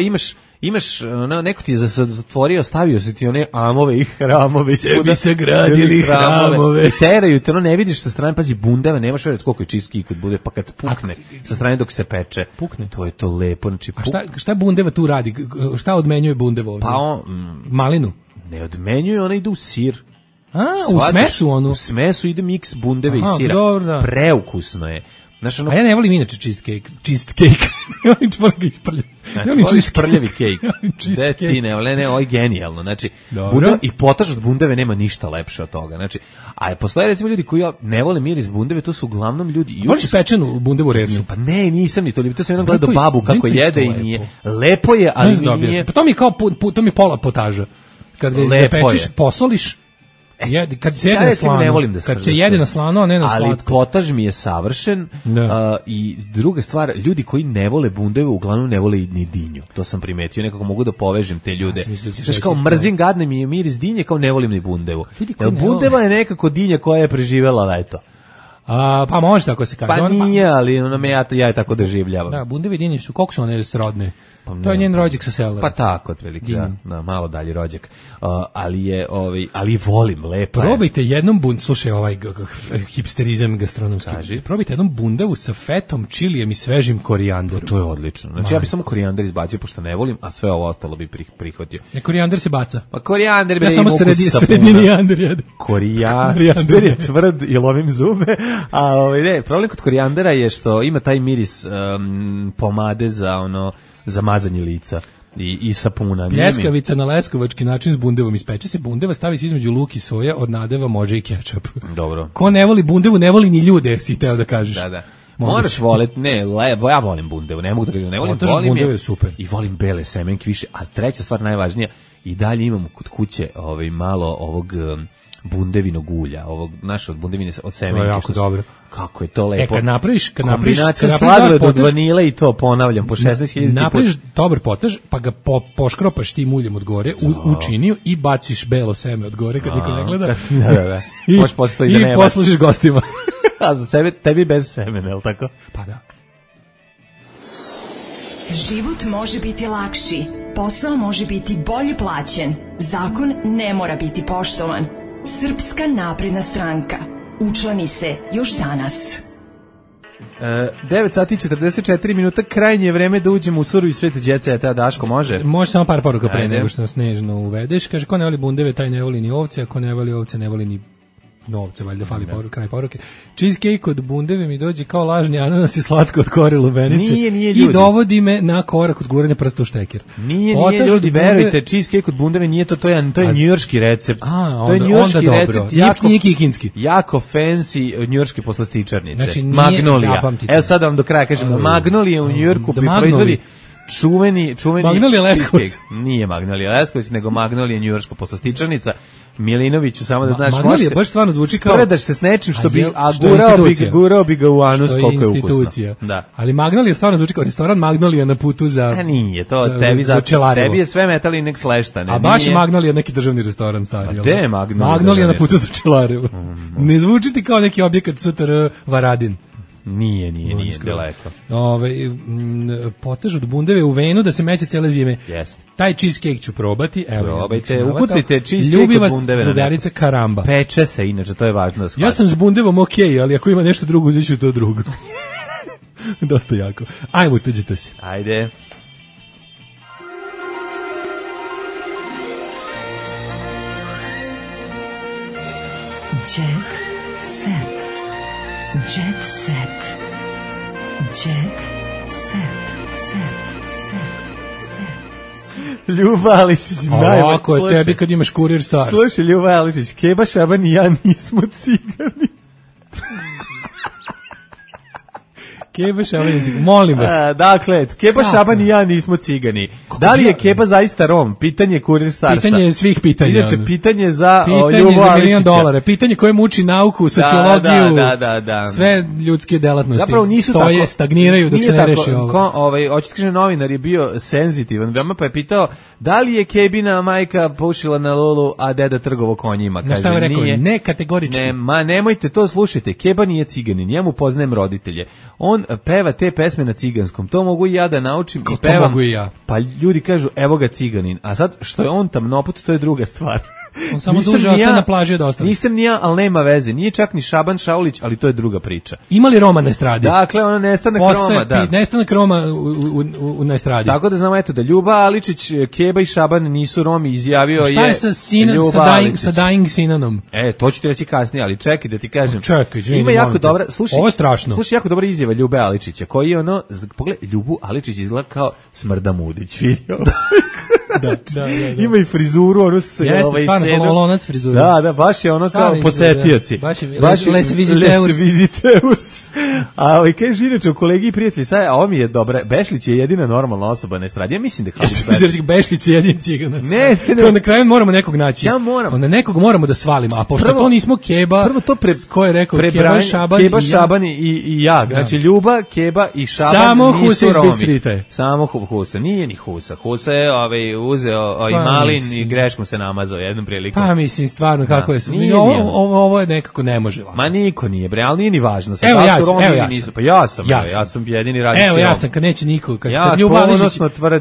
imaš neko ti je zatvorio, stavio se ti one amove i hramove. Sebi se gradili hramove. I teraju te, ne vidiš sa strane, pazi, bundeva, nemaš vjerati koliko je cheesecake kad bude, pa kad pukne sa strane dok se peče. Pukne. To je to lepo. Znači, a šta bundeva tu radi? Šta odmenjuje bundeva ovdje? Malinu? Ne odmenjuje, ona ide u sir. U smesu onu? U smesu ide miks bundeve i sira. Dobro. Preukusno je. A ja ne volim inače cheesecake. Ja voliš prljavi cake. Gde ti ne, ovo je genijalno. Znači, i potaž od bundeve nema ništa lepše od toga. Znači, a postoje recimo ljudi koji ne vole miris bundeve, to su uglavnom ljudi. Voliš pečenu bundevu rednu? Pa ne, nisam ni to ljubio. To sam jednom gledao babu kako jede i nije. Lepo je, ali nije. Pa to mi je pola potaža. Kad ga zapečeš, posoliš, kad se jede na slano, kad se jede na slano, a ne na slatko. Ali potaž mi je savršen i druga stvar, ljudi koji ne vole bundeve uglavnom ne vole ni dinju. To sam primetio, nekako mogu da povežem te ljude. Znaš, kao mrzim, gadne mi je miris dinje, kao ne volim ni bundevu. Bundeva je nekako dinja koja je preživjela leto. Pa može tako se kaže. Pa nije, ali ja je tako doživljavam. Da, bundeve i dinje su, koliko su one srodne? To je njen rođak sa sela. Pa tako, otprilike, malo dalje rođak. Ali volim, lepo. Probajte jednom slušaj ovaj hipsterizam gastronomski. Probajte jednom bundevu sa fetom, čilijem i svežim korijanderom. To je odlično. Znači ja bih samo korijander izbacio, pošto ne volim, a sve ovo ostalo bi prihvatio. Korijander se baca. Pa korijander bi ja samo srednji jander jedem. Korijander je tvrd i lovim zube. A problem kod korijandera je što ima taj miris pomade za mazanje lica. i sapuna. Pljeskavica na leskovački način s bundevom ispeče se bundeva, stavi se između luk i soja, od nadeva može i kečap. Dobro. Ko ne voli bundevu, ne voli ni ljude, si teo da kažeš. Da. Moraš voleti, ja volim bundevu, ne mogu da kažem, ne volim, volim je super. I volim bele semenke više, a treća stvar najvažnija, i dalje imamo kod kuće malo ovog bundevinog ulja, ovog od bundevine od semenke. To je jako dobro. Kako je to lepo. Kad napraviš kombinacija sladoled od vanile i to ponavljam po 16.000 napraviš dobar potaž, pa ga poškropaš tim uljem od gore u činiju i baciš belo seme od gore kad niko ne gleda. Da. Možeš postoji da ne i poslužiš gostima. A za sebe, tebi bez semena, je li tako? Pa da. Život može biti lakši, posao može biti bolje plaćen, zakon ne mora biti poštovan. Srpska napredna stranka. Učlani se još danas. 9 sati 44 minuta, krajnje vreme da uđemo u surovi svet Đeceta. Daško, može? Može samo par poruka pre nego što nas nežno uvedeš. Kaže, ko ne voli bundeve, taj ne voli ni ovce, ako ne voli ovce, ne voli ni novce, valjda fali kraj poruke. Cheesecake od bundeve mi dođe kao lažni ananas i slatko od kore lubenice. Nije i dovodi me na korak od guranja prsta u šteker. Nije ljudi, verujte, cheesecake od bundeve nije to je njujorški recept. To je njujorški recept, nije kikinski. Jako fancy njujorški poslastičarnice. Znači, Magnolia. Evo sad vam do kraja kažemo, Magnolia u Njujorku proizvodi čuveni Magnolia Leskovac. Nije Magnolia Leskovac, nego Magnolia njujorška poslastičarnica. Milinoviću, samo da znaš, Magnolia baš stvarno zvuči kao spredaš se s nečim što bi gurao bi ga u anus koliko je ukusno. Da. Ali Magnolia stvarno zvuči kao restoran Magnolia na putu za nije to tebi je sve metal i nek sleštane. A baš je Magnolia neki državni restoran stari. Gde je Magnolia? Magnolia na putu za Čelarevo. Ne zvuči ti kao neki objekat STR Varadin. Nije daleko. Potež od bundeve u venu da se meće cele zime. Jeste. Taj cheesecake ću probati. Probajte, ukucite cheesecake od bundeve. Drugarica Karamba. Peče se, inače, to je važno da shvatite. Ja sam s bundevom okej, ali ako ima nešto drugo, uzet ću to drugo. Dosta jako. Ajmo, tuđite se. Ajde. Jet set. Jet set. Jet set. Ljuba Aličić, najbolje. Ako je tebi kad imaš Kurir Stars. Slušaj, Ljuba Aličić, Keba Šaban i ja nismo cigani. Keba Šaban, molim vas. Dakle, Keba Šaban i ja nismo cigani. Da li je Keba zaista Rom? Pitanje Kurir Starsa. Pitanje je svih pitanja. Inače, pitanje za Ljubu Aličića. Pitanje za $1.000.000. Pitanje koje muči nauku, sociologiju, da. sve ljudske delatnosti. Zapravo nisu stoje, tako, stagniraju dok se ne reši ovo. Hoćete da kaže, novinar je bio senzitivan, veoma pa je pitao da li je Kebina majka pušila na Lulu, a deda trgovo konjima. Kaže, šta je rekao? Ne kategorički. Nemojte to, slušajte, Keba nije ciganin, njemu poznajem roditelje. On peva te pesme na ciganskom. To mogu i ja da naučim i pevam. To mogu i ja. Pa ljudi kažu, evo ga ciganin. A sad, što je on tamnoput, to je druga stvar. On samo duže ostaje na plaži od ostalih. Nisam ni ja, ali nema veze. Nije čak ni Šaban Šaulić, ali to je druga priča. Ima li Roma na estradi? Dakle, ona nestanak Roma, da. Nestanak Roma na estradi. Tako da znamo, eto, da Ljuba Aličić, Keba i Šaban nisu Romi, izjavio je Ljuba Aličić. Šta je sa Dying Sinanom? To ću ti reći kasnije, ali čekaj da ti kažem. Čekaj, ima jako dobra, slušaj, ovo je strašno. Slušaj, jako dobra izjava Ljube Aličića, koji je pogledaj, Ljubu Aličić izgleda kao Smrdamudić, vidio. Da. Ima i frizuru, ono se stvarno lonac frizura. Da, baš je ono kao posetioci. Baš les visiteus. A kaže inače u kolegi i prijatelji, sad ovo mi je dobra. Bešlić je jedina normalna osoba na estradi. Ja mislim da Bešlić je jedini cigan. Ne. Na kraju moramo nekog naći. Onda nekog moramo da svalimo. A pošto to nismo Keba, ko je rekao Keba, Šaban i ja. Znači Ljuba, Keba i Šaban samo nisu Romi. Samo Husa. Nije ni Husa. Husa je uzeo i malin i greškom se namazao jednom prilikom. Pa mislim, stvarno, kako je se... Ovo je nekako ne može. Ma niko nije, bre, ali nije ni važno. Evo ja sam jedini radijski Rom. Evo ja sam, kad neće niko. Kad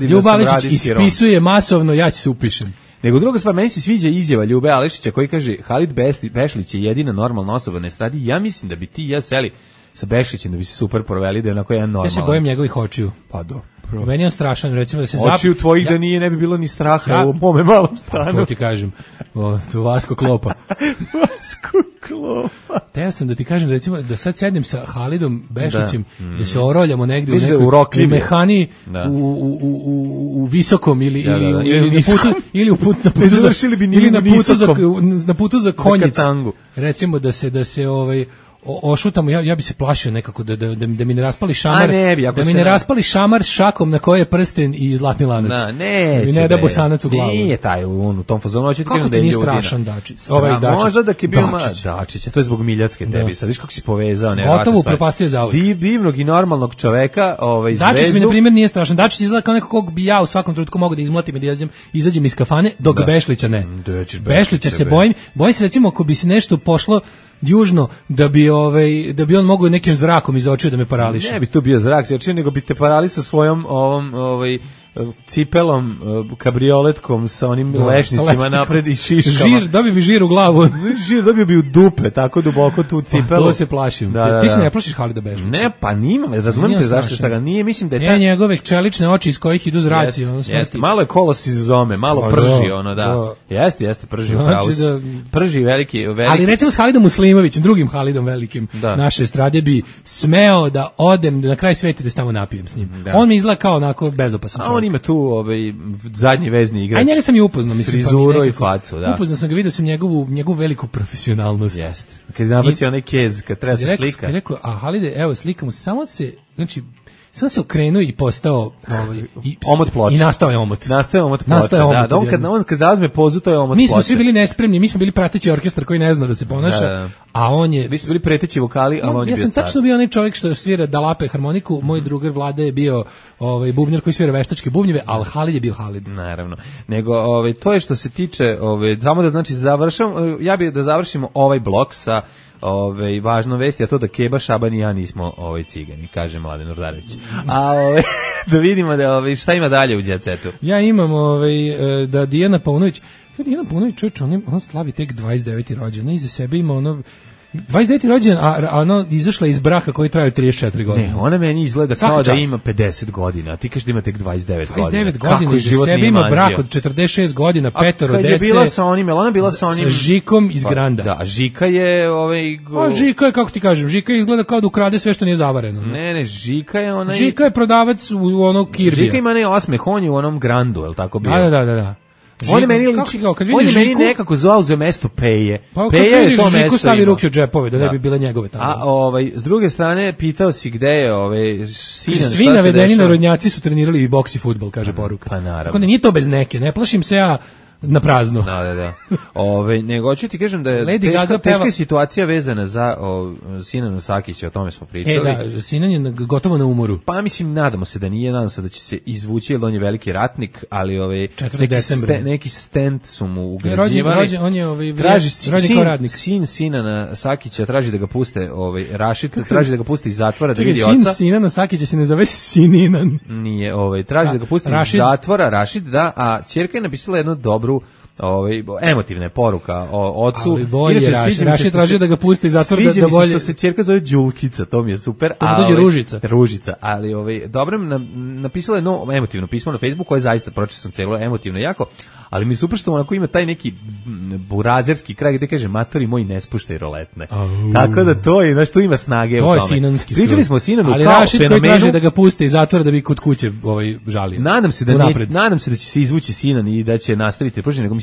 Ljuba Aličić ispisuje masovno, ja ću se upišem. Nego druga stvar, meni se sviđa izjava Ljube Ališića koji kaže Halid Bešlić je jedina normalna osoba na estradi. Ja mislim da bi ti i ja seli sa Bešlićem da bi se super proveli, da je onako jedan normalan. Ja se bojim njegovih očiju. Pa do. Meni je strašan, recimo da se oči u tvojih da nije, ne bi bilo ni straha u mome malom stanu. To ti kažem, to Vasko Klopa. Vasko Klopa. Te sam da ti kažem, recimo, da sad sednem sa Halidom Bešićem, da se oroljamo negde u mehani, u visokom ili na putu za konjicu. Recimo da se ošutamo, ja bi se plašio nekako da mi ne raspali šamar, da mi ne raspali šamar šakom na koje je prsten i zlatni lanac. Ne da bosanac u glavu. Nije taj u tom fazonu, hoće ti kažem da je ljudina. Kako ti nije strašan Dačić? Ovaj Dačić. Možda da je bio Dačić, to je zbog Miljacke tebi, sad viš kako si povezao. Gotovo upropastio zauvijek. Divnog i normalnog čoveka, zvezdu. Dačić mi na primjer nije strašan. Dačić izgleda kao neko kog bi ja u svakom trenutku mogao da izmlatim i da izađem iz kafane, dok Bešlića ne. Bešlića se bojim se recimo ako bi se nešto pošlo južno da bi on mogao nekim zrakom iz očiju da me parališe. Ne bi to bio zrak, nego bi te paralisao svojom cipelom, kabrioletkom sa onim lešnicima napred i šiškama. Dobio bi žir u glavu. Dobio bi u dupe, tako duboko tu cipelu. To se plašim. Ti se ne plašiš Halida Bešića? Ne, pa nima, razumijem te zašto šta ga nije, mislim da je njegove čelične oči iz kojih idu zraci. Jeste, malo je kolos iz zome, malo prži, Jeste, prži u pravu. Prži veliki. Ali recimo s Halidom Muslimovićem, drugim Halidom velikim naše estrade bi smeo da odem na kraj sveta da se tamo napijem s njim. On mi izgleda kao onako bezopasan čovjek. On ima tu zadnji vezni igrač. A njega sam i upoznao, mislim. Frizuru i facu, da. Upoznao sam ga, vidio sam njegovu veliku profesionalnost. Jeste. Kad je nabacio onaj kez, kad treba se slika. Rekao, a Halide, evo slikamo, samo se okrenuo i postao omot ploča. I nastao je omot. Nastao omot ploča. Da, on kad zauzme pozu, to je omot ploča. Mi smo svi bili nespremni, mi smo bili prateći orkestar koji ne zna da se ponaša, a on je... Vi ste bili preteći vokali, a on je bio car. Ja sam tačno bio onaj čovjek što svira dalape harmoniku, moj drugar Vlada je bio bubnjar koji svira veštačke bubnjeve, ali Halid je bio Halid. Naravno. Nego, to je što se tiče, samo da znači ja bih da završimo ovaj blok sa važno vesti, a to da Keba, Šaban i ja nismo cigani, kaže Mladen Urdarević. A da vidimo šta ima dalje u Jet Setu. Ja imam da Dijana Paunović, čovječ, on slavi tek 29. rođendan, iza sebe ima 29. rođendan, a ono izašla iz braka koji traju 34 godine. Ne, ona meni izgleda kao da ima 50 godina, a ti kažeš da ima tek 29 godina. 29 godina, iza sebe ima brak od 46 godina, petoro dece. A kad je bila sa onim, ona bila sa onim... Sa Žikom iz Granda. Da, Žika je... A Žika je, kako ti kažem, Žika izgleda kao da ukrade sve što nije zavareno. Ne, Žika je onaj... Žika je prodavac u onog Kirbija. Žika ima ne osmeh, on je u onom Grandu, je li tako bio? Da. On je meni nekako zauzeo mesto Peje. Pa Peja je to mesto. Žiku stavi ruke u džepove da ne bi bile njegove tamo. A s druge strane pitao si gde je Sinan. Svi navedeni narodnjaci su trenirali i boks i fudbal, kaže poruka. Pa naravno. Tako da nije to bez neke, ne plašim se ja na prazno. Da. Nego hoću ti kažem da je teška situacija vezana za Sinana Sakića, o tome smo pričali. Da, Sinan je gotovo na umoru. Pa mislim, nadamo se da nije, nadamo se da će se izvući, jer on je veliki ratnik, ali neki stent su mu ugrađivali. On je rođen kao radnik. Sin Sinana Sakića traži da ga puste, Rašid traži da ga puste iz zatvora da vidi oca. Sin Sinana Sakića se ne zove Sininan. Nije, traži da ga puste iz zatvora, Rašid, da, a ćerka je napisala jednu dobru emotivna poruka o ocu. Ali bolje, Rašid traži da ga pusti iz zatvora da bolje. Sviđa mi se što se ćerka zove Đulkica, to mi je super. To dođe Ružica, ali dobro napisala je emotivno pismo na Facebooku koje zaista pročitao sam celo emotivno jako, ali mi je super što onako ima taj neki burazerski kraj gde kaže matori moji ne spuštaj roletne. Tako da to je, tu ima snage u tome. To je sinanski. Pričali smo o Sinanu kao fenomenu. Ali Rašid koji traži da ga pusti iz zatvora da bi kod kuće žalio. Nadam se da će se izvući Sinan i da će nastaviti pružanje, nego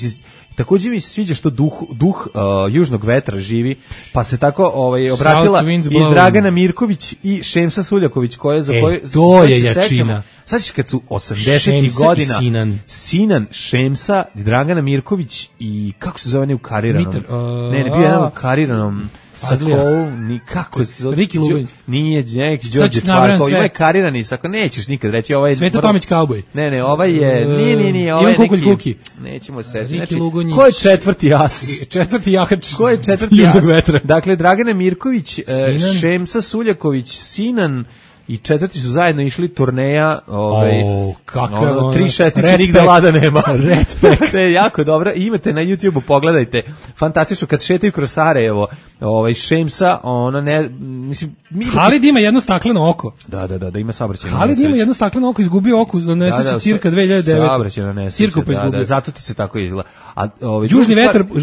također mi se sviđa što duh južnog vetra živi, pa se tako obratila i Dragana Mirković i Šemsa Suljaković to je jačina. Sad ćeš kad su 80. godina Sinan, Šemsa, Dragana Mirković i kako se zove ne u kariranom? Ne, bio je u kariranom nikako Riki Lugović. Nije neki Đorđe Čvarkov, ima je karirani, ako nećeš nikad reći ovaj je Sveta Tomić kauboj. Ne, ovaj je nije, ovaj je neki. Nećemo se. Znači, ko je četvrti as? Četvrti jahač. Ko je četvrti as? Dakle, Dragana Mirković, Šemsa Suljaković, Sinan, i četvrti su zajedno išli turneja, kakav 3-6 nigde lada nema. To je jako dobro. I imate na YouTubeu, pogledajte. Fantastično kad šetaju kroz Sarajevo, Šemsa, ona ne, mislim, Halid ima jedno stakleno oko. Da, ima saobraćajna nesreća. Halid ima jedno stakleno oko, izgubio oko, nesreća cirka 2009. Saobraćajna nesreća. Da, zato ti se tako izgleda. A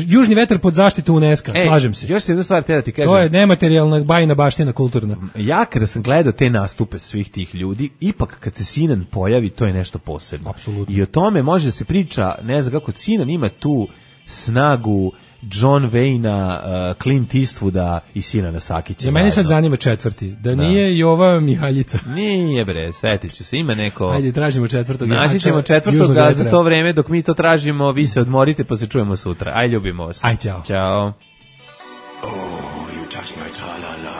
južni vetar pod zaštitu UNESCO, slažem se. Još jednu stvar te da ti kažem. To je nematerijalna bajna baština kulturna. Ja kada sam gledao te nastupe svih tih ljudi, ipak kad se Sinan pojavi, to je nešto posebno. Apsolutno. I o tome može da se priča, ne znam kako Sinan ima tu snagu John Wayne-a, Clint Eastwooda i Sinana Sakića. Ja meni sad zanima četvrti. Da nije Jova Mihaljica. Nije bre, setit ću se, ima neko... Ajde, tražimo četvrtog. Naći ćemo četvrtog, a za to vreme dok mi to tražimo, vi se odmorite pa se čujemo sutra. Aj, ljubimo vas. Aj, ćao. Ćao.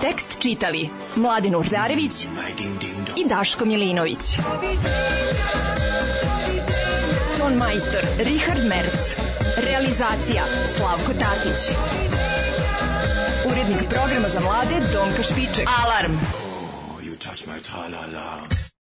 Tekst čitali Mladin Urdarević i Daško Milinović. Ton majstor Richard Merc. Realizacija Slavko Tatić. Urednik programa za mlade Donka Špiček. Alarm! You touch my tra-la-la.